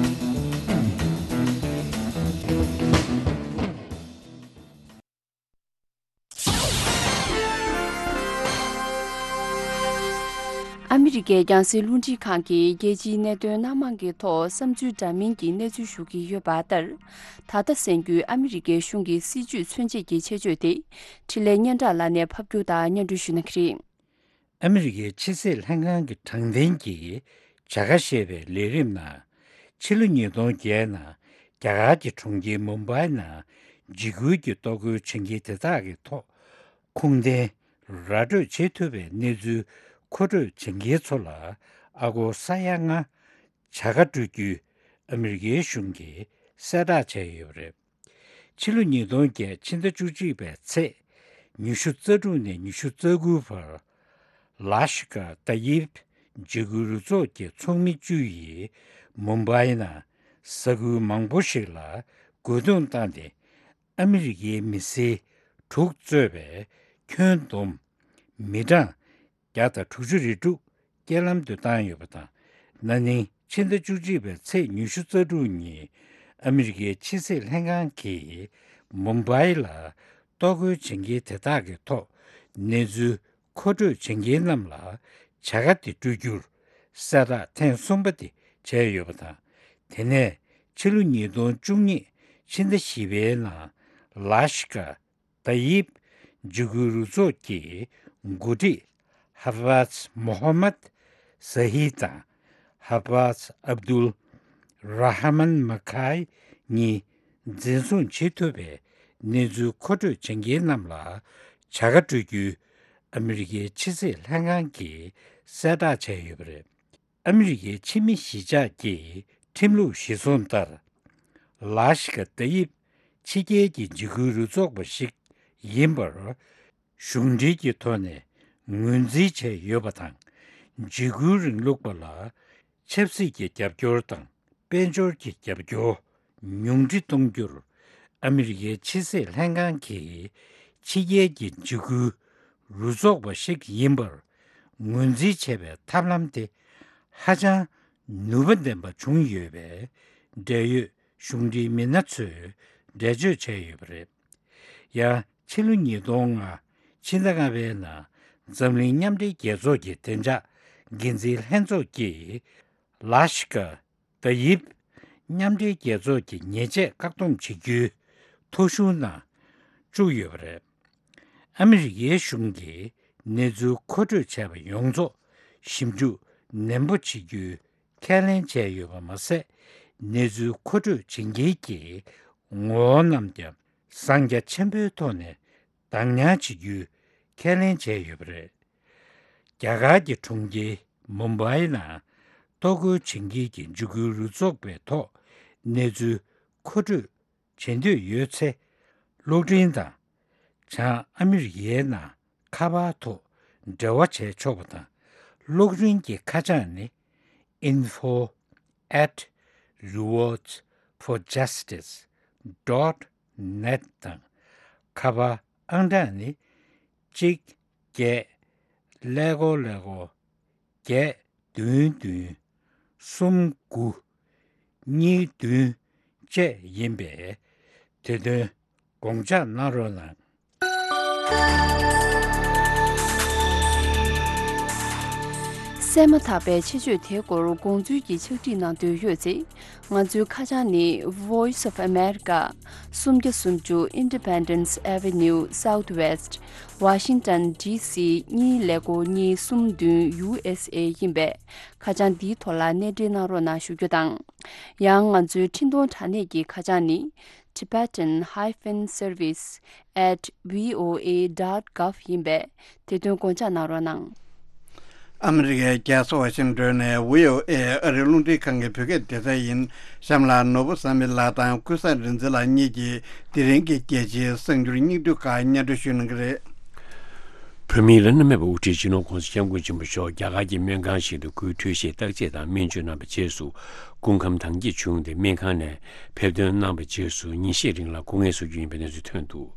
ཨ་མི་རི་ཀའི་རྒྱང་སྲིང་རླུང་འཕྲིན་ཁང་གིས་རྒྱལ་སྤྱིའི་གནད་དོན་སྣ་མང་གི་ཐོག་བསམ་ཚུལ་འདྲ་མིན་གྱི་གནས་ཚུལ་ཞུ་གི་ཡོད་པ་ལྟར། ད་ལྟ་གསན་རྒྱུའི་ཨ་མི་རི་ཀའི་གཞུང་གི་སྲིད་ཇུས་མཚོན་བྱེད་ཀྱི་ཆེད་བརྗོད་དེ། འཕྲིན་ལས་སྙན་གྲགས་ལགས་ནས་ཕབ་སྒྱུར་དང་སྙན་སྒྲོན་ཞུ་གནང་གི་རེད། ཨ་མི་རི་ཀའི་ཕྱི་སྲིད་ལྷན་ཁང་གི་དྲང་བདེན་གྱི་བྱ་དགའ་ཞེས་པའི་ལས་རིམ་ནང་། ཕྱི་ལོ་ཉིས་སྟོང་བརྒྱད་ནང་རྒྱ་གར་གྱི་གྲོང་ཁྱེར་མུམ་བྷའི་ནང་འཇིགས་སྐུལ་གྱི་གཏོར་རྒོལ་བྱེད་མཁན་དེ་དག་གི་ཐོག་ཁུངས་ལྡན་ར་སྤྲོད་བྱེད་ཐུབ་པའི་གནས་ཚུལ་མཁོ་སྤྲོད་བྱེད་མཁན་ཚོ་ལ་ཨ་སྒོར་ས་ཡ་ལྔ་བྱ་དགའ་སྤྲོད་རྒྱུའི་ཨ་མི་རི་ཀའི་གཞུང་གིས་གསལ་བསྒྲགས་བྱས་ཡོད་པ་རེད། ཕྱི་ལོ་ཉིས་སྟོང་བརྒྱད་ཕྱི་ཟླ་བཅུ་གཅིག་པའི་ཚེས་ཉི་ཤུ་རྩ་དྲུག་ནས་ཉི་ཤུ་རྩ་དགུ་བར། ལ་ཤི་ཀ་ཏ་ཡིབ་འཇིགས་སྐུལ་རུ་ཚོགས་ཀྱི་ཚོགས་མི་བཅུ་ཡིས་མུམ་བྷའི་ནང་ས་ཁུལ་མང་པོ་ཞིག་ལ་རྒོལ་རྡུང་བཏང་སྟེ། ཨ་མི་རི་ཀའི་མི་སེར་དྲུག་གཙོས་པའི་ཁྱོན་བསྡོམས་མི་གྲངས་བརྒྱ་དང་དྲུག་ཅུ་རེ་དྲུག་རྐྱེན་ལམ་དུ་བཏང་ཡོད་པ་དང་། ན་ནིང་ཕྱི་ཟླ་བཅུ་གཅིག་པའི་ཚེས་ཉི་ཤུ་རྩ་དྲུག་ཉིན་ཨ་མི་རི་ཀའི་ཕྱི་སྲིད་ལྷན་ཁང་གིས་མུམ་བྷའི་ལ་གཏོར་རྒོལ་བྱེད་མཁན་དེ་དག་གི་ཐོག་གནས་ཚུལ་མཁོ་སྤྲོད་བྱེད་མཁན་རྣམས་ལ་བྱ་དགའ་དེ་སྤྲོད་རྒྱུར་གསལ་བསྒྲགས་ཐེངས་གསུམ་པ་དེ་བྱས་ཡོད་པ་དང་། དེ་ནས་ཕྱི་ལོ་ཉིས་སྟོང་བཅུ་གཉིས་ཕྱི་ཟླ་བཞི་པའི་ནང་ལ་ཤི་ཀ་ཏ་ཡིབ་འཇིགས་སྐུལ་རུ་ཚོགས་ཀྱི་འགོ་ཁྲིད་ཧ་ཧྥཱཛ་མོ་ཧ་མད་ཟ་ཧི་དང་ཧ་ཧྥཱཛ་ཨབ་དུལ་ར་ཧ་མན་མ་ཁའི་གཉིས་འཛིན་བཟུང་བྱེད་ཐུབ་པའི་གནས་ཚུལ་མཁོ་སྤྲོད་བྱེད་མཁན་རྣམས་ལ་བྱ་དགའ་སྤྲོད་རྒྱུའི་ཨ་མི་རི་ཀའི་ཕྱི་སྲིད་ལྷན་ཁང་གིས་གསལ་བསྒྲགས་བྱས་ཡོད་པ་རེད། ཨ་མི་རི་ཀའི་ཕྱི་མི་གཞིས་ཆགས་ཀྱི་ཁྲིམས་ལུགས་གཞིར་བཟུང་ལྟར། ལ་ཤི་ཀ་ཏ་ཡིབ་ཕྱི་རྒྱལ་གྱི་འཇིགས་སྐུལ་རུ་ཚོགས་པ་ཞིག་ཡིན་པར་གཞུང་འབྲེལ་གྱི་ཐོག་ནས་ངོས་འཛིན་བྱས་ཡོད་པ་དང་། འཇིགས་སྐུལ་རིང་ལུགས་པ་ལ་ཆབ་སྲིད་ཀྱི་རྒྱབ་སྐྱོར་དང་། དཔལ་འབྱོར་གྱི་རྒྱབ་སྐྱོར་ཉུང་འཕྲི་གཏོང་རྒྱུར་ཨ་མི་རི་ཀའི་ཕྱི་སྲིད་ལྷན་ཁང་གིས་ ཕྱི་རྒྱལ་གྱི་འཇིགས་སྐུལ་རུ་ཚོགས་པ་ཞིག་ཡིན་པར་ངོས་འཛིན་བྱས་པའི་ཐབས་ལམ་དེ་ཧ་ཅང་ནུས་པ་ལྡན་པ་བྱུང་ཡོད་པའི་འབྲེལ་ཡོད་གཞུང་འབྲེལ་མི་སྣ་ཚོས་འགྲེལ་བརྗོད་བྱས་ཡོད་པ་རེད། ཡང་ཕྱི་ལོ་ཉིས་སྟོང་ལྔ་ཕྱི་ཟླ་ལྔ་པའི་ནང་འཛམ་གླིང་མཉམ་འབྲེལ་རྒྱལ་ཚོགས་ཀྱི་བདེ་འཇགས་འགན་འཛིན་ལྷན་ཚོགས་ཀྱིས་ལ་ཤི་ཀ་ཏཱ་ཡིབ་མཉམ་འབྲེལ་རྒྱལ་ཚོགས་ཀྱི་ཉེས་ཆད་བཀག་སྡོམ་བྱེད་རྒྱུའི་ཐོ་གཞུང་ནང་བཅུག་ཡོད་པ་རེད། ཨ་མི་རི་ཀའི་གཞུང་གིས་གནས་ཚུལ་མཁོ་སྤྲོད་བྱས་པ་ཡོངས་རྫོགས་ཞིབ་འཇུག་ནན་པོ་བྱེད་རྒྱུའི་ཁས་ལེན་བྱས་ཡོད་པ་མ་ཟད། གནས་ཚུལ་མཁོ་སྤྲོད་བྱེད་མཁན་གྱི་ངོ་བོ་རྣམས་ཀྱང་གསང་རྒྱ་ཆེན་པོའི་ཐོག་ནས་བདག་ཉར་བྱེད་རྒྱུའི་ཁས་ལེན་བྱས་ཡོད་པ་རེད། རྒྱ་གར་གྱི་གྲོང་ཁྱེར་མུམ་བྷའི་ནང་གཏོར་རྒོལ་བྱེད་མཁན་གྱི་འཇིགས་སྐུལ་རུ་ཚོགས་པའི་ཐོག་གནས་ཚུལ་མཁོ་སྤྲོད་བྱེད་འདོད་ཡོད་ཚེ། གློག་འཕྲིན་དང་། བྱང་ཨ་མི་རི་ཀའི་ནང་ཁ་པར་ཐོག་འབྲེལ་བ་བྱས་ཆོག་པ་དང་། གློག་འཕྲིན་གྱི་ཁ་བྱང་ནི། info at rewards for justice dot net དང་། ཁ་པར་ཨང་གྲངས་ནི། གཅིག་བརྒྱད་ཀླད་ཀོར་ཀླད་ཀོར་བརྒྱད་བདུན་བདུན་གསུམ་དགུ་གཉིས་བདུན་བཅས་ཡིན་པས། དེ་དོན་དགོངས་འཇགས་གནང་རོགས་གནང་། གསན་མ་ཐག་པའི་ཆེད་བརྗོད་དེའི་སྐོར་དགོངས་ཚུལ་གྱི་ཕྱག་བྲིས་གནང་འདོད་ཡོད་ཚེ། ང་ཚོའི་ཁ་བྱང་ནི། Voice of America, སུམ་བརྒྱ་སུམ་ཅུ་Independence Avenue Southwest, Washington D C གཉིས་ཀླད་ཀོར་གཉིས་གསུམ་བདུན། U S A ཡིན་པས། ཁ་བྱང་འདིའི་ཐོག་ལ་གནས་འབྲེལ་གནང་རོགས་གནང་ཞུ་རྒྱུ་དང་། ཡང་ང་ཚོའི་འཕྲིན་གཏོང་དྲ་གནས་ཀྱི་ཁ་བྱང་ནི། Tibetan hyphen service at V O A dot gov ཡིན་པས། དེ་དོན་དགོངས་འཇགས་གནང་རོགས་གནང་། ཨ་མི་རི་ཀའི་རྒྱལ་ས་ཝ་ཤིང་ཏོན་ནས་V O A ཨ་རིའི་རླུང་འཕྲིན་ཁང་གི་བོད་སྐད་སྡེ་ཚན་ཡིན། གཤམ་ལ་ནོར་བུ་བསམ་འཕེལ་ལགས་དང་ཀུན་བཟང་རིག་འཛིན་ལགས་གཉིས་ཀྱིས་དེ་རིང་གི་རྒྱལ་སྤྱིའི་གསར་འགྱུར་སྙིང་བསྡུས་ཁག་སྙན་སྒྲོན་ཞུ་གནང་གི་རེད། བོད་མིའི་བླ་ན་མེད་པའི་དབུ་ཁྲིད་སྤྱི་ནོར་༸གོང་ས་༸སྐྱབས་མགོན་ཆེན་པོ་མཆོག་རྒྱ་གར་གྱི་སྨན་ཁང་ཞིག་ཏུ་སྐུའི་འཕྲོད་བཞེས་བརྟག་དཔྱད་དང་སྨན་བཅོས་གནང་བའི་རྗེས་སུ་སྐུ་ཁམས་དྭངས་སྐྱེད་བྱུང་སྟེ། སྨན་ཁང་ནས་ཕེབས་ཐོན་གནང་བའི་རྗེས་སུ་ཉིན་ཤས་རིང་ལ་སྐུ་ངལ་གསོ་རྒྱུ་ཡིན་པའི་གནས་ཚུལ་ཐོན་འདུག།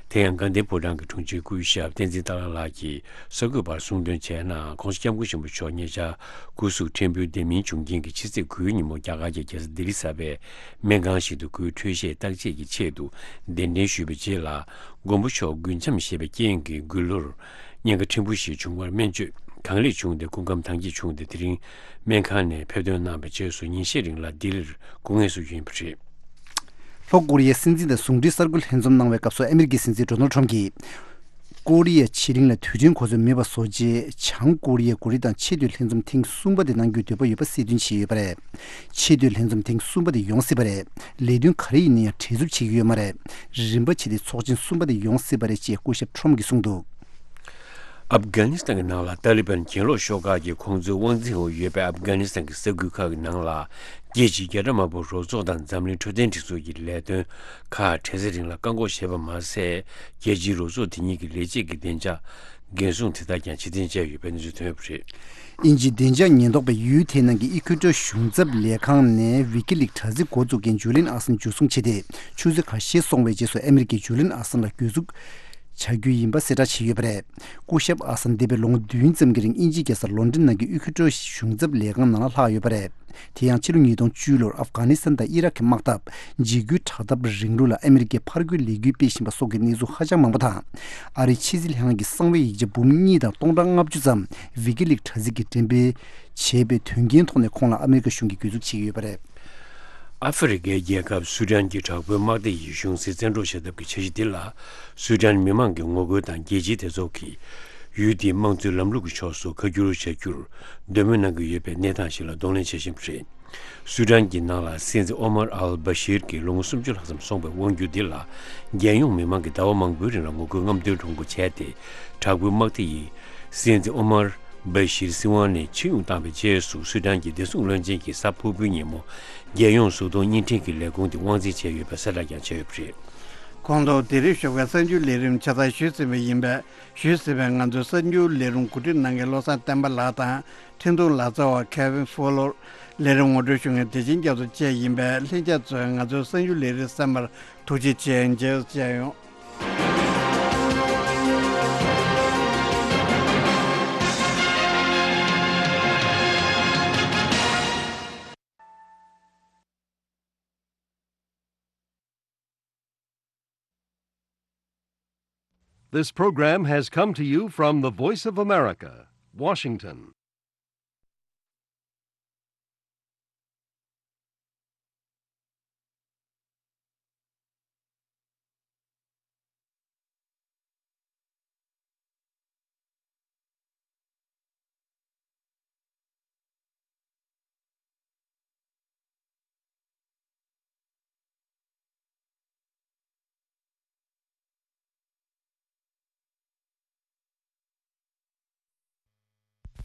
དེ་ཡང་དགའ་ལྡན་ཕོ་བྲང་གི་དྲུང་ཆེ་སྐུ་ཞབས་བསྟན་འཛིན་སྟག་ལྷ་ལགས་ཀྱིས་གསར་འགོད་པར་གསུངས་དོན་བྱས་ན། ༸གོང་ས་༸སྐྱབས་མགོན་ཆེན་པོ་མཆོག་ཉེ་ཆར་སྐུ་གཟུགས་ཕྲན་བུ་བདེ་མིན་བྱུང་རྐྱེན་གྱིས་ཕྱི་ཚེས་དགུའི་ཉིན་མོ་རྒྱ་གར་གྱི་རྒྱལ་ས་ལྡི་ལི་གསར་པའི་སྨན་ཁང་ཞིག་ཏུ་སྐུའི་འཕྲོད་བཞེས་བརྟག་དཔྱད་ཀྱི་ཆེད་དུ་གདན་འདྲེན་ཞུས་པའི་རྗེས་ལ། མགོན་པོ་མཆོག་རྒུན་འབྲུམ་ཞེས་པའི་རྐྱེན་གྱིས་མགུལ་ལོར་གཉན་ཁ་ཕྲན་བུ་ཞིག་བྱུང་བར་སྨན་བཅོས་གང་ལེགས་བྱུང་སྟེ་སྐུ་ཁམས་དྭངས་སྐྱེད་བྱུང་སྟེ། དེ་རིང་སྨན་ཁང་ནས་ཕེབས་ཐོན་གནང་བའི་རྗེས་སུ་ཉིན་ཤས་རིང་ལ་ལྡི་ལིར་སྐུ་ངལ་གསོ་རྒྱུ་ཡིན་པ་རེད། ལྷོ་ཀོ་རི་ཡའི་སྲིད་འཛིན་དང་ཟུང་འབྲེལ་གསར་འགོད་ལྷན་འཛོམས་གནང་བའི་སྐབས་སུ། ཨ་མི་རི་ཀའི་སྲིད་འཛིན་ཌོ་ནལ་ཁྲམ་གྱིས། ཀོ་རི་ཡ་ཕྱེད་གླིང་ལ་དུས་ཆེན་གོ་སྐབས་མེད་པ་བཟོ་ཆེད། བྱང་ཀོ་རི་ཡའི་འགོ་ཁྲིད་དང་ཆེས་མཐོའི་ལྷན་འཛོམས་ཐེངས་གསུམ་པ་དེ་གནང་རྒྱུའི་འདོད་པ་ཡོད་པ་གསལ་སྟོན་བྱས་ཡོད་པ་རེད། ཆེས་མཐོའི་ལྷན་འཛོམས་ཐེངས་གསུམ་པ་དེ་ཡོང་སྲིད་པ་རེད། ལས་དོན་ག་རེ་ཡིན་ན་ཡང་བྲེལ་འཚུབ་བྱེད་ཀྱི་ཡོད་མ་རེད། རིམ་པ་བྱས་ཏེ་ཚོགས་ཆེན་གསུམ་པ་དེ་ཡོང་སྲིད་པ་རེད་ཅེས་སྐུ་ཞབས་ཁྲོམ་གྱིས་གསུངས་འདུག། ཨབ་གྷ་ནི་སི་ཐན་གྱི་ནང་ལ་ཏཱ་ལི་བན་གྱེན་ལོག་ཤོག་ཁག་གིས་ཁོང་ཚོའི་དབང་འཛིན་འོག་ཡོད་པའི་ཨབ་གྷ་ནི་སི་ཐན་གྱི་ས་ཁུལ་ཁག་གི་ནང་ལ། རྒྱལ་སྤྱིའི་རྒྱལ་དར་དམར་པོ་རོབ་ཚོགས་དང་འཛམ་གླིང་འཕྲོད་བསྟེན་སྒྲིག་འཛུགས་ཀྱི་ལས་དོན་ཁག་དྲན་གསོའི་རིང་ལ་བཀག་འགོག་བྱས་པ་མ་ཟད། རྒྱལ་སྤྱིའི་རོབ་ཚོགས་དེ་གཉིས་ཀྱི་ལས་བྱེད་ཀྱི་བདེ་འཇགས་འགན་སྲུང་དེ་དག་ཀྱང་ཕྱིར་འཐེན་བྱས་ཡོད་པའི་གནས་ཚུལ་ཐོན་ཡོད་པ་རེད། དབྱིན་ཇིའི་བདེ་འཇགས་ཉེན་རྟོག་པས་ཡུལ་དེའི་ནང་གི་ཨི་ཁུ་ཊོར་གཞུང་ཚབ་ལས་ཁང་ནས་ཝི་ཀི་ལིག་དྲ་ཚིགས་འགོ་འཛུགས་མཁན་ཇུ་ལིན་ཨ་སན་འཇུ་བཟུང་བྱས་ཏེ། ཆུ་ཚོད་ཁ་ཤས་སོང་བའི་རྗེས་སུ་ཨ་མི་རི་ཀས་ཇུ་ལིན་ཨ་སན་ལ་གྱོད་འཛུགས་བྱ་རྒྱུ་ཡིན་པ་གསལ་བསྒྲགས་བྱས་ཡོད་པ་རེད། སྐུ་ཞབས་ཨ་སན་འདས་པའི་ལོ་ངོ་བདུན་ཙམ་གྱི་རིང་དབྱིན་ཇིའི་རྒྱལ་ས་ལོན་ཌོན་ནང་གི་ཨི་ཁུ་ཊོར་གཞུང་ཚབ་ལས་ཁང་ནང་ལ་ལྷག་ཡོད་པ་རེད། དེ་ཡང་ཕྱི་ལོ་ཉིས་སྟོང་བཅུ་ལོར་ཨབ་གྷ་ནི་སི་ཐན་དང་ཨི་རག་གི་དམག་འཐབ། འཇིགས་སྐུལ་དྲག་འཐབ་རིང་ལུགས་ལ་ཨ་མི་རི་ཀས་ཕར་རྒོལ་ལས་འགུལ་སྤེལ་བཞིན་པ་སོགས་ཀྱི་གནས་ཚུལ་ཧ་ཅང་མང་པོ་དང་། ཨ་རིའི་ཕྱི་སྲིད་ལྷན་ཁང་གི་གསང་བའི་ཡིག་ཆ་འབུམ་གཉིས་དང་སྟོང་ཕྲག་ལྔ་བཅུ་ཙམ་ཝི་ཀི་ལིག་དྲ་ཚིགས་ཀྱིས་འགྲེམས་སྤེལ་བྱས་པའི་དོན་རྐྱེན་ཐོག་ནས་ཁོང་ལ་ཨ་མི་རི་ཀ་གཞུང་གིས་གྱོད་འཛུགས་བྱེད་ཀྱི་ཡོད་པ་རེད། ཨ་ཧྥེ་རི་ཁའི་རྒྱལ་ཁབ་སུ་ཌན་གྱི་དྲག་པོའི་དམག་སྡེ་ཡིས་གཞུང་སྲིད་བཙན་འཕྲོག་བྱེད་ཐབས་ཀྱི་འཆར་གཞི་འདི་ལ། སུ་ཌན་མི་མང་གིས་ངོ་རྒོལ་དང་རྒྱལ་སྤྱིའི་སྡེ་ཚོགས་ཀྱིས་ཡུལ་དེའི་དམངས་གཙོའི་ལམ་ལུགས་ཀྱི་ཕྱོགས་སུ་ཁ་བསྒྱུར་བྱ་རྒྱུར་འདོད་མོས་གནང་གི་ཡོད་པའི་གནས་སྟངས་ཤིག་ལ་གདོང་ལེན་བྱེད་བཞིན་པ་རེད། སུ་ཌན་གྱི་ནང་ལ་སྲིད་འཛིན་ཨོ་མར་ཨལ་བྷ་ཤིར་གྱིས་ལོ་ངོ་སུམ་ཅུ་ལྷག་ཙམ་སོང་བའི་དབང་སྒྱུར་འདི་ལ། རྒྱལ་ཡོངས་མི་མང་གིས་ཟླ་བ་མང་པོའི་རིང་ལ་ངོ་རྒོལ་རྔམ་སྟོན་གྲུང་པོ་བྱས་ཏེ། དྲག་པོའི་དམག་སྡེ་ཡིས་སྲིད་འཛིན་ཨོ་མར་བྷ་ཤིར་སྲིད་དབང་ནས་ཕྱིར་དབྱུང་བཏང་བའི་རྗེས་སུ། སུ་ཌན་གྱི་བདེ་སྲུང་བློན་ཆེན་གྱིས་གཟའ་ཕུར་བུའི་ཉིན་མོ་རྒྱལ་ཡོངས་གཟུགས་མཐོང་བརྙན་འཕྲིན་གྱི་ལས་ཁུངས་དེ་དབང་འཛིན་བྱས་ཡོད་པའི་གསལ་བསྒྲགས་ཀྱང་བྱས་ཡོད་པ་རེད། ཁོང་ཚོ་ལྡི་ལིར་བཞུགས་པའི་གསར་འགྱུར་ལས་རིམ་ཆ་ཚང་ཞུས་ཟིན་པ་ཡིན་པས། ཞུས་ཟིན་པའི་ང་ཚོའི་གསར་འགྱུར་ལས་རིམ་གོ་སྒྲིག་གནང་མཁན་བློ་བཟང་བསྟན་པ་ལགས་དང་། འཕྲིན་གཏོང་ལག་རྩལ་བ་Kevin Fowler། ལས་རིམ་ངོ་སྤྲོད་ཞུ་མཁན་བདེ་ཆེན་རྒྱ་མཚོ་བཅས་ཡིན་པས། ལྷན་རྒྱས་ཚོས་ང་ཚོའི་གསར་འགྱུར་ལས་རིམ་གསན་པར་ཐུགས་རྗེ་ཆེ། མཇལ་བསུ་ཡོང་། This program has come to you from the Voice of America, Washington.